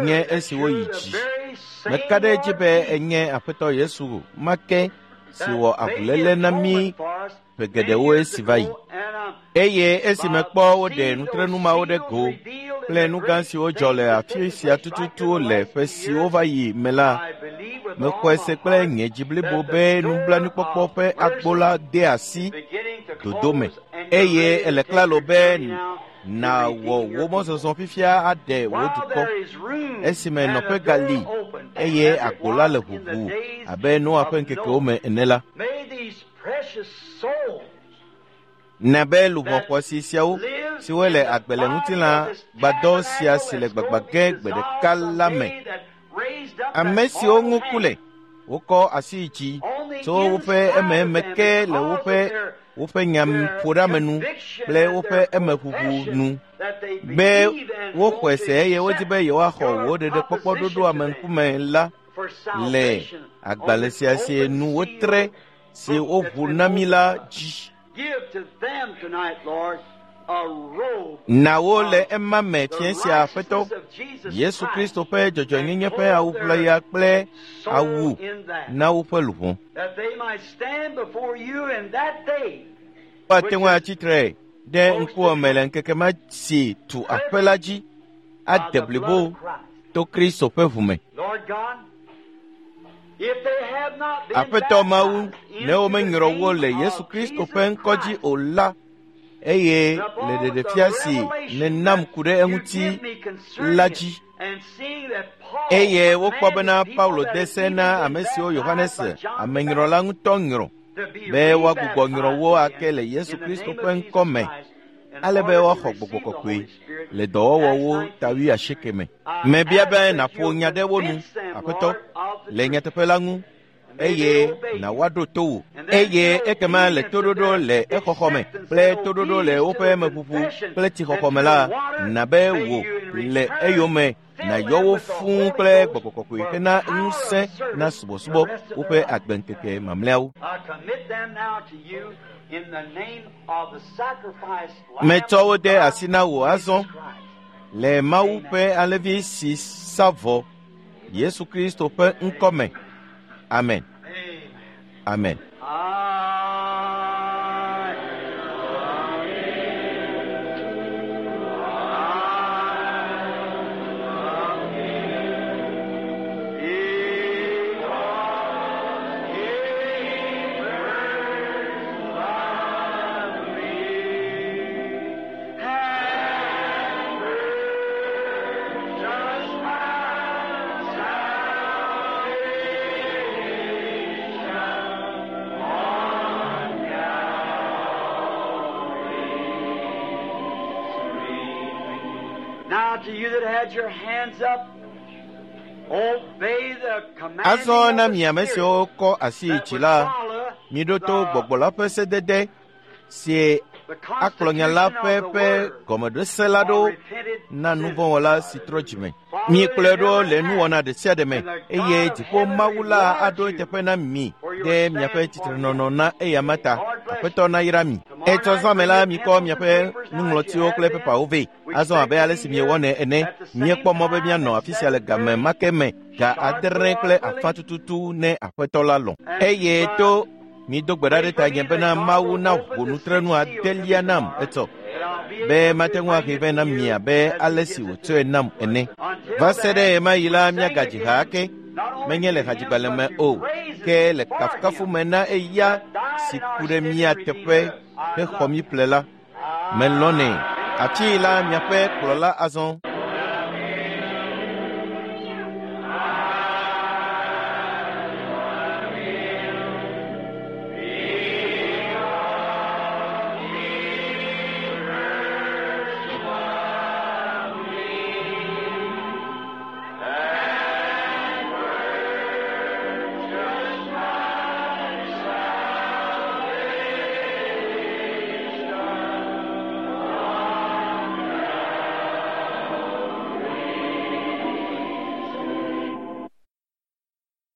nye esiwo yi dzi. Meka ɖe edzi be enye Aƒetɔ Yesu ma ke si wɔ avuléle na mí ƒe geɖewo esi va yi. Eye esi mekpɔ woɖe nutrenu mawo ɖe go kple nu gã siwo dzɔ le afi sia tututu le ƒe siwo va yi me la, mexɔe se kple nye dzi blibo be nublanuikpɔkpɔ ƒe agbo la de asi dodo me eye ele klalo be nàwɔ wò mɔzɔzɔ fifia aɖe wò dukɔ esime nɔƒe gali eye agbo la le ʋuʋu abe Noa ƒe ŋkekewo me ene la. Na be luʋɔ xɔasi siawo siwo le agbe le ŋutilã gbadɔ sia si le gbagba ge gbe ɖeka la me, ame siwo ŋu ku le, wokɔ asi yi dzi tso woƒe ememe ke le woƒe woƒe nyaƒoɖeamenu kple woƒe emeʋuʋu nu be woxɔe se eye wodi be yewoaxɔ wò ɖeɖekpɔkpɔ ɖoɖo ame ŋkume la le agbalẽ sia si nu wotre si woʋu na mí la dzi. Na wo le ema me fiẽ sia Aƒetɔ Yesu Kristo ƒe dzɔdzɔenyenye ƒe awu ʋlaya kple awu na woƒe luʋɔ. Woate ŋu atsi tre ɖe ŋkuwò me le ŋkeke ma si tu aƒe la dzi ade blibo to Kristo ƒe ʋu me. Aƒetɔ Mawu, ne womenyrɔ wo le Yesu Kristo ƒe ŋkɔ dzi o la, eye le ɖeɖefia si nènam ku ɖe eŋuti la dzi, eye wokpɔ bena Paulo de se na ame siwo Yohanes amenyrɔla ŋutɔ nyrɔ be woagbugbɔ nyrɔ wo ake le Yesu Kristo ƒe ŋkɔ me, ale be woaxɔ gbɔgbɔ kɔkɔe le dɔwɔwɔwo ta wuiasieke me. Mebia be nàƒo nya ɖe wo nu, Aƒetɔ, le nyateƒe la ŋu, eye nàwoaɖo to wò. Eye ekema le toɖoɖo le exɔxɔ me kple toɖoɖo le woƒe meʋuʋu kple tsixɔxɔ me la, na be wò le eyome nàyɔ wo fũu kple gbɔgbɔ kɔkɔe hena ŋusẽ na subɔsubɔ woƒe agbeŋkeke mamlɛawo. Metsɔ wo de asi na wò azɔ le Mawu ƒe alẽvi si sa vɔ Yesu Kristo ƒe ŋkɔ me. Amen. Amen. Azɔ na mi ame siwo kɔ asi yi dzi la, miɖo to gbɔgbɔ la ƒe sedede si akplɔ nya la ƒe ƒe gɔmeɖose la ɖo na nuvɔ̃wɔla si trɔ dzime. Mikplɔe ɖo le nuwɔna ɖe sia ɖe me eye dziƒo Mawu la aɖo eteƒe na mi ɖe miaƒe tsitrenɔnɔ na eyama ta. Aƒetɔ nayra mi. Etsɔ zã me la, mikɔ miaƒe nuŋlɔtiwo kple pepawo vɛ. Azɔ abe ale si miewɔnɛ ene, míekpɔ mɔ be míanɔ afi sia le game ma ke me, ga 7:30 tututu ne Aƒetɔ la lɔ̃. Eye to mido gbe ɖa ɖe tanye bena Mawu naʋu nutrenu adelia nam etsɔ, be mate ŋu ahe vɛ na mi abe ale si wòtsɔe nam ene. Va se ɖe ɣemaɣi la, míagadzi ha ake, menye le hadzigbalẽ me o, ke le kafukafu me na eya si ku ɖe mía teƒe hexɔ mí ƒle la. Melɔ̃nɛ. Afi la miaƒe kplɔla azɔ.